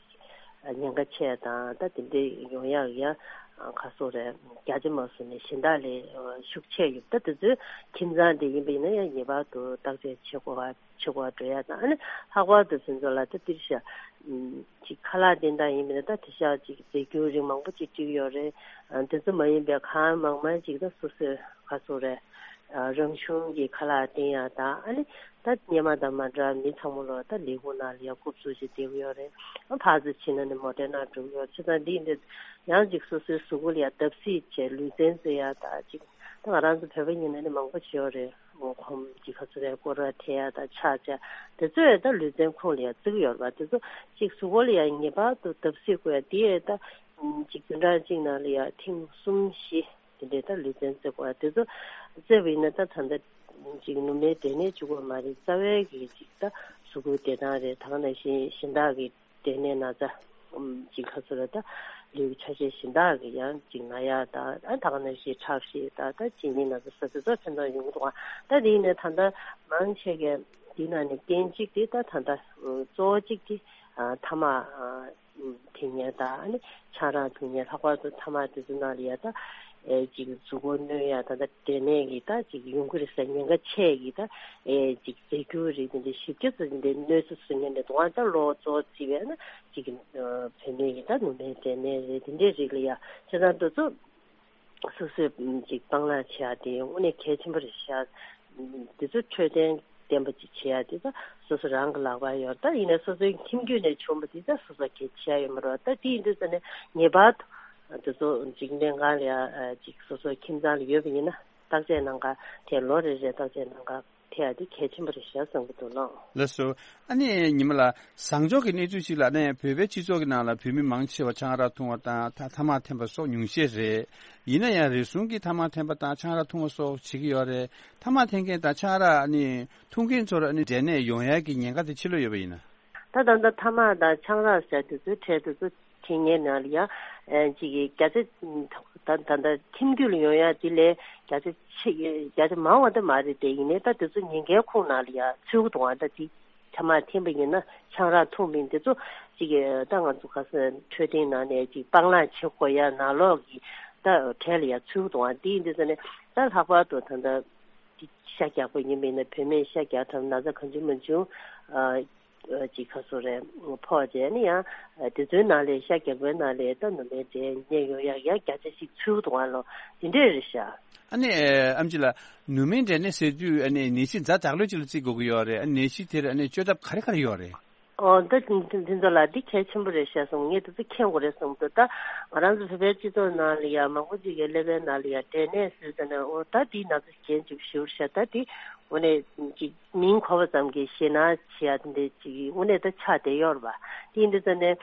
ཉེན་ཁ་ཆེ་དང་། ད་དེ་འདྲས་ཡོང་ཡག་ཡང་ག་ཟེར་རེད། བརྒྱ་ཆ་མ་བཟོ་ནས་གཞན་དག་ལས་ཤུགས་ཆེ་ཡོད། ད་དེ་ཚོའི་ཁྱིམ་ཚང་དེ་ཡིན་པ་ཡིན་ན་ཡང་ངེས་པར་དུ་བརྟག་དཔྱད་བྱེད་དགོས་པ། ཆེ་བ་འགྲོ་ཡ་དང་། ཨ་ནི་ལྷག་པར་དུ་ཕན་ཚུན་ལ་ད་འདིར་ཤ་ཅིག་ཁ་ལག་བསྟེན་སྟངས་ཡིན་པ་ཡིན་ན། ད་དེ་ཤ་ཅིག་རྫས་འགྱུར་རིགས་མང་པོ་ཅིག་བྲིས་ཡོད་རེད། ཨ་དེ་ཚོ་མ་ཡིན་པའི་གང་མང་མང་ཅིག་ད་སོ་སོས་ག་ཟེར་རེད། ཨ་རང་བྱུང་གི་ཁ་ལག་བསྟེན་ཡ་དང་། ཨ་ནི་ད་སྔོན་མ་དང་མ་འདྲ་མི་ཚང་མ་ལོ་ད་ལས་ཁུངས་ནང་ལ་ཡ་རྐུབ་བཙུགས་བྱས་བསྡད་ཀྱི་ཡོད་རེད། ཨ་ཕར་ཚུར་ཕྱིན་ན་ནི་མོ་ཊའི་ནང་འགྲོ་གི་ཡོད། བྱས་ཙང་འདི་ཡིན་དུས་ཡང་ཅིག་སོ་སོའི་གཟུགས་པོ་ལ་ཡ་བརྡབ་གསིག་བྱས་ལུས་རྩལ་རྩེ་ཡ་དང་། ཅིག་ད་ང་རང་ཚོ་བོད་པ་ཡིན་ན་ནི་མང་པོ་བྱེད་ཡོད་རེད། ཁོམ་གྱི་ག་ཚོད་རེད། སྐོར་ར་འཐེན་ཡ་དང་ཆག་ཆག་དེ་ཚོ་ཡང་ད་ལུས་རྩལ་ཁོངས་ལ་ཡང་བརྩི་གི་ཡོད་རེད་པ། དེ་ཚོ་གཅིག་གཟུགས་པོ་ལ་ཡང་ངེས་པར་དུ་བརྡབ་གསིག་དགོས་ཡ་དེ་ཡང་ད་གཅིག་བདུན་ཕྲག་གཅིག་ནང་ལ་ཡང་ཐེངས་གསུམ་བཞི་དེ་འདྲའི་ད་ལུས་རྩལ་རྩེ་དགོས་ཡ། དེ་ཚོ་རྩེ་བ་ཡིན་ན་ད་ད་ལྟ་གཅིག་ནུ་མའི་འབྲས་ནད་གཅིག་པོ་མ་རེད། རྩ་བའི་གི་གཅིག་ད་གཟུགས་པོའི་བདེ་ཐང་རེད། ད་ག་ནང་བཞིན་གཞན་དག་གི་འབྲས་ནད་ན་ཚ་ཅིག་ག་ཚོད་རེད། ད་ལུས་ཆ་ཤས་གཞན་དག་གི་ཡང་ཅིག་ན་ཡག་དང་། ཨ་ད་ག་ནང་བཞིན་ཁྲག་ཤེད་དང་། ད་གཅིན་སྙི་ན་ཚ་ཟེར་དེ་ཚོ་ཕན་ཐོགས་ཡོང་གི་འདུག་ག་ད་དེ་ཡིན་ནའི་ད་ལྟ་མང་ཆེ་གས་འདི་ནང་ནས་རྐྱེན་གཅིག་དེ་ད་ད་ལྟ་གཙོ་བོ་གཅིག་དེ་ཐ་མག་འཐེན་མཁན་དང་། ཨ་ནི་ཆང་རག་འཐུང་མཁན། ལྷག་པར་དུ་ཐ་མག་དེ་ཚོ་ནང་ལ་ཡ་ད་ཨེ་ཅིག་གཟུགས་པོ་གནོད་ཡ་ད་ལྟ་འབྲས་ནད་ཀྱི་ད་ཅིག་ཡོང་གི་རེད་ཟེར་ཉེན་ཁ་ཆེ་གི་ད་ཨེ་ཅིག་རྫས་འགྱུར་རིགས་དེ་འདྲ་ཞིབ་ཆ་ཚོ་དེ་འདྲའི་གནོད་འཚེ་བཟོ་མཁན་རེད་འདུག་ག་ད་ལོ་གཙོ་བོ་བརྩིས་པས་ན་ཅིག་བུད་མེད་ཀྱི་ད་ནུ་མའི་འབྲས་ནད་རེད། དེ་འདྲའི་རིགས་ལ་ཡ་བྱས་ཙང་དེ་ཚོ་སོ་སོས་ཅིག་སྤང་བླང་བྱེད་ཡ་དེ་དངོས་གནས་གལ་ཆེན་པོ་རེད་ཤག་དེ་ཚོ་འཕྲོད་བསྟེན་བརྟན་པོ་ཅིག་བྱེད་ཡ་དེ་ད་སོ་སོ་རང་གི་ལག་པར་ཡོད། ད་ཡིན་ནའི་སོ་སོའི་ཁྱིམ་རྒྱུད་ནས་བྱུང་བ་དེ་ད་སོ་སོ་གལ་ཆེ་ཡ་ཡོད་མ་རེད། ད་དེ་ཡིན་དུས་ཙ་ནས་ངེས་པར་དུ་དེ་ཚོ་ཅིག་སྨན་ཁང་ལ་ཡ་ཅིག་སོ་སོའི་ཁྱིམ་ཚང་ལ་ཡོད་པ་ཡིན་ན་བརྟག་དཔྱད་གནང་ག་དེ་ལོ་རེ་རེ་བརྟག་དཔྱད་གནང་ག་ཐེ་ཡ་དེ་གལ་ཆེན་པོ་རེད་ཤག་བསམ་གྱི་འདུག་ལགས། ལགས་སོ། ཨ་ནི་ཉི་མ་ལགས། བཟང་ཕྱོགས་ཀྱི་གནས་ཚུལ་ཞིག་ལ་ནི་བོད་པའི་སྤྱི་ཚོགས་ཀྱི་ནང་ལ་བོད་མི་མང་ཆེ་བ་ཆང་རག་འཐུང་བ་དང་ཐ་ཐ་མག་འཐེན་པ་སོགས་ཉུང་ཤས་རེད། ཡིན་ན་ཡང་རེ་ཟུང་གིས་ཐ་མག་འཐེན་པ་དང་ཆང་རག་འཐུང་བ་སོགས་བྱེད་ཀྱི་ཡོད་རེད། ཐ་མག་འཐེན་མཁན་དང་ཆང་རག་ཨ་ནི་འཐུང་མཁན་ཚོར་ཨ་ནི་འབྲས་ནད་ཡོང་ཡག་གི་ཉེན་ཁ་དེ་ཕྱི་ལོགས་ཡོད་པ་ཡིན་ན། ད་ད་ལྟ་ཐ་མག་དང་ཆང་རག་ཟེར་དེ་ཚོའི་གྲས་དེ་ཚོ་དེ་ངའི་ནང་ལ་ཡང་ཨེ་ཅིག་གི་བརྒྱ་ཆ་ད་ད་ལྟ་ཁྱིམ་རྒྱུད་ལ་ཡོང་ཡ་དེ་ལས་བརྒྱ་ཆ་ཆེ་བརྒྱ་ཆ་མང་བ་འདི་མ་རེད་དེ། ཡིན་ནའི་ད་དེ་ཚོ་ཉེན་ཁའི་ཁོངས་ནང་ལ་ཡ་ཚུད་ཀྱི་འདུག་ག་ད་དེ་ ཐ་མག་འཐེན་པ་ཡིན་ན་ཆང་རག་འཐུང་མིན་དེ་ཚོ་ཅིག་ད་ང་ཚོ་ག་ས་འཕྲོད་བསྟེན་ནང་ནས་ཅིག་སྤང་བླང་བྱེད་དགོས་ཡ་ནང་ལོགས་ཀྱི་ད་གྲས་ལ་ཡ་ཚུད་འདུག་ཨ། དེ་ཡིན་དུས་ཙ་ནས་ད་ལྷག་པར་དུ་ད་ལྟ་ཤ་རྒྱགས་པ་ཡིན་པ་ཡིན་ན་བུད་མེད་ཤ་རྒྱགས་ཐབས་ན་ཚ་གང་བྱུང་མང་བྱུང་ཅིག་ཁ་སོ་རེད་ཕོག་བྱས་ནས་ཡང་དེ་ཚོའི་ནང་ལས་ཤ་རྒྱགས་པའི་ནང་ལས་ད་ནུ་མའི་འབྲས་ནད་ཡོང་ཡག་ཡང་བརྒྱ་ཆ་ཞིག་ཚུད་འདུག་ཨ་ལོ། དེ་འདྲས་རེད་ཤག་ཨ་ནི་ཨམ་ཆི་ལགས། ནུ་མའི་འབྲས་ནད་ཟེར་དུས་ཨ་ནི་ནད་གཞི་ཛ་དྲག་ལོས་ཅིག་ལ་བརྩི་དགོས་ཀྱི་ཡོད་རེད། ཨ་ནད་གཞི་དེར་ཨ་ནི་བཅོས་ཐབས་ག་རེ་ག་རེ་ཡོད་རེད། ཨོ་ད་དེ་ཚོ་ལ་འདི་གལ་ཆེན་པོ་རེད་ཤག་སོང་ངས་དེ་ཚོ་མཁྱེན་དགོས་རེད་སོང་དུ་ད་ང་རང་ཚོ་བོད་པའི་སྤྱི་ཚོགས་ནང་ལ་ཡ་མང་པོ་ཅིག་གི་ཀླད་པའི་ནང་ལ་ཡ་འབྲས་ནད་ཟེར་ཙ་ན་ཨོ་ད་དེའི་ནང་ཚོ་གཞན་ཅིག་ཞུ་ཤག་ད་དེ་དངོས་གནས་ཅིག་མིང་གོ་བ་ཙམ་གྱིས་ཞེད་སྣང་བྱེད་ཡ་དེ་འདྲས་ཅིག་དངོས་གནས་ད་ཆགས་བསྡད་ཡོད་རེད་པ། དེ་ཡིན་དུས་ཙ་ནས་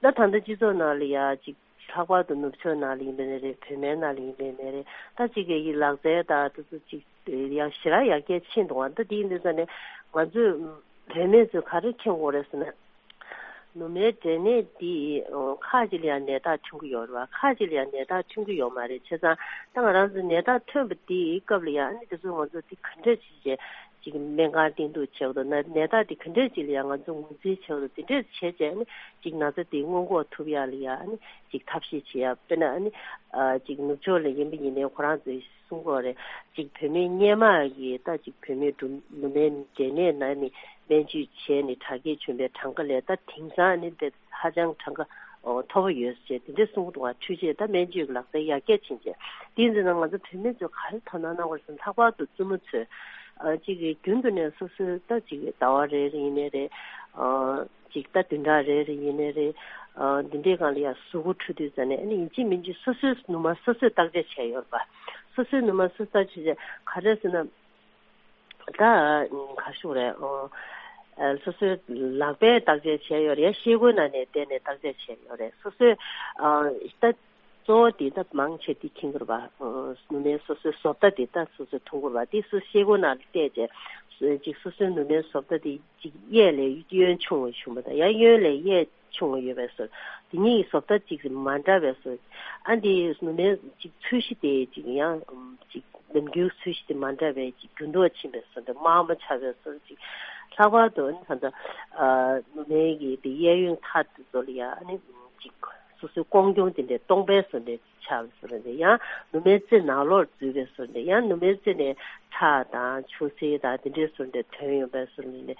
ད་ད་ལྟ་སྤྱི་ཚོགས་ནང་ལ་ཡ་ཅིག་ལྷག་པར་དུ་ནུབ་ཕྱོགས་ནང་ལ་ཡིན་པའི་ནི་རེད། བོད་མའི་ནང་ལ་ཡིན་པའི་ནི་རེད། ད་ཅིག་གི་ཡི་ལག་རྩལ་དང་དེ་ཚོ་ཅིག་ཡང་ཞེ་དྲག་ཡར་རྒྱས་ཕྱིན་འདུག་ཨ། ད་དེ་ཡིན་དུས་ཙ་ནས་ང་ཚོས་བོད་མི་ཚོས་ག་རེ་མཁྱེན་དགོས་རེད་ཟེར་ན། ནུ་མའི་འབྲས་ནད་འདི་ཁ་ཅིག་ལ་ཡང་ནད་རྟགས་ཐོན་གྱི་ཡོད་རེད་བ། ཁ་ཅིག་ལ་ཡང་ནད་རྟགས་ཐོན་གྱི་ཡོད་མ་རེད། བྱས་ཙང་ད་ང་རང་ཚོ་ནད་རྟགས་ཐོན་པ་དེའི་སྐབས་ལ་ཡང་ཨ་ནི་དེ་ཚོ་ང་ཚོ་དེ་ག་འདྲ་ཅིག་བྱས། ཅིག་སྨན་ཁང་བསྟེན་གཏུགས་བྱེད་དགོས་འདུག་ན་ནད་རྟགས་དེ་ག་འདྲས་ཅིག་ལ་ཡང་ང་ཚོ་ངོས་འཛིན་བྱེད་དགོས་འདུག་དེ་འདྲས་བྱས་བྱས་ནས་ཅིག་ན་ཚ་དེ་སྔོན་འགོག་ཐུབ་ཡག་ལ་ཡ་ཨ་ནི་ཅིག་ཐབས་ཤེས་བྱེད་ཡག་དཔེར་ན་ཨ་ནི་ཨ་ཅིག་ནུབ་ཕྱོགས་ལ་ཡིན་པ་ཡིན་ནའི་ཁོ་རང་ཚོས་གསུང་གི་ཡོད་རེད། ཅིག་བུད་མེད་སྔོན་མ་གི་ད་ཅིག་བུད་མེད་འབྲུམ་ནུ་མའི་འབྲས་ནད་ན་ནི་སྨན་བཅོས་བྱས་ནས་དྲག་སྐྱེད་བྱུང་བའི་གྲངས་ཀ་ལས་ད་དེང་སང་ཨ་ནི་དཔེ་ཧ་ཅང་གྲངས་ཀ་ཨོ་མཐོ་པོ་ཡོད་ཟེར་དེ་འདྲས་གསུང་གི་འདུག་བ། འཕྲུལ་ཆས་ད་སྨན་བཅོས་ཀྱི་ལག་རྩལ་ཡར་རྒྱས་ཕྱིན་བྱས་དེ་ཡིན་ན་ང་ཚོ་བུད་མེད་ཚོས་ག་རེ་དོ་སྣང་གནང་དགོས་ཟེར་ན་ལྷག་པར་དུ་བཙུན་མོ་ཚོས་ཨ་ཅིག་གི་རྒྱུན་དུ་ནས་སོ་སོའི་ད་ཅིག་ཟླ་བ་རེ་རེ་ཡིན་ནའི་རེད། ཨ་ཅིག་ད་བདུན་ཕྲག་རེ་རེ་ཡིན་ནའི་རེད། ཨ་འདི་འདྲའི་སྒང་ལ་ཡང་གཟུགས་པོ་འཁྲུད་དུས་ཙ་ནས་ཨ་ནི་ཡིན་གཅིག་མིན་གཅིག་སོ་སོའི་ནུ་མ་སོ་སོས་བརྟག་དཔྱད་བྱས་ཡོད་རེད་པ། སོ་སོའི་ནུ་མ་སོ་སོས་བརྟག་དཔྱད་བྱས་ག་རེ་ཟེར་ན། ད་ག་ཞུ་རེད། ཨ་སོ་སོའི་ལག་པས་བརྟག་དཔྱད་བྱས་ཡོད་རེད། ཤེལ་སྒོའི་ནང་ནས་བལྟས་ནས་བརྟག་དཔྱད་བྱས་ཡོད་རེད། སོ་སོའི་ཨ་ད་གཙོ་བོ་དེ་ད་མང་ཆེ་དེ་མཁྱེན་གྱི་རེད་པ། ཨ་ནུ་མའི་སོ་སོའི་བཟོ་ལྟ་དེ་ད་སོ་སོས་མཐོང་གི་རེད་པ། དེ་སོ་ཤེལ་སྒོ་ནང་ལ་བལྟས་བྱས་ཅིག་སོ་སོའི་ནུ་མའི་བཟོ་ལྟ་དེ་ཅིག་གཡས་ལས་གཡོན་ཆུང་བ་བྱུང་བ་དང་ཡང་གཡོན་ལས་གཡས་ཆུང་བ་ཡོད་པའི་བཟོ་དེ་གཉིས་ཀྱི་བཟོ་ལྟ་ཅིག་མ་འདྲ་བའི་བཟོ། ཨ་འདི་ནུ་མའི་ཅིག་ཚོས་གཞི་དེ་ཅིག་ཡང་ཅིག་ནམ་རྒྱུན་ཚོས་གཞི་དེ་མ་འདྲ་བའི་ཅིག་འགྱུར་ལྡོག་ཕྱིན་པའི་བཟོ་འདྲ་དམར་མོ་ཆགས་པའི་བཟོ་ཅིག་ལྷག་པར་དུ་ཨ་ནི་ད་ལྟ་ཨ་ནུ་མའི་གི་དེ་གཡས་གཡོན་ཐག་དེ་ཚོ་ལ་ཡང་ཨ་ནི་ཅིག་སོ་སོའི་ཀོང་གྱོང་དེ་འདྲའི་སྟོང་པའི་བཟོ་འདྲ་ཆགས་པའི་བཟོ་འདྲ་དེ་ཡང་ནུ་མའི་རྩེ་ནང་ལོགས་འཛུལ་བའི་བཟོ་འདྲ་ཡང་ནུ་མའི་རྩེ་ནས་ཁྲག་དང་ཆུ་སེར་དང་དེ་འདྲའི་བཟོ་འདྲ་ཐོན་ཡོང་པའི་བཟོ་འདྲ་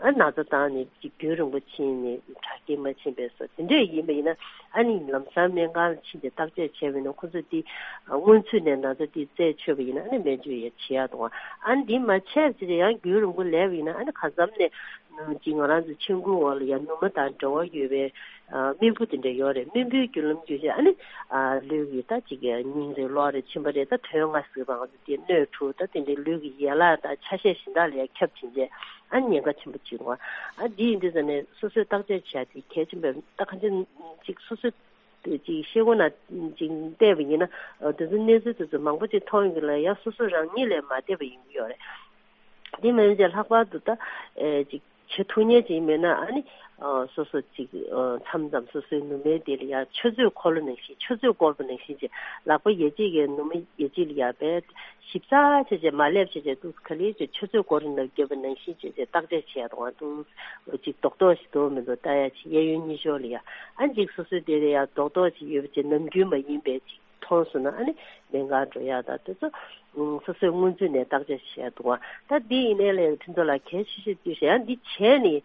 ཨ་ན་ཚ་བཏང་ནས་ཅིག་རྒྱུན་རིང་པོ་ཕྱིན་ནས་དྲག་སྐྱེད་མ་ཕྱིན་པའི་བཟོ་དེ་འདྲས་ཡིན་པ་ཡིན་ན་ཨ་ནི་ལམ་སང་སྨན་ཁང་ལ་ཕྱིན་ཏེ་བརྟག་དཔྱད་བྱས་པ་ཡིན་ན་ཁོ་ཚོས་འདི་སྔོན་ཚུད་ནས་ན་ཚ་འདི་རྩད་ཆོད་པ་ཡིན་ན་ཨ་ནི་སྨན་བཅོས་ཡང་བྱེད་ཡག་འདུག་ཨ་ནི་འདི་མ་བྱས་ཚེ་ཡང་རྒྱུན་རིང་པོ་ལས་པ་ཡིན་ན་ཨ་ནི་གང་འཚམ་ནས་ཅིག་ང་རང་ཚོ་མཆན་ཁུང་འོག་ལ་ཡང་ནུ་མ་དང་འབྲེལ་བ་ཡོད་པའི་རྨེན་བུ་དེ་འདྲ་ཡོད་རེད། རྨེན་བུའི་རྒྱུན་ལམ་རྒྱུན་ཆད་ཨ་ནི་ལུས་ཀྱི་ད་ཅིག་སྙིང་རེ་གློ་རེ་མཆིན་པ་རེ་ད་དོན་ལྔ་ཟེར་བ་ང་ཚོ་དེ་སྣོད་དྲུག་ད་དེ་འདྲའི་ལུས་ཀྱི་ཡན་ལག་དང་ཆ་ཤས་གཞན་དག་ལ་ཡང་ཁྱབ་ཕྱིན་ཆད་ཨ་ནི་ཉེན་ཁ་ཆེན་པོ་ཅིག་འདུག་ཨ་འདི་ཡིན་དུས་ཙ་ནས་སོ་སོའི་བརྟག་དཔྱད་བྱ་དེ་གལ་ཆེན་པོ་ད་གང་ཅི་ཅིག་སོ་སོའི་ཅིག་ཤེལ་སྒོ་ནང་ཅིག་བལྟས་པ་ཡིན་ན་དེ་ཚོ་གནས་ཚུལ་དེ་ཚོ་མང་པོ་ཅིག་མཐོང་ཡོང་གི་ལ་ཡང་སོ་སོ་རང་ཉིད་ལས་མ་བལྟས་པ་ཡིན་གྱི་ཡོད་རེད། དེ་མིན་ཅིག་ལྷག་པར་དུ་ད་ཨེ་ཅིག་བྱེད་ཐུབ་མཁན་ཅིག་མེད་ན་ཨ་ནི་ཨ་སོ་སོ་ཅིག་ཨ་མཚམས་མཚམས་སོ་སོའི་ནུ་མའི་དེ་ལ་ཡ་ཆུ་ཚོད་འཁོར་ལོ་ནང་བཞིན་ཆུ་ཚོད་བསྐོར་བ་ནང་བཞིན་ཅིག་ལག་པ་ཡ་གཅིག་གིས་ནུ་མ་ཡ་གཅིག་ལ་ཡ་བས་ཞིབ་ཚགས་བྱས་བྱས་མ་སླེབས་བྱས་བྱས་འདུག་ག་ལེར་ཅིག་ཆུ་ཚོད་འཁོར་ལོ་ནང་བརྒྱབ་པ་ནང་བཞིན་བྱས་བྱས་བརྟག་དཔྱད་བྱས་ཡ་དང་འདུག་ཅིག་རྡོག་རྡོག་ཞིག་འདུག་མི་འདུག་ལྟ་ཡ་ཅིག་གཡས་གཡོན་གཉིས་ཕྱོགས་ལ་ཡ་ཨ་ཅིག་སོ་སོའི་དེ་ལ་ཡ་རྡོག་རྡོག་ཅིག་ཡོད་པ་ཅིག་ནམ་རྒྱུན་མ་ཡིན་པའི་ཅིག་མཐོང་སོང་ན་ཨ་ནི་སྨན་ཁང་འགྲོ་ཡག་དང་དེ་ཚོ་སོ་སོའི་སྔོན་ཚུད་ནས་བརྟག་དཔྱད་བྱེད་ཡག་འདུག་བ། ད་འདི་ཡིན་ནའི་ལས་ཕུན་ཚོགས་ལགས་གལ་ཆེ་ཤོས་དུས་ཡང་འདི་བྱས་ནས་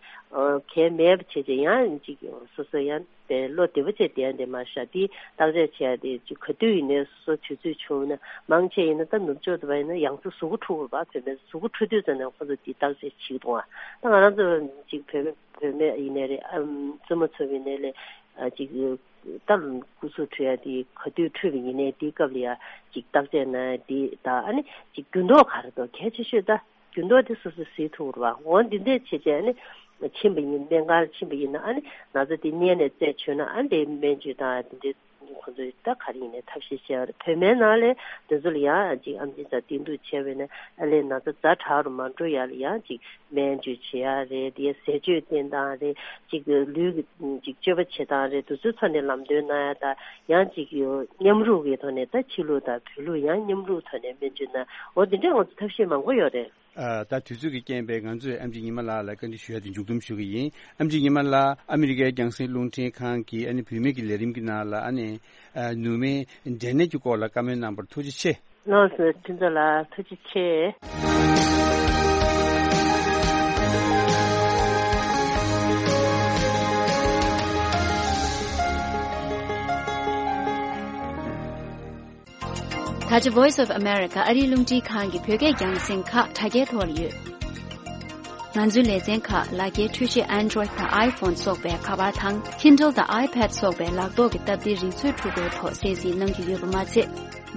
གལ་མེད་པ་བྱས་བྱས་ཡང་ཅིག་སོ་སོ་ཡང་དེ་བློ་བདེ་པོ་བྱས་བསྡད་འདི་མ་ཤག་འདི་བརྟག་དཔྱད་བྱེད་ཡག་དེ་ཅིག་ག་དུས་ཡིན་ནའི་སོ་སོ་དུས་ཚོད་བྱུང་ན་མང་ཆེ་ཡིན་ན་ད་ནུབ་ཕྱོགས་དུ་བ་ཡིན་ན་ཡང་ཚ་གཟུགས་པོ་འཁྲུ་དགོས་པ་བོད་མི་གཟུགས་པོ་འཁྲུ་དུས་ཙམ་ནས་ཁོ་ཚོ་འདི་བརྟག་དཔྱད་བྱེད་ཀྱི་འདུག་བ། ད་ང་རང་ཚོ་ཅིག་བོད་བོད་མི་ཡིན་ནའི་རེད་ཨམ་བཙུན་མ་ཚོ་ཡིན་ནའི་ལས་ཅིག་ད་སྐུ་གཟུགས་འཁྲུ་ཡ་དེ་ག་དུས་འཁྲུས་པ་ཡིན་ནའི་དེའི་སྐབས་ལ་ཡ་ཅིག་བརྟག་དཔྱད་གནང་ཡ་དེ་དང་ཨ་ནི་ཅིག་འགྱུར་ལྡོག་ག་རེ་འདུག་གལ་ཆེ་ཤོས་ད་འགྱུར་ལྡོག་དེ་སོ་སོས་གཟིགས་ཐུབ་རེད་བ། འོ་འདི་འདྲས་བྱས་བྱས་ཨ་ནི་ཕྱིན་པ་ཡིན་སྨན་ཁང་ཕྱིན་པ་ཡིན་ན་ཨ་ནི་ན་ཚ་དེ་རྙེད་ནས་རྩད་ཆོད་ན་ཨ་ནི་དེ་སྨན་བཅོས་དང་དེ་འདྲས་ཁོ་ཚོས་ད་ག་རེ་ཡིན་ནའི་ཐབས་ཤེས་བྱས་པ་རེད། བོད་མའི་ནང་ལས་དེ་ཚོ་ལ་ཡ་ཅིག་ཨམ་ཆི་ཚ་བསྟེན་གཏུགས་བྱས་པ་ཡིན་ན་ཨ་ལས་ན་ཚ་ཛ་དྲག་རུ་མ་འགྲོ་ཡ་ལ་ཡ་ཅིག་སྨན་བཅོས་བྱེད་ཡ་རེད། དེ་ཟས་སྤྱོད་བསྟེན་སྟངས་རེད། གཅིག་ལུས་ཀྱི་གཅིག་སྤྱོད་པ་བྱེད་སྟངས་རེད། དེ་ཚོའི་ཐོག་ནས་ལམ་སྟོན་གནང་ཡ་དང་ཡང་གཅིག་མཉམ་རུབ་ཀྱི་ཐོག་ནས་ད་ཕྱི་ལུགས་དང་བོད་ལུགས་ཡང་མཉམ་རུབ་ཐོག་ནས་སྨན་བཅོས་གནང་འོ་དེ་འདྲའི་ང་ཚོ་ཐབས་ཤེས་མང་པོ་ཡོད་རེད། ཨ། ད་དུས་ཚོད་ཀྱི་རྐྱེན་པས་ང་ཚོས་ཨེམ་ཆི་ཉི་མ་ལགས་ལ་བཀའ་འདྲི་ཞུ་ཡ་དེ་མཇུག་སྡོམ་ཞུ་གི་ཡིན། ཨེམ་ཆི་ཉི་མ་ལགས། ཨ་མི་རི་ཀའི་རྒྱང་སྲིང་རླུང་འཕྲིན་ཁང་གི་ཨ་ནི་བུད་མེད་ཀྱི་ལས་རིམ་གྱི་ནང་ལ་ཨ་ནི་ཨ་ནུ་མའི་འབྲས་ནད་ཀྱི་སྐོར་ལ་བཀའ་མོལ་གནང་བར་ཐུགས་རྗེ་ཆེ། ལགས་སོ། ཁྱེད་ཚོ་ལ་ཐུགས་རྗེ་ཆེ། ད་ཆ་Voice of America ཨ་རིའི་རླུང་འཕྲིན་ཁང་གི་བོད་སྐད་རྒྱང་སྲིང་ཁག་དྲ་རྒྱའི་ཐོག་ལ་ཡོད། ང་ཚོའི་ལེ་ཚན་ཁག་ལག་འཁྱེར་འཕྲུལ་ཆས་Android དང་iPhone སོགས་པའི་ཁ་པར་དང་Kindle དང་iPad སོགས་པའི་ལག་ཐོག་གི་སྟབས་བདེའི་རིག་མཛོད་འཕྲུལ་འཁོར་ཐོག་གསན་གཟིགས་གནང་རྒྱུ་ཡོད་པ་མ་ཚད།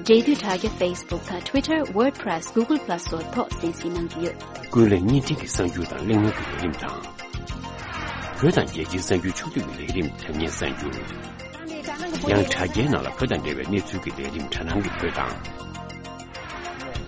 འབྲེལ་མཐུད་དྲ་རྒྱ་Facebook དང་Twitter, WordPress, Google Plus སོགས་ཐོག་གསན་གཟིགས་གནང་རྒྱུ་ཡོད། ཀུན་གླེང་བརྙན་འཕྲིན་གྱི་གསར་འགྱུར་དང་གླེང་མོལ་གྱི་ལས་རིམ་དང་། བོད་དང་རྒྱལ་སྤྱིའི་གསར་འགྱུར་ཕྱོགས་བསྡུས་ཀྱི་ལས་རིམ་དྲ་བརྙན་གསར་འགྱུར། ཡང་དྲ་རྒྱའི་ནང་ལ་བོད་དང་འབྲེལ་བའི་གནས་ཚུལ་གྱི་ལས་རིམ་དྲ་སྣང་གི་བོད་དང་།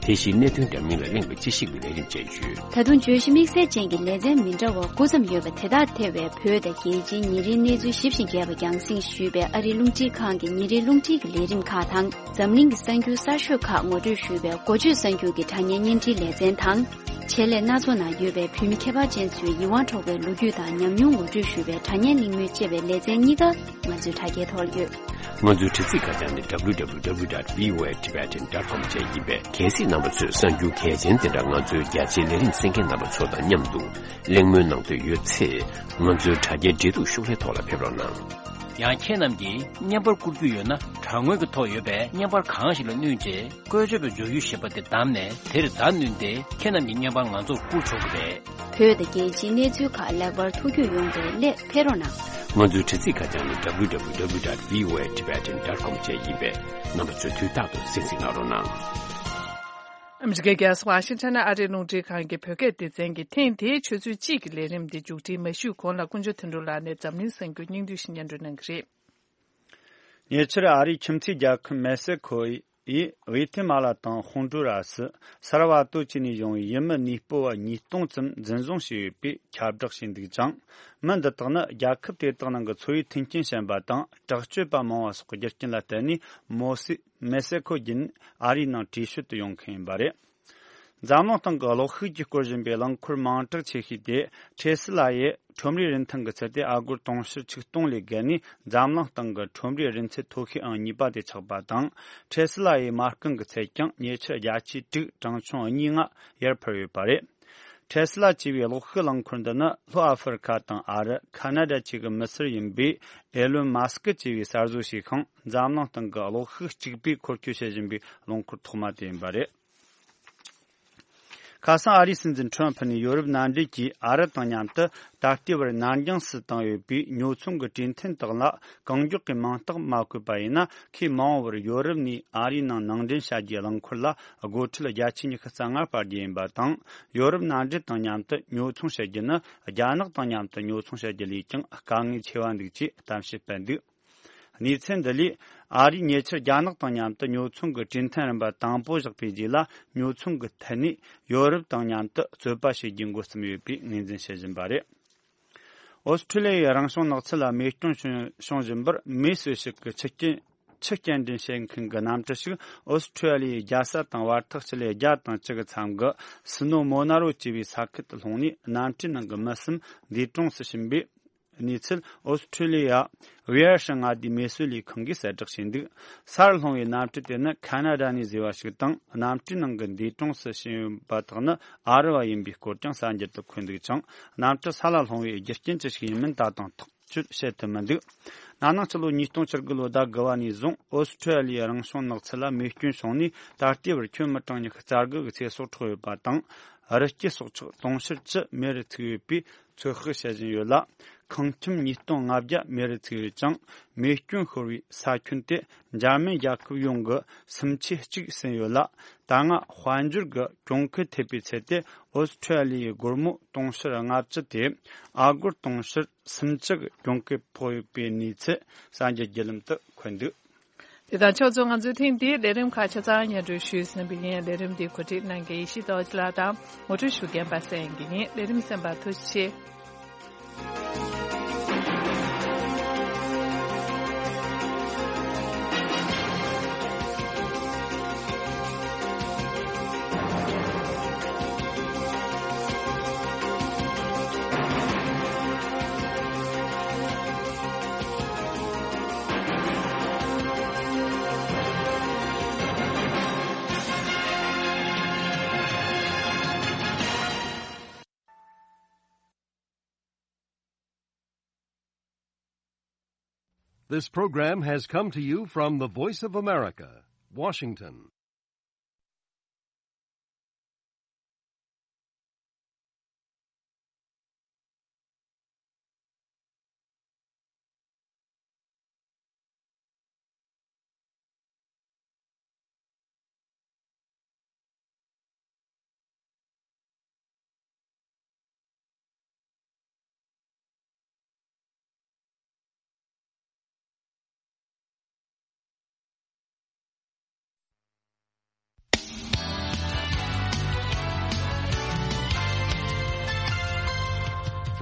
དེ་བཞིན་གནད་དོན་འདྲ་མིན་ལ་གླེང་བའི་དཔྱད་ཞིབ་ཀྱི་ལས་རིམ་བཅས་ཡོད། ད་དུང་བརྗོད་གཞི་དམིགས་བསལ་ཅན་གྱི་ལེ་ཚན་མི་འདྲ་བ་དགུ་ཙམ་ཡོད་པ་དེ་དག་ཐེ་བའི་བོད་དང་རྒྱལ་སྤྱིའི་ཉིན་རེའི་གནས་ཚུལ་ཞིབ་ཅིང་རྒྱས་པ་རྒྱང་སྲིང་ཞུས་པའི་ཨ་རིའི་རླུང་འཕྲིན་ཁང་གི་ཉིན་རེའི་རླུང་འཕྲིན་གྱི་ལས་རིམ་ཁག་དང་། འཛམ་གླིང་གི་གསར་འགྱུར་གསར་ཤོས་ཁག་ངོ་སྤྲོད་ཞུས་པའི་འགོ་བརྗོད་གསར་འགྱུར་གྱི་དྲ་བརྙན་བརྙན་འཕྲིན་ལེ་ཚན་དང་། ཆེད་ལས་སྣ་ཚོགས་ནང་ཡོད་པའི་བོད་མི་ཁྱད་པར་ཅན་ཚོའི་ཡིད་དབང་འཕྲོག་པའི་ལོ་རྒྱུས་དང་ཉམས་མྱོང་ངོ་སྤྲོད་ཞུས་པའི་དྲ་བརྙན་གླེང་མོལ་བཅས་པའི་ལེ་ཚན་གཉིས་ཀ་ང་ཚོའི་དྲ་རྒྱའི་ཐོག་ལ་ཡོད། ང་ཚོའི་དྲ་ཚིགས་ཁ་བྱང་ནི་www dot voatibetan dot com བཅས་ཡིན་པས། གལ་སྲིད་རྣམ་པ་ཚོས་གསར་འགྱུར་གལ་ཆེན་དེ་འདྲ་ང་ཚོའི་རྒྱ་ཆེའི་ལས་རིམ་གསན་མཁན་རྣམ་པ་ཚོ་དང་མཉམ་དུ་གླེང་མོལ་གནང་འདོད་ཡོད་ཚེ། ང་ཚོའི་དྲ་རྒྱའི་འབྲེལ་གཏུག་ཤོག་ལྷེ་ཐོག་ལ་ཕེབས་རོགས་གནང་། ཡང་ཁྱེད་རྣམས་ཀྱིས་བརྙན་པར་བསྐུར་རྒྱུ་ཡོད་ན། དྲ་ངོས་ཀྱི་ཐོག་ཡོད་པའི་བརྙན་པར་གང་ཞིག་ལ་བསྣུན་རྗེས། བཀོལ་སྤྱོད་པའི་མཛུབ་གུ་ཞེས་པ་དེ་བདམས་ནས། དེར་བརྡ་བསྣུན་ཏེ། ཁྱེད་རྣམས་ཀྱི་བརྙན་པར་ང་ཚོར་བསྐུར་ཆོག་གི་རེད། བོད་དང་རྒྱལ་སྤྱིའི་གནས་ཚུལ་ཁག་ལེགས་པར་ཐུགས་རྒྱུས་ཡོང་བའི་སླད་ཕེབས་རོགས་གནང་། ང་ཚོའི་དྲ་ཚིགས་ཁ་བྱང་ནི་www dot voatibetan dot com བཅས་ཡིན་པས། རྣམ་པ་ཚོས་དུས་རྟག་ཏུ་གསན་གཟིགས་གནང་རོགས་གནང་། ཨ་མི་རི་ཀའི་རྒྱལ་ས་ཝ་ཤིང་ཊོན་ནས་ཨ་རིའི་རླུང་འཕྲིན་ཁང་གི་བོད་སྐད་སྡེ་ཚན་གྱིས་ཐེངས་འདིའི་ཆུ་ཚོད་གཅིག་གི་ལས་རིམ་འདི་མཇུག་སྒྲིལ་མ་ཞུས་གོང་ལ། དཀོན་མཆོག་དོན་གྲུབ་ལགས་ནས་འཛམ་གླིང་གསར་འགྱུར་སྙིང་བསྡུས་ཤིག་སྙན་སྒྲོན་གནང་གི་རེད། ཉེ་ཆར་ཨ་རིའི་ཁྱིམ་མཚེས་རྒྱལ་ཁབ་མེག་སི་ཁོ་ཡིས་ཝེ་ཐེ་མ་ལ་དང་ཧོན་ཌུ་ར་སི། སལ་བ་ཏོ་བཅས་ནས་བྱུང་བའི་ཡུལ་མི་གནས་སྤོ་བ་ཉིས་སྟོང་ཙམ་འཛིན་བཟུང་བྱས་ཡོད་པའི་ཁྱབ་བསྒྲགས་བྱས་འདུག་ཅིང་། མི་འདི་དག་ནི་རྒྱལ་ཁབ་དེ་དག་ནང་གི་འཚོ་བའི་མཐུན་རྐྱེན་ཞན་པ་དང་དྲག་སྤྱོད་པ་མང་བ་སོགས་ཀྱི་རྒྱུ་རྐྱེན་ལ་བརྟེན་ནས། མོ་སི། མེག་སི་ཁོ་བརྒྱུད་ནས་ཨ་རིའི་ནང་བྲོས་བྱོལ་དུ་ཡོང་མཁན་ཡིན་པ་རེད། འཛམ་གླིང་སྟེང་གི་གློག་ཤུགས་ཀྱིས་བསྐོར་བཞིན་པའི་རླངས་འཁོར་མིང་གྲགས་ཆེ་ཤོས་དེ། ཁྲེ་སི་ལ་ཡི་ཁྲོམ་རའི་རིན་ཐང་གི་ཚད་དེ་ཨ་སྒོར་དུང་ཕྱུར་ཆིག་སྟོང་ལས་བརྒལ་ནས། འཛམ་གླིང་སྟེང་གི་ཁྲོམ་རའི་རིན་ཚད་མཐོ་ཤོས་ཨང་གཉིས་པ་དེ་ཆགས་པ་དང་། ཁྲེ་སི་ལ་ཡི་མ་རྐང་གི་ཚད་ཀྱང་ཉེ་ཆར་བརྒྱ་ཆ་དྲུག་གྲངས་ཆུང་གཉིས་ལྔ་ཡར་འཕར་ཡོད་པ་རེད། ཁྲེ་སི་ལ་ཅེས་པའི་གློག་ཤུགས་རླངས་འཁོར་འདི་ནི་ལྷོ་ཨ་ཧྥེ་རི་ཁ་དང་ཨ་རི། ཁ་ན་ཌ་བཅས་ཀྱི་མི་སེར་ཡིན་པའི་ཨེ་ལོན་མཱ་སི་ཀི་ཅེས་པས་གསར་བཟོ་བྱས་ཤིང་། འཛམ་གླིང་སྟེང་གི་གློག་ཤུགས་གཅིག་པུས་འཁོར་སྐྱོད་བྱེད་བཞིན་པའི་རླངས་འཁོར་ཐོག་མ་དེ་ཡིན་པ་རེད། ཁ་སང་ཨ་རིའི་སྲིད་འཛིན་ཁྲོམ་ཕུ་ནས་ཡོ་རོབ་མནའ་འབྲེལ་གྱིས་ཨ་རི་དང་མཉམ་དུ་ད་ལྟའི་བར་ནར་འགྱངས་སུ་བཏང་ཡོད་པའི་ཉོ་ཚོང་གི་གྲོས་མཐུན་དག་ལ་གང་མགྱོགས་ཀྱི་མིང་རྟགས་མ་བཀོད་པ་ཡིན་ན། ཁོས་མ་འོངས་པར་ཡོ་རོབ་ནས་ཨ་རིའི་ནང་ནང་འདྲེན་བྱ་རྒྱུའི་རླངས་འཁོར་ལ་སྒོ་ཁྲལ་བརྒྱ་ཆ་ཉི་ཤུ་རྩ་ལྔ་སྤར་རྒྱུ་ཡིན་པ་དང་། ཡོ་རོབ་མནའ་འབྲེལ་དང་མཉམ་དུ་ཉོ་ཚོང་བྱ་རྒྱུ་ནི་རྒྱ་ནག་དང་མཉམ་དུ་ཉོ་ཚོང་བྱ་རྒྱུ་ལས་ཀྱང་དཀའ་ངལ་ཆེ་བ་འདུག་ཅེས་གཏམ་བཤད་སྤེལ་འདུག། གནས་ཚུལ་འདི་ལས། ཨ་རིས་ཉེ་ཆར་རྒྱ་ནག་དང་མཉམ་དུ་ཉོ་ཚོང་གི་གྲོས་མཐུན་རིམ་པ་དང་པོ་བཞག་པའི་རྗེས་ལ། ཉོ་ཚོང་གི་ཐད་ནས་ཡོ་རོབ་དང་མཉམ་དུ་རྩོད་པ་བྱེད་རྒྱུའི་འགོ་རྩོམ་ཡོད་པའི་ངོས་འཛིན་བྱེད་བཞིན་པ་རེད། ཨོ་སི་ཁྲུ་ལི་ཡའི་རང་བྱུང་ནགས་ཚལ་ལ་རྨས་སྐྱོན་བྱུང་བྱུང་བཞིན་པར། མིའི་གསོས་ཤིག་གི་ཆུ་རྐྱེན་ཆུ་སྐྱེལ་འདྲེན་བྱེད་མཁན་གྱི་གནམ་གྲུ་ཞིག་ཨོ་སི་ཁྲུ་ལི་ཡའི་རྒྱལ་ས་དང་བར་ཐག་སྤྱི་ལེ་བརྒྱ་དང་བཅུ་གི་མཚམས་ཀྱི་སི་ནོ་མོ་ན་རོ་ཅེས་པའི་ས་ཁུལ་དུ་ལྷུང་ནས། གནམ་གྲུའི་ནང་གི་མི་གསུམ་འདས་གྲོངས་སུ་ཕྱིན་པའི་གནས་ཚུལ་ཨོ་སི་ཁྲུ་ལི་ཡ་ཝི་ཨར་ཧྲི་མངའ་སྡེའི་མེ་གསོད་ལས་ཁང་གིས་གསལ་བསྒྲགས་བྱས་འདུག། སར་ལྷུང་བའི་གནམ་གྲུ་དེ་ནི་ཁ་ན་ཌ་ནས་བཟོས་པ་ཞིག་དང་། གནམ་གྲུའི་ནང་གི་འདས་གྲོངས་སུ་ཕྱིན་ཡོད་པ་དག་ནི་ཨ་རི་བ་ཡིན་པའི་སྐོར་ཀྱང་གསར་འགྱུར་དུ་འཁོད་འདུག་ཅིང་། གནམ་གྲུ་ས་ལ་ལྷུང་བའི་རྒྱུ་རྐྱེན་ཅི་ཞིག་ཡིན་མིན་ད་དུང་ཐག་གཅོད་བྱེད་ཐུབ་མི་འདུག། ན་ནིང་ཕྱི་ལོ་ཉིས་སྟོང་བཅུ་དགུ་ལོའི་ཟླ་དགུ་པ་ནས་བཟུང་ཨོ་སི་ཁྲུ་ལི་ཡའི་རང་བྱུང་ནགས་ཚལ་ལ་རྨས་སྐྱོན་བྱུང་ནས། ད་ལྟའི་བར་ཁྱོན་མི་གྲངས་ཉི་ཤུ་རྩ་དགུ་གི་ཚེ་སྲོག་འཕྲོག་ཡོད་པ་དང་། རི་སྐྱེས་སྲོག་ཆགས་དུང་ཕྱུར་བཅུ་མེ་རུ་ཚིག་ཡོད་པའི་ཚོད་དཔག་བྱེད་བཞིན་ཡོད་ལ། ཁང་ཁྱིམ་ཉིས་སྟོང་ལྔ་བརྒྱ་མེ་རུ་ཚིག་ཡོད་ཅིང་། རྨས་སྐྱོན་ཤོར་བའི་ས་ཁྱོན་དེ་འཇར་མན་རྒྱལ་ཁབ་ཡོངས་ཀྱི་སུམ་ཆའི་གཅིག་ཟིན་ཡོད་ལ། ད་སྔ་དཔལ་འབྱོར་གྱི་གྱོང་གུན་ཐེབས་པའི་ཚད་དེ་ཨོ་སི་ཁྲུ་ལི་ཡའི་སྒོར་མོ་དུང་ཕྱུར་ལྔ་བཅུ་དེ་ཨ་སྒོར་དུང་ཕྱུར་སུམ་ཅུ་གི་གྱོང་གུན་ཕོག་ཡོད་པའི་གནས་ཚུལ་གསར་འགྱུར་བརྒྱུད་ལམ་དུ་འཁོད་འདུག། དེ་དང་ཕྱོགས་མཚུངས་ང་ཚོའི་ཐེངས་འདིའི་ལས་རིམ་ཁག་ཆ་ཚང་སྙན་སྒྲོན་ཞུས་ཟིན་པ་ཡིན། ལས་རིམ་འདི་གོ་སྒྲིག་གནང་མཁན་ཡེ་ཤེས་རྡོ་རྗེ་ལགས་དང་ངོ་སྤྲོད་ཞུ་མཁན་པ་སངས་དབྱངས་སྐྱིད་ཡིན། ལས་རིམ་གསན་པར་ཐུགས་རྗེ་ཆེ། This program has come to you from the Voice of America, Washington.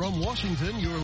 From Washington, you're